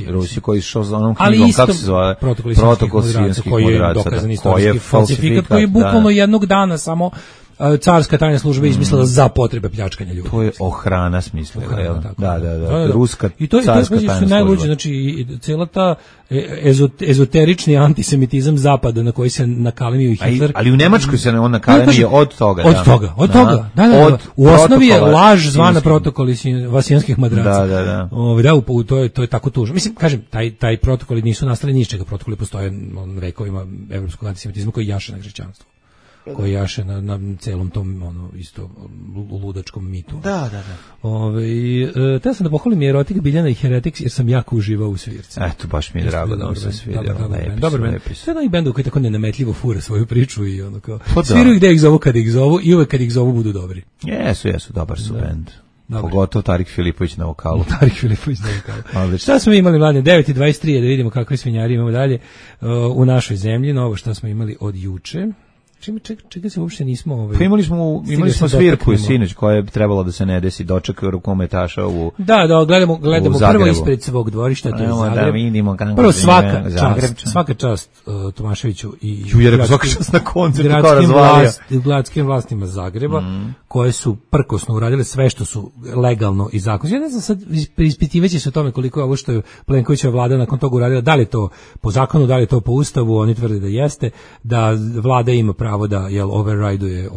Rusije, koji je išao za onom knjigom, kako se zove, protokol Sijenskih koji je dokazan istorijski falsifikat, koji je bukvalno jednog dana samo carska tajna služba izmislila za potrebe pljačkanja ljudi. To je Ohrana smislila, jel? Da. Ruska carska tajna služba. Najluđe, znači, cijela ta ezoterični antisemitizam zapada na koji se nakalemio i Hitler. Ali u Nemačkoj se on nakalemio od toga. Od toga. Da. U osnovi je laž zvana protokoli vasijanskih madraca. Da. To je tako tužno. Mislim, kažem, taj protokoli nisu nastali ni iz čega. Protokoli postoje vekovima evropskog antisemitizma koji jaše na hrišćanstvo, koji jaše na celom tom isto ludačkom mitu. Da. Teo sam da pohvalim i Erotik, Biljana i Heretics, jer sam jako uživao u svirci. Eto, baš mi je drago da vam se svidjelo. Dobar band. Sve onih bendova koji tako nenametljivo fure svoju priču i ono kao, sviraju gde ih zovu kad ih zovu i uvek kad ih zovu budu dobri. Jesu, dobar su bend. Pogotovo Tarik Filipović na vokalu. Šta smo imali, mladine? 9:23, da vidimo kakve svinjari imamo dalje u našoj zemlji. Novo što smo imali od juče. Čega se uopšte nismo... Pa imali smo svirku i sinoć koja je trebalo da se ne desi, doček rukometaša u gledamo prvo ispred svog dvorišta, to je Zagreb. Da vidimo kako prvo svaka čast Tomaševiću i gradskim vlastima Zagreba, koje su prkosno uradile sve što su legalno i zakonski. Ja ne znam, sad ispitivaće se o tome koliko je ovo što je Plenkovićeva vlada nakon toga uradila, da li je to po zakonu, da li je to po ustavu, oni tvrde da jeste, da vlada ima pravo da override-uje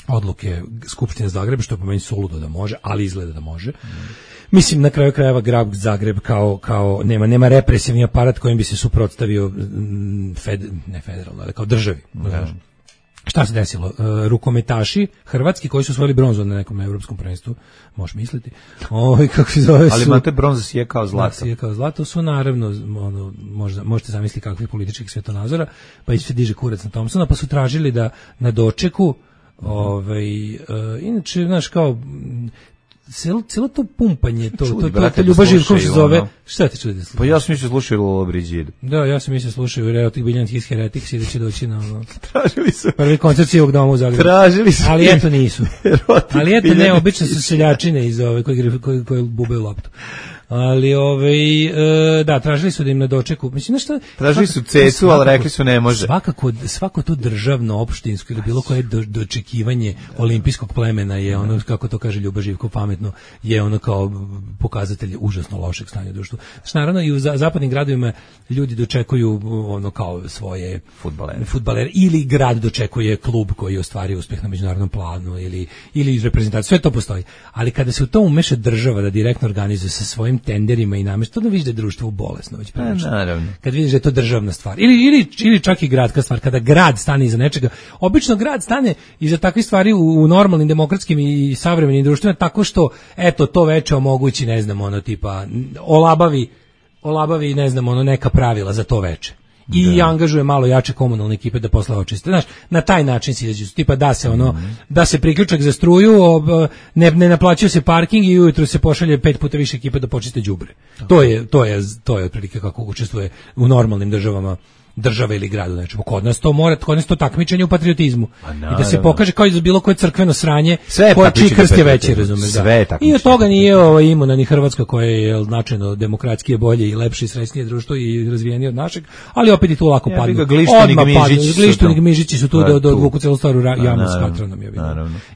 odluke Skupštine Zagreba, što je po meni suludo da može, ali izgleda da može. Mislim, na kraju krajeva grad Zagreb kao nema represivni aparat kojim bi se suprotstavio ne federalno, ali kao državi. Šta se desilo? Rukometaši hrvatski koji su osvojili bronzu na nekom evropskom prvenstvu, možeš misliti. Kako se zove? Ali imate bronza sije kao zlato. Sije kao zlato su naravno, možete zamisliti kakvih političkih svjetonazora, pa se diže kurac na Thompsona, pa su tražili da na dočeku, inače, znaš, kao cijelo to pumpanje, to Ljuba Živković se zove, šta te čudi? Pa ja sam mislio slušaju Lolo Brigidu. Da, ja sam mislio slušaju Erotik, Biljana i Heretics i da će doći na tražili su prvi koncert Sivog doma u Zagrebu. Tražili su. Ali eto nisu. Ali eto ne, obično su seljačine iz ove koji bubaju loptu. Ali da, tražili su da im na dočeku, mislim nešto, tražili su cecu, ali rekli su ne može. Svako to državno, opštinsko ili bilo koje dočekivanje olimpijskog plemena je ono, kako to kaže Ljuba Živkov pametno, je ono kao pokazatelj užasno lošeg stanja u društvu. Znači, naravno i u zapadnim gradovima ljudi dočekuju ono kao svoje fudbalere ili grad dočekuje klub koji je ostvario uspeh na međunarodnom planu ili reprezentacija, sve to postoji. Ali kada se u to umeša država da direktno organizuje sa svojim tenderima i namešta, to da vidiš da je društvo bolesno već prilično. Kad vidiš da je to državna stvar. Ili čak i gradska stvar. Kada grad stane iza nečega, obično grad stane iza takvih stvari u normalnim demokratskim i savremenim društvima tako što, eto, to veče omogući, ne znam, ono tipa, olabavi, ne znam, ono neka pravila za to veče. I angažuje malo jače komunalne ekipe da posle očiste. Znaš, na taj način se izađu, tipa da se priključak za struju, ne naplaćuje se parking i ujutro se pošalje 5 puta više ekipe da počiste đubre. To je otprilike kako učestvuje u normalnim države ili gradu nečemu. Kod nas to takmičenje u patriotizmu. I da se pokaže kao i za bilo koje crkveno sranje, koje čiji krst je veći, razumeš, da. I od toga nije imuna ni Hrvatska koja je značajno demokratskije, bolje i lepše i srećnije društvo i razvijenije od našeg, ali opet i tu lako padnu. Glištunik Mižići su tu da odvuku celu stvar u javnost katranom.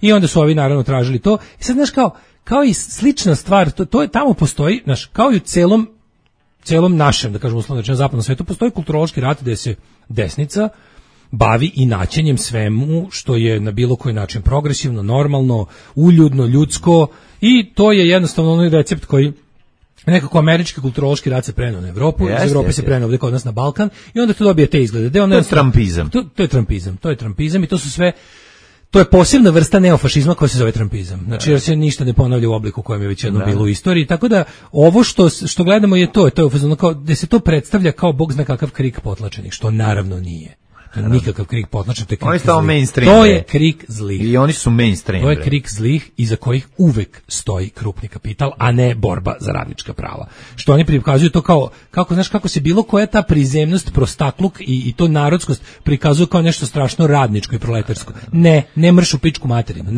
I onda su ovi naravno tražili to. I sad, znaš, kao i slična stvar, to je tamo postoji, znaš, kao i u celom našem, da kažem uslovno rečeno, zapadnom svetu postoji kulturološki rat gde se desnica bavi inaćenjem svemu što je na bilo koji način progresivno, normalno, uljudno, ljudsko, i to je jednostavno onaj recept koji nekako američki kulturološki rat se preneo na Evropu, iz Evrope se preneo ovdje kod nas na Balkan i onda to dobije te izglede. To je trampizam. To je trampizam i to su sve. To je posebna vrsta neofašizma koja se zove trampizam. Znači, jer se ništa ne ponavlja u obliku kojem je već jedno bilo u istoriji. Tako da, ovo što gledamo je to je da se to predstavlja kao bog zna kakav krik potlačenih, što naravno nije. Nikakav krik potlačen, to je krik oni zlih. mainstream, To je krik zlih. I oni su mainstream. To je krik zlih iza kojih uvek stoji krupni kapital, a ne borba za radnička prava. Što oni prikazuju to kao, kako se bilo koja ta prizemnost, prostakluk i to narodskost prikazuju kao nešto strašno radničko i proletarsko. Ne mršu pičku materinu,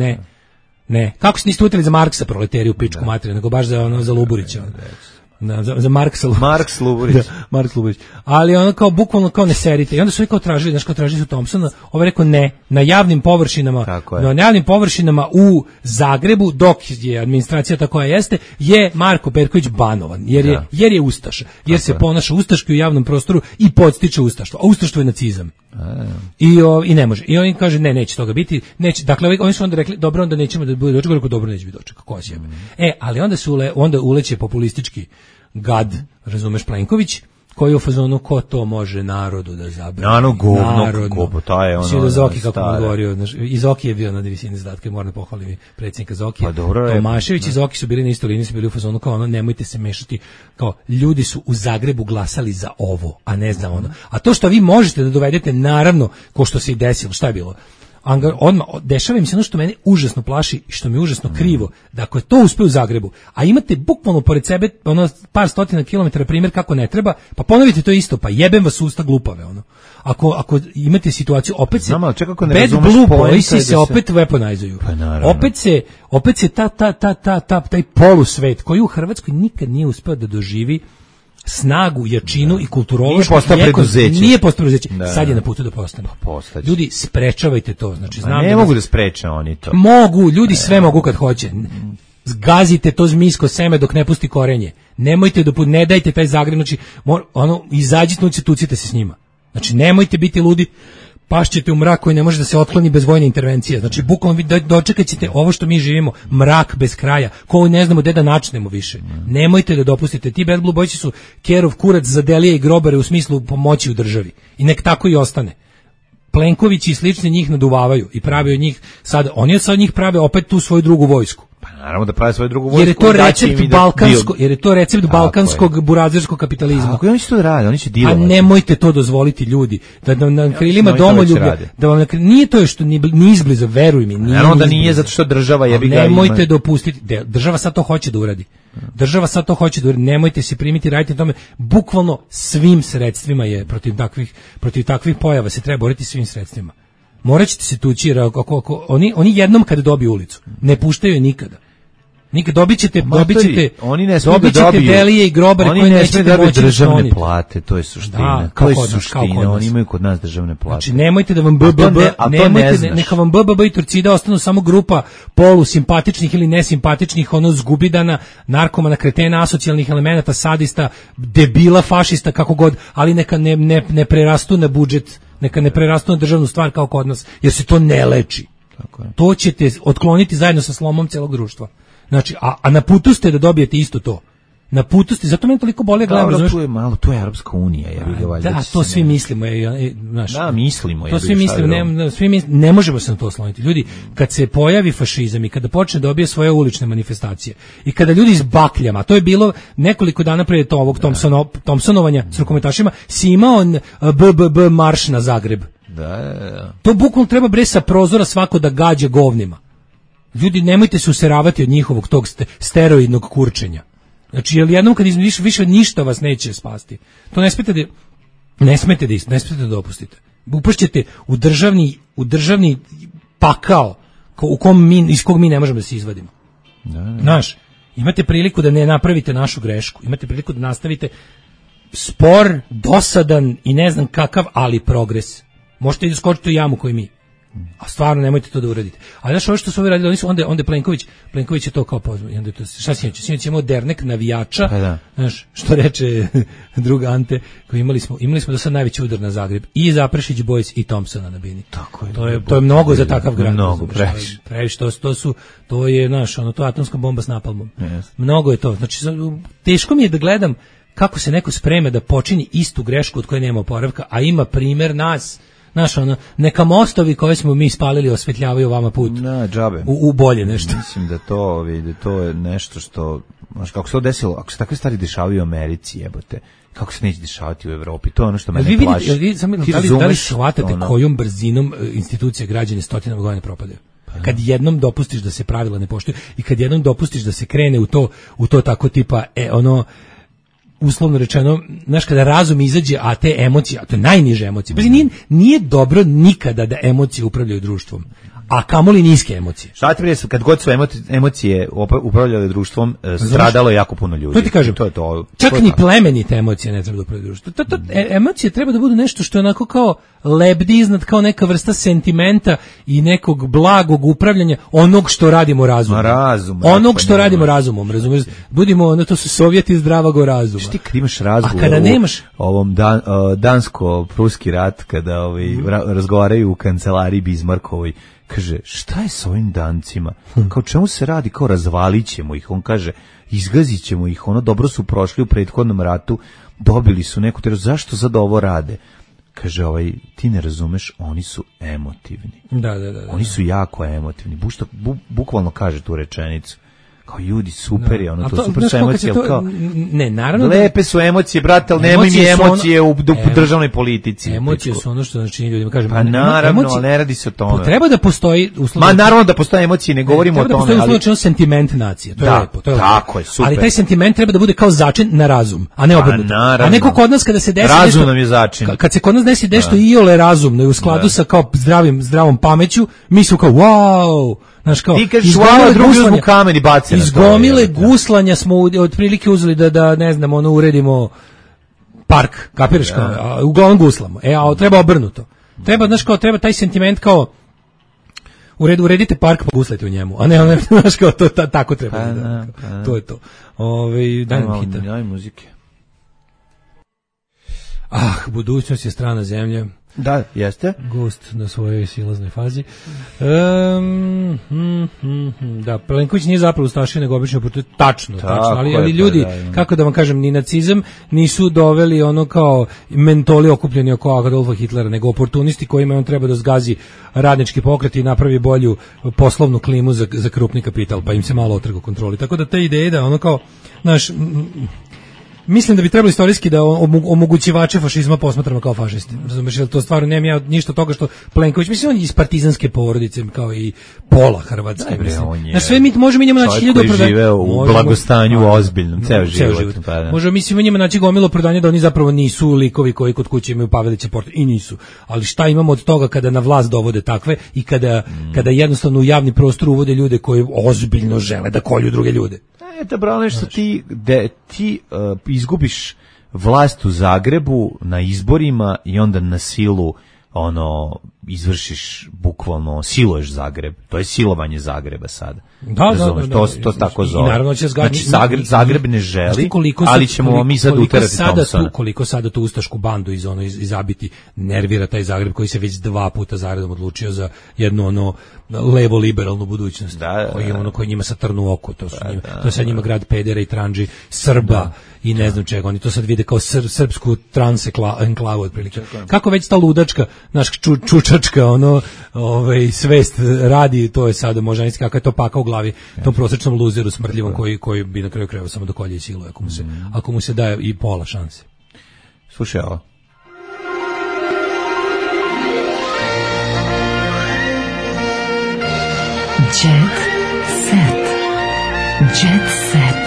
ne. Kako se niste utili za Marksa proleteri u pičku materinu, nego baš za Luburića. Za Marks Luburić. Marks Luburić. Ali ono kao bukvalno kao ne serite. I onda su oni kao tražili su Thompsona, ovaj rekao ne, na javnim površinama u Zagrebu, dok je administracija tako koja jeste, je Marko Perković banovan, jer je ustaša, jer se ponaša ustaški u javnom prostoru i podstiče ustaštvo, a ustaštvo je nacizam. I ne može. I oni kaže ne, neće toga biti, neće. Dakle, oni su onda rekli dobro, onda nećemo da bude doček, dobro neće biti doček. Ko će? Ali onda uleće populistički gad, razumeš, Plenković, koji je u fazonu ko to može narodu da zabrani. Govno, ta je ono. Svi do Zoki, kako mu govorio, i Zoki je bio na visini zadatka, moram da pohvalim predsjednika Zokija. Tomašević i Zoki su bili na istoj liniji, su bili u fazonu kao ono, nemojte se mešati, kao ljudi su u Zagrebu glasali za ovo, a ne za ono. A to što vi možete da dovedete, naravno, ko što se i desilo, šta je bilo? Odmah dešava im se ono što mene užasno plaši i što mi je užasno krivo, da ako je to uspeo u Zagrebu, a imate bukvalno pored sebe ono par stotina kilometara primjer kako ne treba, pa ponovite to isto, pa jebem vas usta glupave ono. Ako imate situaciju, opet se Bad Blue Boysi se opet weaponizuju. Opet se taj polusvet koji u Hrvatskoj nikad nije uspeo da doživi snagu, jačinu i kulturološku. Nije postao preduzeće. Sad je na putu da postane. Ljudi, sprečavajte to. Znači, ne mogu da spreče oni to. Mogu, ljudi sve mogu kad hoće. Zgazite to zmijsko seme dok ne pusti korenje. Nemojte ne dajte taj Zagreb, znači izađite, tucite se s njima. Znači, nemojte biti ludi, pašćete u mrak koji ne može da se otkloni bez vojne intervencije. Znači, bukvalno vi dočekat ćete ovo što mi živimo, mrak bez kraja, koji ne znamo gde da načnemo više. Nemojte da dopustite. Ti Bad Blue Boysi su kerov kurac za Delije i grobare u smislu pomoći u državi. I nek tako i ostane. Plenković i slični njih naduvavaju i prave od njih sad, oni od njih prave opet tu svoju drugu vojsku. Pa naravno da prave svoju drugu vojsku. Jer je to recept balkanskog burazerskog kapitalizma. Ako oni će to rade, oni će dilovati. A nemojte to dozvoliti, ljudi, da na krilima domoljublja, da vam nije to što ni izbliza, veruj mi, nije. Naravno da nije, zato što država jebi ga. Nemojte dopustiti, država sad to hoće da uradi. Nemojte se primiti, radite na tome, bukvalno svim sredstvima je protiv takvih pojava se treba boriti svim sredstvima. Morat ćete se tući, jer oni jednom kad dobiju ulicu, ne puštaju je nikada. Dobit ćete Delije i grobare koji nećete moći da skloniti. Državne plate, to je suština. Oni imaju kod nas državne plate. Znači, nemojte da vam neka vam BBB i Turcida ostanu samo grupa polusimpatičnih ili nesimpatičnih, zgubidana, narkomana, kretena, asocijalnih elemenata, sadista, debila, fašista, kako god, ali neka ne prerastu na budžet, neka ne prerastu na državnu stvar kao kod nas, jer se to ne leči. To ćete otkloniti zajedno sa slomom celog društva. Znači, a na putu ste da dobijete isto to. Na putu ste, zato meni toliko bolje gledam. Dobro, tu je Europska unija. To svi mislimo. Mislimo. To svi mislimo, ne možemo se na to osloniti. Ljudi, kad se pojavi fašizam i kada počne dobije svoje ulične manifestacije i kada ljudi s bakljama, to je bilo nekoliko dana prije ovog Thompsonovanja s rukometašima, si imao BBB marš na Zagreb. To bukvalno treba sa prozora svako da gađa govnima. Ljudi, nemojte se useravati od njihovog tog steroidnog kurčenja. Znači, jer jednom kad više ništa vas neće spasti. To ne smete da dopustite. Upašćete u državni pakao iz kog mi ne možemo da se izvadimo. Znaš, imate priliku da ne napravite našu grešku. Imate priliku da nastavite spor, dosadan i ne znam kakav, ali progres. Možete i da skočite u jamu koju mi. A stvarno nemojte to da uradite. A znaš, ovo što su ovi radili, onda Plenković je to kao pozvao. Šta sinoć imao dernek navijača, znaš, što reče drug Ante, koji imali smo do sad najveći udar na Zagreb. I Zaprešić Boys i Thompsona na bini. To je mnogo za takav grad. Mnogo, previše. To je, znaš, to je atomska bomba s napalmom. Mnogo je to. Znači, teško mi je da gledam kako se neko sprema da počini istu grešku od koje nema oporavka, a ima primjer nas. Znaš, neka mostovi koje smo mi spalili osvetljavaju vama put džabe. U bolje nešto. Mislim da to je nešto što znaš, kako se to desilo, ako se takve stvari dešavaju u Americi, jebote, kako se neće dešavati u Evropi, to je ono što mene plaši. Da li shvatate kojom brzinom institucije građane stotinama godina propadaju? Kad jednom dopustiš da se pravila ne poštuju i kad jednom dopustiš da se krene u to tako tipa, uslovno rečeno, znaš, kada razum izađe, a te emocije, a to je najniže emocije. Nije dobro nikada da emocije upravljaju društvom, a kamoli niske emocije. Šta ti prije, kad god su emocije upravljale društvom, stradalo je jako puno ljudi. To ti kažem, čak ni plemenite emocije ne treba da upravljaju društvom. Emocije treba da budu nešto što je onako kao lebdi iznad, kao neka vrsta sentimenta i nekog blagog upravljanja onog što radimo razumom. Onog što radimo razumom, razumiješ? Budimo, to su Sovjeti zdravog razuma. Što ti kad imaš razgovor, a kada nemaš ovom dansko-pruski rat, kada razgovaraju u kancelariji Bismarckovoj, kaže, šta je s ovim Dancima? Kao čemu se radi? Kao razvalit ćemo ih. On kaže, izgazit ćemo ih. Ono, dobro su prošli u prethodnom ratu, dobili su neku teroru. Zašto sad ovo rade? Kaže, ti ne razumeš, oni su emotivni. Da. Oni su jako emotivni. Bukvalno kaže tu rečenicu. Kao ljudi, super je, to super su emocije, ne, naravno lepe su emocije, brate, ali nemoj mi emocije u državnoj politici. Emocije su ono što znači ljudima kažem. Pa naravno, ali ne radi se o tome. Treba da postoji uslovno. Ma naravno da postoje emocije, ne govorimo o tome, ali treba da postoji sentiment nacije. To je lepo, to je lepo. Tako je, super. Ali taj sentiment treba da bude kao začin na razum, a ne obrnuto. A neko kod nas kada se desi razum nam je začin. Kad se kod nas desi nešto iole razumno i u skladu sa kao zdravom pameću, mi smo kao wow. Znaš kao, ti kažeš hvala, drugi uzmu kamen i baci na to. Iz gomile guslanja smo otprilike uzeli da ne znam, uredimo park, kapiraš kao, uglavnom guslamo. A treba obrnuto. Treba, znaš kao, treba taj sentiment kao, uredite park pa guslajte u njemu, a ne, znaš kao, to tako treba. To je to. Daj nam hita. Daj muzike. Budućnost je strana zemlje. Da, jeste. Gost na svojoj silaznoj fazi. Da, Plenković nije zapravo ustašio, nego obično tačno, ali ljudi, kako da vam kažem, ni nacizam nisu doveli ono kao mentoli okupljeni oko Adolfa Hitlera, nego oportunisti kojima on treba da zgazi radnički pokret i napravi bolju poslovnu klimu za krupni kapital, pa im se malo otrga kontroli. Tako da te ideje da ono kao, znaš, mislim da bi trebalo istorijski da omogućivače fašizma posmatramo kao fašisti. Razumeš, jer to stvarno nemam ja ništa od toga što Plenković, mislim, on je iz partizanske porodice kao i pola Hrvatske. Na sve mi možemo njemu naći 1000 opravdanja. Koji žive u blagostanju ozbiljnom, ceo život. Možemo mislimo njima naći gomilu opravdanja da oni zapravo nisu likovi koji kod kuće imaju Pavelića portret, i nisu. Ali šta imamo od toga kada na vlast dovode takve i kada jednostavno u javni prostor uvode ljude koji ozbiljno žele da kolju druge ljude. Bravo, nešto ti izgubiš vlast u Zagrebu na izborima i onda na silu izvršiš, bukvalno siluješ Zagreb. To je silovanje Zagreba sada. Da. To tako zove. I naravno će Zagreb ne želi, ali ćemo mi sad uterati Thompsona. Koliko sada tu ustašku bandu izabiti nervira taj Zagreb koji se već 2 puta zaredom odlučio za jednu levo liberalnu budućnost. Koji njima sad trnu oko. To je sad njima grad pedera i tranđi, Srba i ne znam čega. Oni to sad vide kao srpsku trans enklavu otprilike. Kako već ta ludačka, naš čučačka svest radi, to je sada možda nisi kakav je to paka u glavi tom prosječnom luzeru smrdljivom koji bi na kraju krajeva samo do kolje i siluje ako mu se daje i pola šanse. Slušaj ovo. Jet set. Jet set.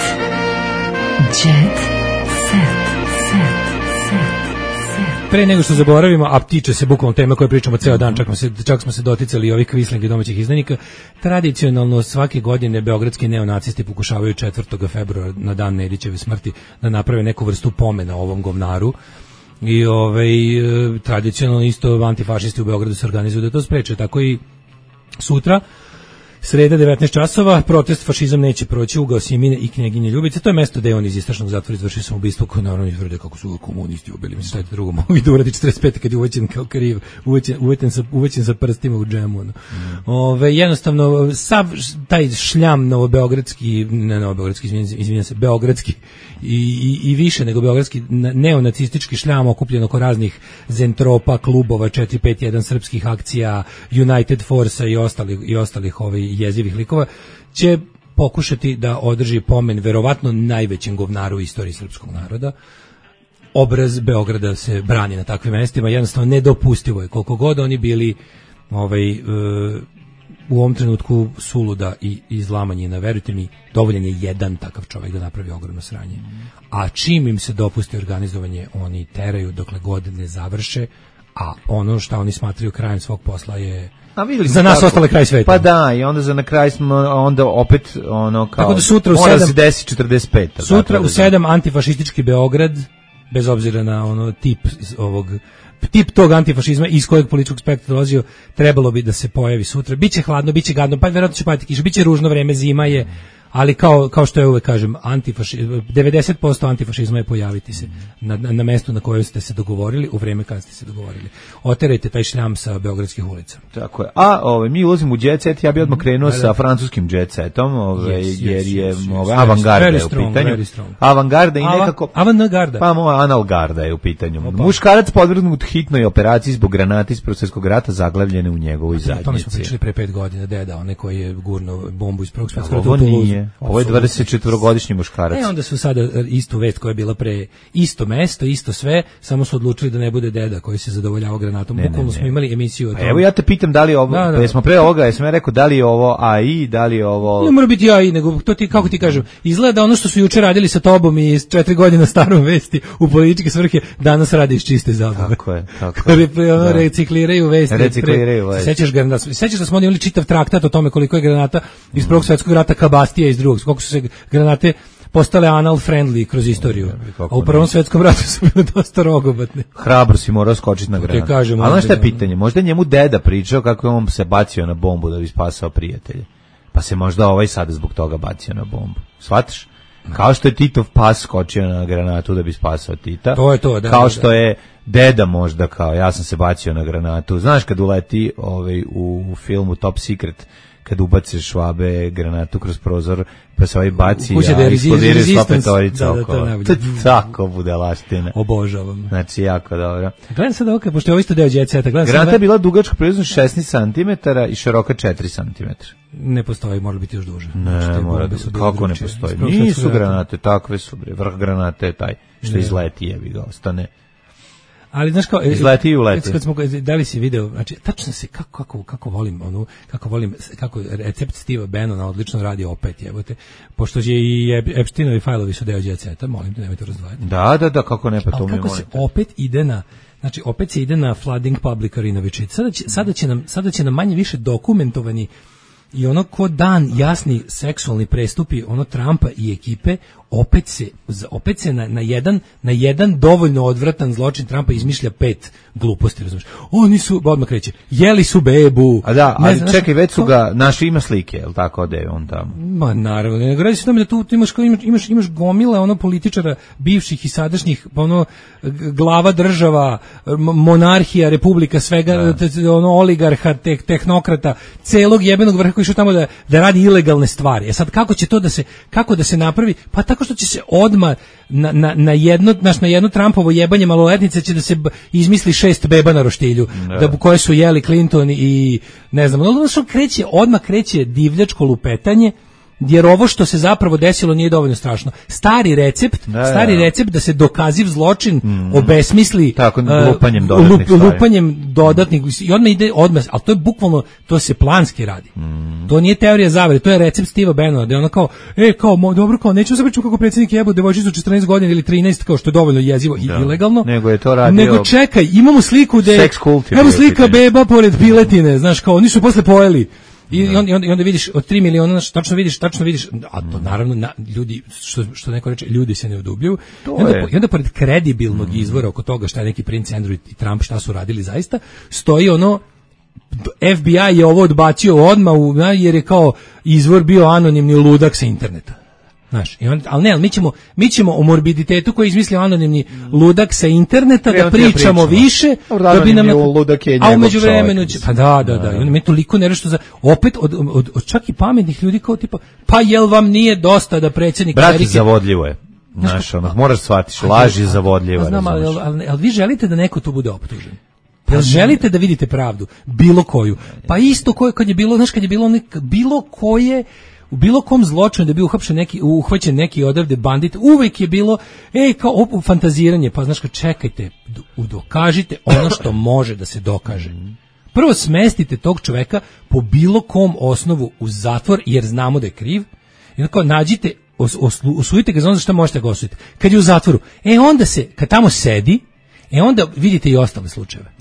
Jet set. Pre nego što zaboravimo, a tiče se bukvalno teme koje pričamo ceo dan, čak smo se doticali ovih kvislinga domaćih izdajnika, tradicionalno svake godine beogradski neonacisti pokušavaju 4. februara na dan Nedićeve smrti da naprave neku vrstu pomena ovom govnaru i tradicionalno isto antifašisti u Beogradu se organizuju da to spreče, tako i sutra sreda 19 časova, protest fašizam neće proći, ugao Simine i knjeginje Ljubice. To je mesto gde on iz istražnog zatvora izvršio samoubistvo koje naravno izvrde kako su komunisti ubili. Mislim, šta je drugo mogu da uradi 45. kad je uvećen kao kriv, uvećen sa prstima u džemu. Jednostavno, sav taj šljam beogradski i više nego beogradski neonacistički šljam okupljen oko raznih zentropa, klubova, 451 srpskih akcija, United Force i ostalih jezivih likova, će pokušati da održi pomen verovatno najvećem govnaru u istoriji srpskog naroda. Obraz Beograda se brani na takvim mestima, jednostavno nedopustivo je, koliko god oni bili u ovom trenutku suluda i izlamanjina, verujte mi, dovoljan je jedan takav čovjek da napravi ogromno sranje. A čim im se dopusti organizovanje, oni teraju dokle god ne završe, a ono što oni smatraju krajem svog posla je za nas ostale kraj sveta. Pa da, i onda za na kraj smo onda opet ono kao tako da sutra u 7 mora se desi 45. Sutra u 7 antifašistički Beograd, bez obzira na ono tip tog antifašizma iz kojeg političkog spektra dolazio, trebalo bi da se pojavi sutra. Biće hladno, biće gadno, pa verovatno će padati kiša, biće ružno vreme, zima je, ali kao što ja uvek kažem, 90% antifašizma je pojaviti se na mestu na kojem ste se dogovorili, u vreme kada ste se dogovorili. Oterajte taj šljam sa beogradskih ulica. Tako je. A mi ulazimo u jet set, ja bih odmah krenuo sa francuskim jet setom, jer je avangarda u pitanju. Avangarda i nekako... Avangarda. Pa moja analgarda je u pitanju. Muškarac podvrgnut hitnoj operaciji zbog granate iz Prvog svjetskog rata zaglavljene u njegovoj zadnjici. To mi smo pričali pre 5 godina, deda, onaj koji je gurnuo bombu iz Prvog svjetskog rata. Ovo nije. Ovo je 24-godišnji muškarac. Onda su sada istu vest koja je bila pre isto mesto, isto sve, samo su odlučili da ne bude deda koji se zadovoljavao granatom. Bukvalno smo imali emisiju o tome. Evo ja te pitam da li je ovo, jesmo pre ovoga, jesam ja rekao da li je ovo AI, da li je ovo... Ne mora biti AI, nego to ti, kako ti kažem, izgleda ono što su juče radili sa tobom i 4 godine starom vesti u političke svrhe, danas radi iz čiste zabave. Tako je. Recikliraju vesti. Sećaš da smo imali čitav traktat o tome koliko je granata iz Prvog svjetskog rata kabastija iz drugog, koliko su se granate postale anal friendly kroz istoriju. A u Prvom svjetskom ratu su bile dosta rogobatne. Hrabro si morao skočiti na granatu. Ali znaš šta je pitanje? Možda njemu deda pričao kako je on se bacio na bombu da bi spasao prijatelje. Pa se možda ovaj sada zbog toga bacio na bombu. Shvataš? Kao što je Titov pas skočio na granatu da bi spasao Tita. To je to, da. Kao što je deda možda kao ja sam se bacio na granatu. Znaš kad uleti u filmu Top Secret, kad ubace Švabe granatu kroz prozor, pa se ovaj baci, a eksplodira sva petorica okolo. To je tako budalaština. Obožavam. Znači, jako dobro. Gledam sad ovo, pošto je ovo isto deo jet seta. Granata je bila dugačka približno 16 cm i široka 4 cm. Ne postoji, mora biti još duže. Ne, mora da, kako ne postoji? Nisu granate, takve su, vrh granate je taj što izleti, jebi ga, ostane. Ali znaš kao izleti i uleti. Kad smo dali si video, znači tačno se kako volim kako recept Steve Bannona odlično radi opet, jebote. Pošto je i Epsteinovi fajlovi su deo jet seta, molim te nemojte razdvajati. Da, kako ne, pa to mi kako se opet ide na, znači opet se ide na flooding public arena večer. Sada će nam manje više dokumentovani i ono ko dan jasni seksualni prestupi ono Trumpa i ekipe opet se na jedan dovoljno odvratan zločin Trumpa izmišlja 5 gluposti, razumiješ? Oni su, odmah kreće, jeli su bebu. A da, ali čekaj, već su ga, naši ima slike, je li tako da je on tamo? Ma naravno, ne radi se tome da tu imaš gomile ono političara bivših i sadašnjih, ono glava država, monarhija, republika, svega, ono oligarha, tehnokrata, celog jebenog vrha koji su tamo da radi ilegalne stvari. Sad kako da se napravi? Pa tako što će se odmah na jedno Trumpovo jebanje maloletnice će da se izmisli 6 beba na roštilju, koje su jeli Clinton i ne znam, odmah kreće divljačko lupetanje, jer ovo što se zapravo desilo nije dovoljno strašno. Stari recept da se dokaziv zločin obesmisli tako, lupanjem dodatnih i odmah, ali to je bukvalno, to se planski radi. To nije teorija zavere, to je recept Steva Bannona, da je ono kao, dobro, kao, nećemo se pričati kako predsjednik jebo devojčicu 14 godina ili 13, kao što je dovoljno jezivo i ilegalno. Nego je to radio. Nego čekaj, imamo sliku da je, evo slika beba pored piletine, znaš, kao, oni su posle pojeli. I onda vidiš od 3 miliona, tačno vidiš, a to naravno ljudi, što neko reče, ljudi se ne odubljuju. I onda pored kredibilnog izvora oko toga šta je neki princ Andrew i Trump šta su radili zaista, stoji ono, FBI je ovo odbacio odmah, jer je kao izvor bio anonimni ludak sa interneta. Znaš, ali mi ćemo o morbiditetu koji je izmislio anonimni ludak sa interneta da pričamo više, da bi nam, a u međuvremenu će, pa da, i onda mi je toliko nešto za, opet od čak i pametnih ljudi kao tipa, pa jel vam nije dosta da predsjednik Amerike... Brate, zavodljivo je. Znaš, moraš shvatiš, laž je zavodljiva. Znam, ali vi želite da neko tu bude optužen? Jel želite da vidite pravdu? Bilo koju? Pa isto kad je bilo, znaš, bilo koje u bilo kom zločinu da bi uhvaćen neki odavde bandit, uvek je bilo kao fantaziranje, pa znaš, čekajte, dokažite ono što može da se dokaže. Prvo smestite tog čoveka po bilo kom osnovu u zatvor, jer znamo da je kriv, i onda kao nađite, osudite ga za ono što možete ga osuditi. Kad je u zatvoru, onda kad tamo sedi, onda vidite i ostale slučajeve.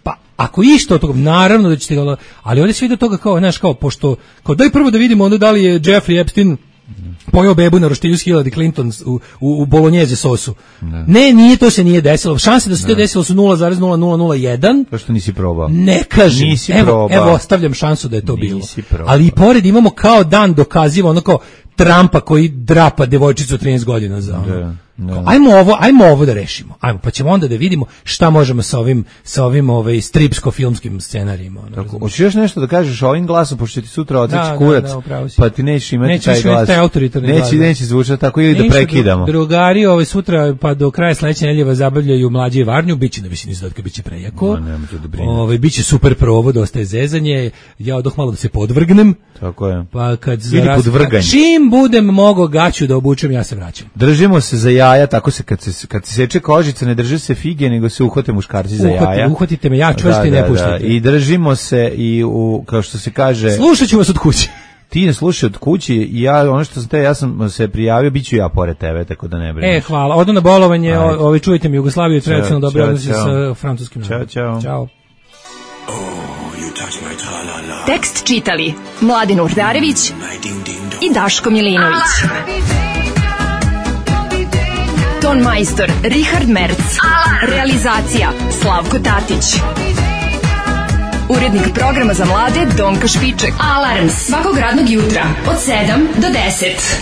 Pa, ako išta od toga, naravno da ćete ga, ali ovdje se vidi od toga kao, znaš, kao, pošto, kao daj prvo da vidimo onda da li je Jeffrey Epstein pojeo bebu na roštilju s Hillary Clinton u bolognese sosu. Ne, to se nije desilo. Šanse da se to desilo su 0,0001. To što nisi probao. Ne kažem. Evo, ostavljam šansu da je to bilo. Ali i pored imamo kao dan dokaziva, ono kao Trumpa koji drapa devojčicu od 13 godina za ono. Ajmo ovo da rešimo. Ajmo, pa ćemo onda da vidimo šta možemo sa ovim stripsko-filmskim scenarijima. Hoćeš još nešto da kažeš ovim glasom, pošto ti sutra otići kurac, pa ti nećeš imati taj glas. Neće zvučati tako, ili da prekidamo. Drugari sutra pa do kraja sledeće nedelje zabavljaju Mlađe i Varnju, biće na visini izdatka, biće prejako. Biće super provod, ostaje zezanje. Ja odoh malo da se podvrgnem. Tako je. Pa čim budem mogao gaću da obučem, ja se vraćam. Držimo se za jaja, tako se kad se seče kožica, ne drže se fige, nego se uhvate muškarci za jaja. Uhvatite me, ja čvrsti ne puštate. I držimo se i kao što se kaže... Slušat ću vas od kuće. Ti ne slušaj od kući i ja sam se prijavio, bit ću ja pored tebe, tako da ne brineš. Hvala. Odo na bolovanje, čujte mi, Jugoslaviju tradicionalno dobro odnosi sa francuskim narodom. Ćao. Tekst čitali Mladin Urdarević i Daško Milinović. Ton majstor Richard Merc. Realizacija Slavko Tatić. Urednik programa za mlade Donka Špiček. Alarms svakog radnog jutra od 7 do 10.